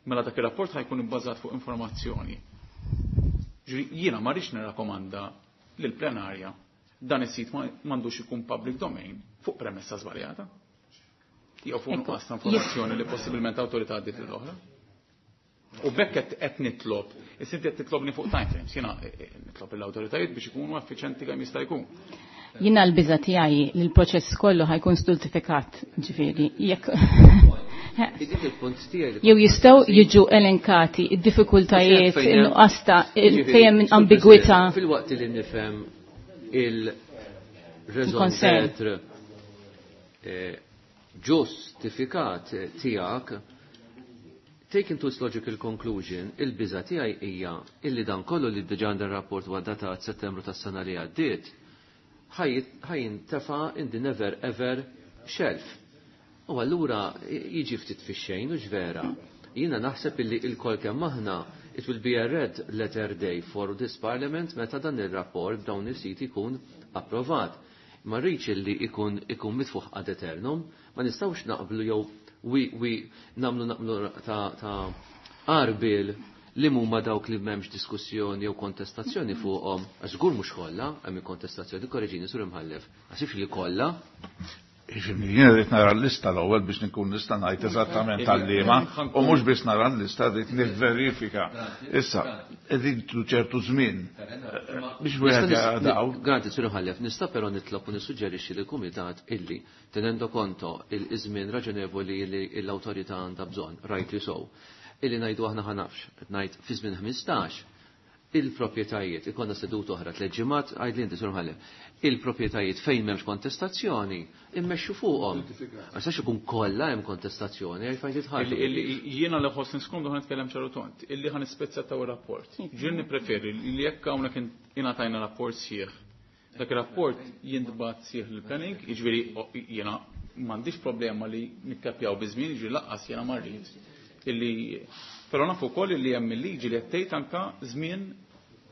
mela dak ir-rapport ħajkun ibbażat fuq informazzjoni. Jiena ma rridx nirrakkomanda lill-plenarja dan is-sit m'għandux ikun public domain fuq premessa żbaljata. Jew fuq nuqqas ta' informazzjoni li possibilment awtorità għaddiet lill-oħra. U b'hekk qed nitlob, issa inti qed titlobni fuq timeframes, jiena nitlob l-awtoritajiet biex ikunu effiċenti kemm jista' jkun. Jiena l-biża tiegħi li l-proċess kollu ħa jkun stultifikat, ġifieri, jekk jew jistgħu jiġu elenkati id-diffikultajiet, in-nuqqas ta' fejn hemm ambigwità. Filwaqt li nifhem il-raison d'être ġustifikat tiegħek, taken to its logical conclusion, il-biża tiegħi hija illi dan kollu li diġà għandha rapport huwa datat Settembru tas-sena li għaddiet, ħa jintefa' in the never ever shelf. U allura jiġi ftit fix-xejn u vera. Jiena naħseb illi il-kol kemm aħna it will be a red letter day for this parliament meta dan ir-rapport dawn is-sit ikun approvat. Ma rridx illi ikun ikun mitfuħ ad eternum, ma nistgħux naqblu jew wi wi nagħmlu naqblu ta' ta' qarbil li huma dawk li m'hemmx diskussjoni jew kontestazzjoni fuqhom, għax żgur mhux kollha hemm kontestazzjoni, korreġini sur imħallef. Għax li kollha. Ifhimni, jiena rrid nara l-lista l-ewwel biex nkun nista' ngħid eżattament tal-liema u mhux biss nara l-lista rrid nivverifika. Issa, qegħdin ċertu żmien biex wieħed jara daw. Granti sur imħallef, nista' però nitlob u nissuġġerixxi lill-kumitat illi tenendo conto il-żmien raġonevoli li l-awtorità għandha bżonn, rightly so, illi ngħidu aħna ħa nafx, qed ngħid fi żmien ħmistax il-proprjetajiet, ikonna seduta oħra tliet ġimgħat, għajd li inti sur imħallef, il-proprjetajiet fejn m'hemmx kontestazzjoni, immexxu fuqhom. Għax ikun kollha hemm kontestazzjoni, għal fejn titħarsu. Jiena li ħoss niskomdu ħa nitkellem ċaru tont, illi ħa nispezzjattaw ir-rapport. Ġieli nippreferi li jekk hawnhekk ingħatajna rapport sħiħ. Dak ir-rapport jintbagħat sħiħ lill-planning, jiġifieri jiena m'għandix problema li nikkapjaw biż-żmien, jiġifieri lanqas jiena ma rrid illi però nafu wkoll li hemm il-liġi li qed tgħid anke żmien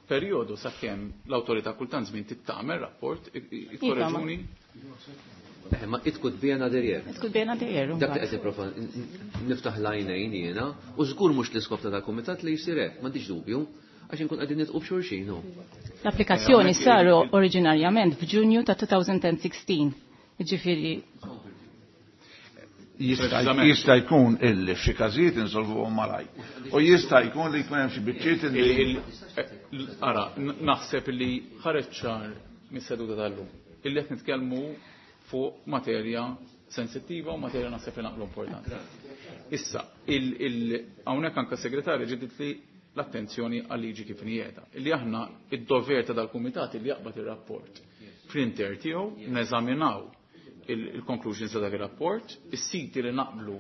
perjodu sakemm l-awtorità kultant żmien tittamel rapport, ikkoreġuni. Eh, ma it could be another year. It could be another year. Dak li qed nipprova niftaħ l-għajnejn jiena, u żgur mhux l-iskop ta' dal-kumitat li jsir hekk, m'għandix dubju, għax inkun qegħdin nitqu b'xulxin. L-applikazzjoni saru oriġinarjament f'Ġunju ta' elfejn u sittax. Ġifieri Jista' jkun illi f'xi każijiet insolvuhom malaj. U jista' jkun li jkun hemm xi biċċiet illi Ara, naħseb li ħareġ ċar mis-seduta tal-lum. Illi qed nitkellmu fuq materja sensittiva u materja naħseb li naqblu importanti. Issa, hawnhekk anke segretarja ġibdit li l-attenzjoni għal-liġi kif inhi. Illi aħna id-dover ta' dal-kumitat illi jaqbad ir-rapport fl-inter tiegħu neżaminaw il-conclusions ta' dak ir-rapport, is-siti li naqblu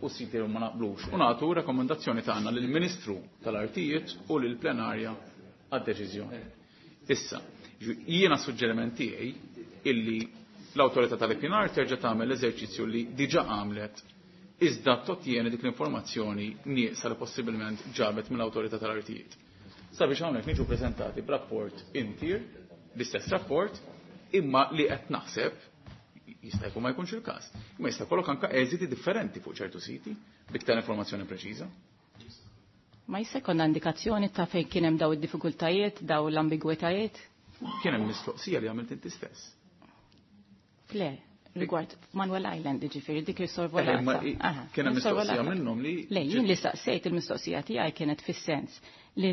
u siti li ma naqblux, u nagħtu rakkomandazzjoni tagħna lill-Ministru tal-Artijiet u lill-plenarja għad-deċiżjoni. Issa, jiena suġġeriment tiegħi illi l-awtorità tal-ippjanar terġa' tagħmel l-eżerċizzju li diġà għamlet iżda tottieni dik l-informazzjoni nieqsa li possibilment ġabet mill-awtorità tal-artijiet. Sabiex hawnhekk niġu preżentati b'rapport intier, l-istess rapport, imma li qed naħseb jista' jkun ma jkunx il-każ. Imma jista' jkollok anke eżiti differenti fuq ċertu siti b'iktar informazzjoni preċiża. Ma jista' jkollna indikazzjoni ta' fejn kien hemm daw id-diffikultajiet, daw l-ambigwitajiet? Kien hemm mistoqsija li għamilt inti stess. Le, rigward Manuel Island, ġifieri dik il-sorvolata. Kien hemm mistoqsija minnhom li. Le, jien li saqsejt il-mistoqsija tiegħi kienet fis-sens li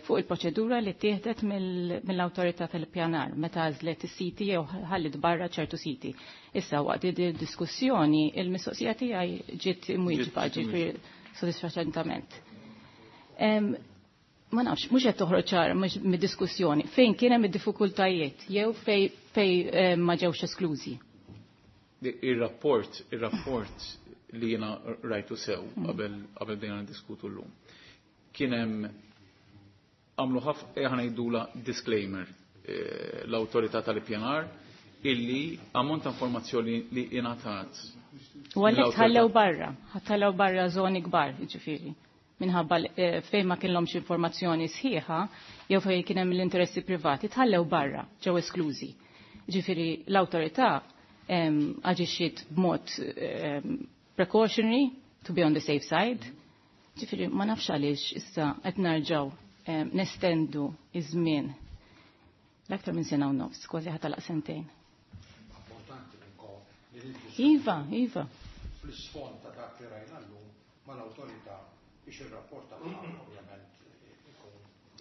fuq il-proċedura li tieħdet mill-awtorità tal-pjanar meta għażlet is-siti jew ħallit barra ċertu siti. Issa waqt id-diskussjoni il-mistoqsija tiegħi ġiet imwieġba, ġifieri sodisfaċentament. Ma nafx, mhux qed toħroġ ċar mid-diskussjoni fejn kien hemm id-diffikultajiet jew fej fej ma ġewx esklużi. Il-rapport, il-rapport li jiena rajtu sew qabel qabel bdejna niddiskutu llum. Kien hemm għamlu ħafna ħa ngħidula disclaimer l-awtorità tal-ippjanar illi ammont ta' informazzjoni li ingħatat. U għalhekk tħallew barra, ħallew barra żoni kbar, jiġifieri. Minħabba fejn ma kienlhomx informazzjoni sħiħa jew fejn kien hemm l-interessi privati tħallew barra, ġew esklużi. Ġifieri l-awtorità aġixxiet b'mod precautionary to be on the safe side. Ġifieri ma nafx għaliex issa qed narġgħu nestendu iż-żmien L-aktar minn sena u nofs, kważi ħa tagħlaq sentejn. Iva, iva. Fl-isfond ta' dak li rajna llum mal-awtorità biex ir-rapport tagħha ovvjament ikun.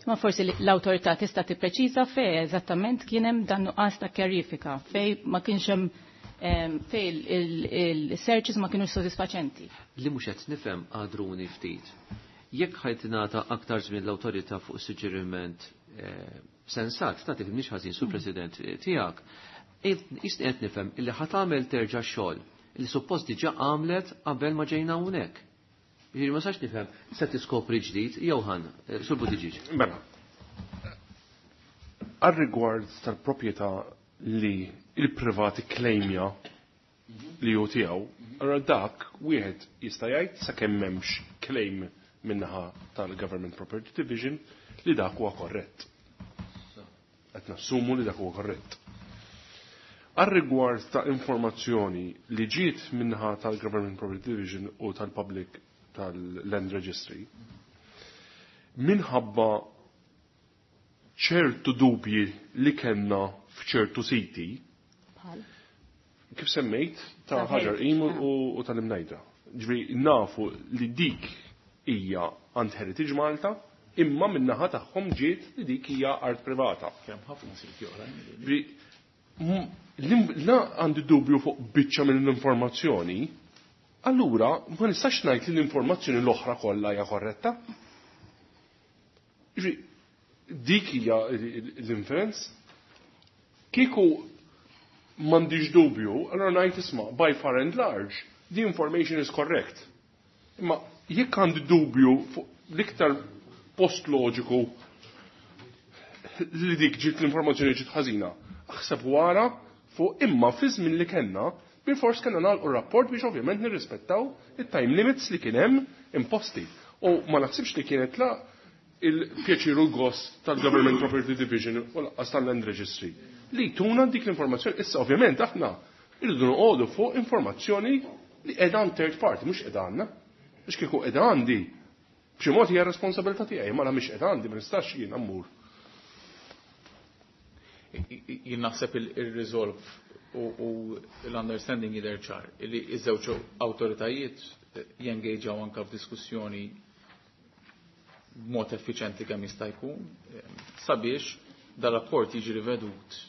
Ma forsi l-awtorità tista' tippreċiża fej eżattament kien hemm dan nuqqas ta' kjarifika, fej ma kienx hemm fej il-searches ma kienux sodisfaċenti. Li mhux qed nifhem għadruni ftit. Jekk ħajt tingħata aktar żmien l-awtorità fuq suġġeriment sensat, ta' tifhimniex ħażin sur President tiegħek, jista' qed nifhem illi ħa tagħmel terġa' xogħol li suppost diġà għamlet qabel ma ġejna hawnhekk. Jiġifieri ma sax nifhem se tiskopri ġdid, Johan, sur Buttigieg. Mela. Għar-rigward tal-proprjetà li il-privati klejmja li hu tiegħu, allura dak wieħed jista' jgħid sakemm m'hemmx claim minnaħa tal-Government Property Division li dak huwa korrett. Qed nassumu li dak huwa korrett. Għar-rigward ta' informazzjoni li ġiet minnaħa tal-Government Property Division u tal-Public tal-Land Registry, minħabba ċertu dubji li kellna f'ċertu siti, kif semmejt, ta' Ħaġar Qim u tal-Imnajdra. Ġifieri nafu li dik hija għand Heritage Malta, imma min-naħa tagħhom ġiet li dik hija art privata. Kemm ħafna siti oħrajn. Ġifieri la għandi dubju fuq biċċa mill-informazzjoni, allura ma nistax ngħid li l-informazzjoni l-oħra kollha hija korretta. Ġifieri dik hija l-inference. Kieku m'għandix dubju, allura ngħid isma' by far and large, the information is correct. Imma jekk għandi dubju fuq l-iktar post loġiku li dik ġiet l-informazzjoni ġiet ħażina, aħseb wara fuq imma fi żmien li kellna bil-fors kellna nagħlqu r-rapport biex ovvjament nirrispettaw it-time limits li kien hemm imposti. U ma naħsibx li kienet la il-pjaċir u l-gost tal-Government Property Division u lanqas tal-Land Registry li tuna dik l-informazzjoni. Issa ovvjament aħna irridu noqogħdu fuq informazzjoni li qiegħda għand third party, mhux qiegħda għandna. Biex kieku qiegħda għandi, b'xi mod hija responsabilità tiegħi, ma la mhix qiegħda għandi, ma nistax jien mmur. Jien naħseb il-resolve u l-understanding jidher ċar li iż-żewġ awtoritajiet jengaġaw anka f'diskussjoni b'mod effiċenti kemm jista' jkun sabiex dal-rapport jiġi rivedut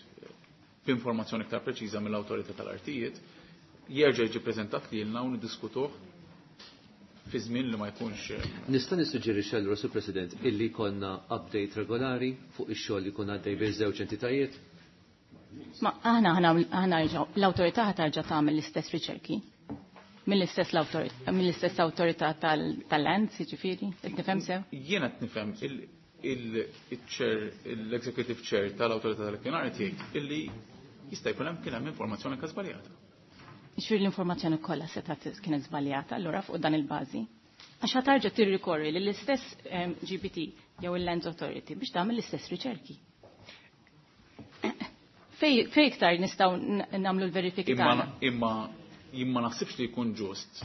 b'informazzjoni iktar preċiża mill-awtorità tal-artijiet, jerġa' jiġi preżentat lilna u niddiskutuh fi żmien li ma jkunx. Nista' nissuġġerixxi allura, Sur President, illi jkollna update regolari fuq ix-xogħol li jkun għaddej bejn żewġ entitajiet? Ma aħna aħna l-awtorità ħa tarġa' tagħmel l-istess riċerki. Mill-istess l-awtorità, mill-istess awtorità tal-land, jiġifieri, qed nifhem sew? Jiena qed nifhem il-chair, l-executive chair tal-awtorità tal-ippjanar jgħid illi jista' jkun hemm kien hemm informazzjoni anke żbaljata. Jiġifieri l-informazzjoni kollha setgħet kienet żbaljata allura fuq dan il-bażi. Għax ħa tarġa' tirrikorri lill-istess G P D jew il-Land Authority biex tagħmel l-istess riċerki. Fej fej iktar nistgħu nagħmlu l-verifiki Imma tagħna? Imma jien ma naħsibx li jkun ġust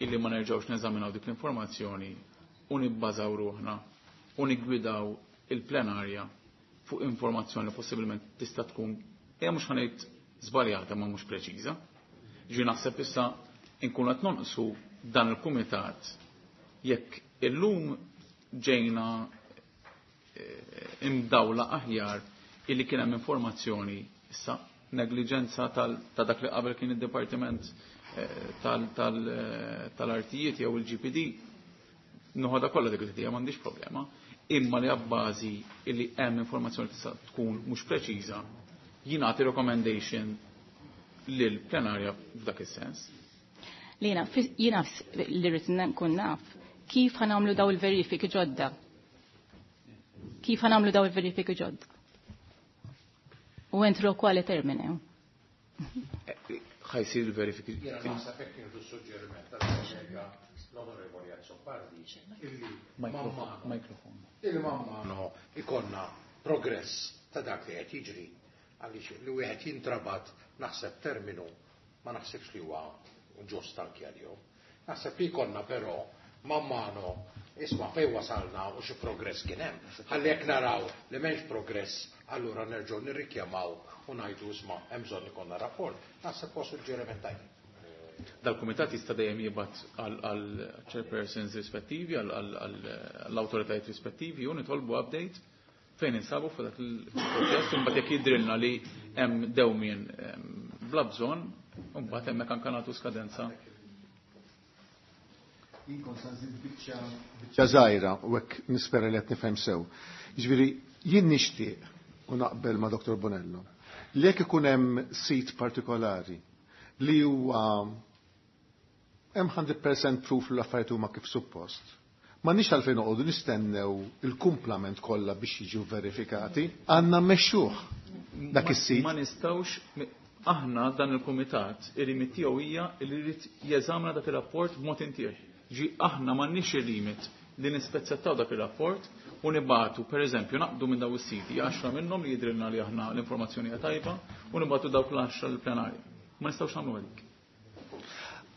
illi ma nerġgħux neżaminaw dik l-informazzjoni u nibbażaw ruħna u niggwidaw il-plenarja fuq informazzjoni li possibilment tista' tkun hija mhux ħa ngħid żbaljata ma mhux preċiża. Ġi naħseb issa nkunu qed nonqsu dan il-kumitat jekk illum ġejna imdawla aħjar illi kien hemm informazzjoni, issa negliġenza ta' dak li qabel kien id-Dipartiment tal-Artijiet jew il-G P D, noħodha kollha dik li m'għandix problema, imma li abbażi illi hemm informazzjoni tista' tkun mhux preċiża, jingħati recommendation lil plenarja f'dak is-sens. Lina, jiena li rrid nkun naf kif ħa nagħmlu daw il-verifiki ġodda. Kif ħa nagħmlu daw il-verifiki ġodda? U entro quale termine? Ħa jsir il-verifiki. Jiena naħseb hekk nieħdu suġġeriment tal-kollega l-Onorevoli Azzopardi illi Mikrofon. Il-mamma ikollna progress ta' dak li qed jiġri, għaliex li wieħed jintrabat naħseb terminu ma naħsibx li huwa ġust anke għalihom. Naħseb li jkollna però man mano Isma' fejn wasalna u xi progress kien hemm. Ħalli jekk naraw li m'hemmx progress, allura nerġgħu nirrikjamaw u ngħidu isma' hemm bżonn ikollna rapport. Naħseb huwa suġġeriment tajjeb. Dal-kumitat jista' dejjem jibgħat għal chairpersons rispettivi, għall-awtoritajiet rispettivi u nitolbu update fejn insabu fuq dak il-proċess, imbagħad jekk jidrilna li hemm dewmien bla bżonn, imbagħad hemmhekk anke nagħtu skadenza. Jien kont se nżid biċċa biċċa żgħira u hekk nispera li qed nifhem sew. Jiġifieri jien nixtieq u naqbel ma' Doktor Bonello li jekk ikun hemm sit partikolari li huwa hemm hundred percent proof li l-affarijiet huma kif suppost. M'għandniex għalfejn noqogħdu nistennew il-kumplament kollha biex jiġu verifikati, għandna mmexxuh dak is-sit. Ma nistgħux aħna dan il-kumitat ir-rimit tiegħu hija li jrid jeżamina dak ir-rapport b'mod intier. Ġi aħna m'għandniex ir-rimit li nispezzettaw dak ir-rapport u nibatu, per eżempju, naqdu minn daw is-siti, għaxra minnhom li jidrilna li aħna l-informazzjoni hija tajba u nibatu dawk l-għaxra l-plenarja. Ma nistgħux nagħmlu għalik.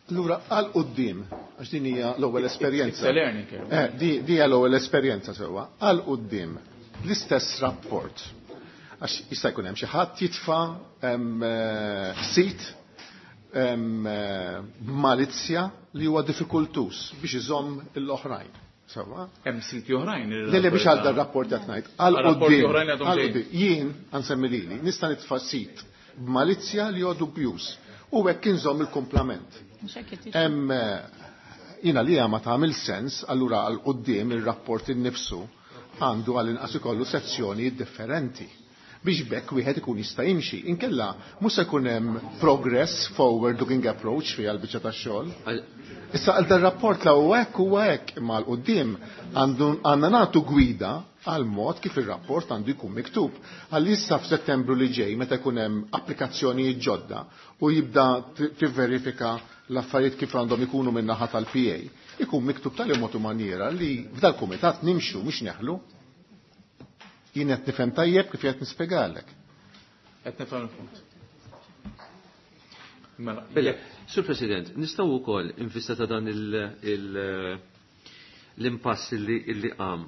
Allura għal quddiem, għax din hija l-ewwel esperjenza. It's a learning curve. Eh, di, di hija l-ewwel esperjenza sewwa. Għal quddiem l-istess rapport. Għax jista' jkun hemm xi ħadd jitfa' sit b'malizzja li huwa diffikultus biex iżomm l-oħrajn. Sewwa? Hemm siti oħrajn li Le, le, biex għal dan rapport qed ngħid. Għal Għal rapporti quddiem, oħrajn li għadhom għal ġejjin. quddiem. Jien għansemmi lili, nista' nitfa' sit b'malizzja li huwa dubjuż u hekk inżomm il-kumplament. Hemm jiena li ma tagħmel sens, allura għal quddiem ir-rapport innifsu għandu għal inqas ikollu sezzjonijiet differenti biex bekk wieħed ikun jista' jimxi. Inkella mhux se jkun hemm progress forward looking approach fiha l-biċċa tax-xogħol. Issa għal dan rapport la huwa hekk huwa hekk, imma għal quddiem għandu għandna nagħtu gwida għal mod kif ir-rapport għandu jkun miktub. Għal issa f'Settembru li ġej meta jkun hemm applikazzjonijiet ġodda u jibda tivverifika l-affarijiet kif għandhom ikunu min-naħa tal-P A, ikun miktub tal-mod u maniera li f'dal-kumitat nimxu mhux neħlu. Jien qed nifhem tajjeb kif qed nispjegalek. Qed nifhem il-punt. Mela, Bella, Sur President, nistgħu wkoll in vista ta' dan il-, il-, l-impass li, li qam.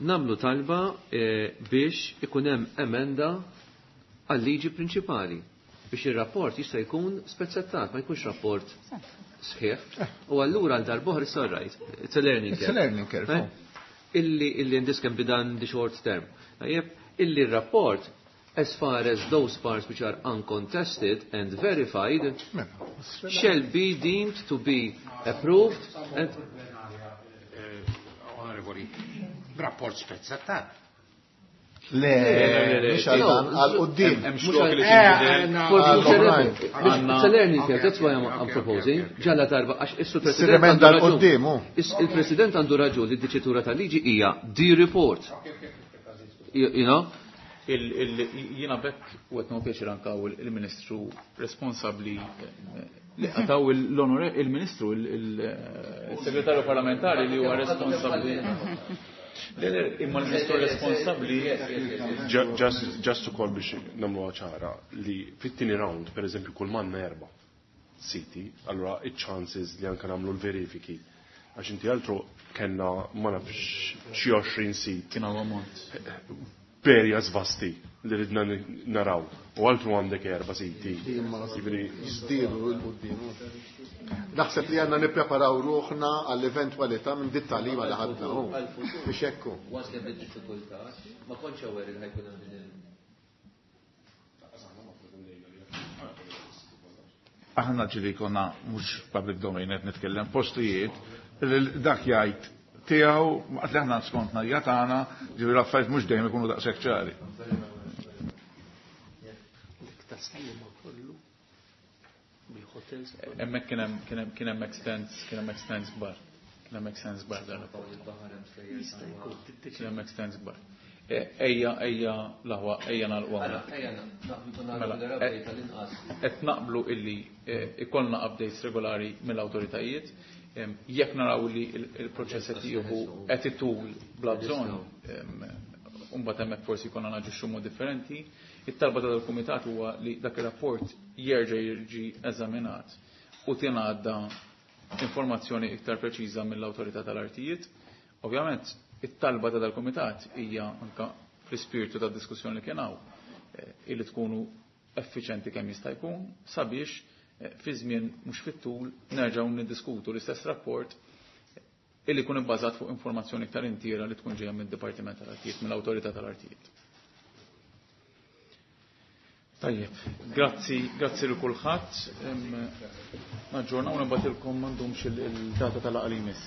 Namlu talba, eh, biex ikun hemm emenda għal-liġi prinċipali biex ir-rapport jista' jkun spezzettat, ma jkunx rapport sħiħ. U allura għal darb'oħra it's all right. It's a learning It's a curve. learning curve, Eh? oh. Illi, illi and this can be done in the short term. Tajjeb, illi r-rapport as far as those parts which are uncontested and verified shall be deemed to be approved and Onorevoli, rapport spezzettat. Le, mhux għal dan, għal quddiem. Hemm Mhux xlok għal- li Eh, tinbidel. eh, no, For Għal future oħrajn. reference. Għandna- It's a learning curve, Okay, that's why I'm, okay, I'm okay, proposing. okay, okay. Ġalla darba, għax issu Sir President emenda għandu l raġun. quddiem, oh. Is- Il-President għandu raġun li d-diċitura tal-liġi hija the report. You, you know? Il-, il-, jiena bekk u qed nieħu pjaċir anke hawn il-Ministru responsabbli, eh, li għataw l-onore, il-Ministru, il-, il-, il-Segretarju Parlamentari li huwa responsabbli. Le, le, imma l-Ministru responsabbli. Ju-, just, just ukoll biex nagħmluha ċara li fit-tieni round, per eżempju, kull manna erba' siti, allura iċ-chances li anke nagħmlu l-verifiki. Għax inti altru kellna ma nafx xi għoxrin sit. Kien hawn ammont. Perja vasti li ridna ni-, naraw. U altru għandek erba' siti. Jiġifieri Jiżdiedu l quddiem. Naħseb li għandna nippreparaw ruħna għall-eventwalità minn dit tagħlima li ħadna hu. Biex hekk hu. Waslet bid-diffikultà, ma kontx aware li ħajkun hemm din il- Aħna ġieli konna mhux public domain qed nitkellem postijiet li dak jgħid tiegħu waqt li aħna skontna hija tagħna, ġifieri l-affarijiet mhux dejjem ikunu daqshekk ċari. Hemmhekk kien hemm, kien hemm, kien hemm extents, kien hemm extents kbar. Kien hemm extents kbar dan il-rapport. Kien hemm extents kbar. Ejja, ejja, l-aħwa, ejja nagħlqu hawnhekk. Ejja, naqblu Mela, nagħlqu l-update tal-inqas. Qed naqblu illi, eh, ikollna updates regolari mill-awtoritajiet. Em, jekk naraw li il-, il-proċess qed jieħu qed itul bla bżonn, em, u mbagħad hemmhekk forsi jkollna naġixxu mod differenti. It-talba ta' dal-kumitat huwa li dak ir-rapport jerġa' jiġi eżaminat u tingħadda informazzjoni iktar preċiża mill-awtorità tal-artijiet. Ovvjament, it-talba ta' dal-komitat hija anka fl-ispirtu ta' diskussjoni li kien hawn eh, illi tkunu effiċenti kemm jista' jkun sabiex eh, fi żmien mhux fit-tul nerġgħu niddiskutu l-istess rapport illi jkun ibbażat fuq informazzjoni iktar intiera li tkun ġejja mid-Dipartiment tal-Artijiet, mill-Awtorità tal-Artijiet. Tajjeb, grazzi, grazzi lil kulħadd. Naġġornaw nibgħatilkom m'għandhomx il-data tal-laqgħa li jmiss.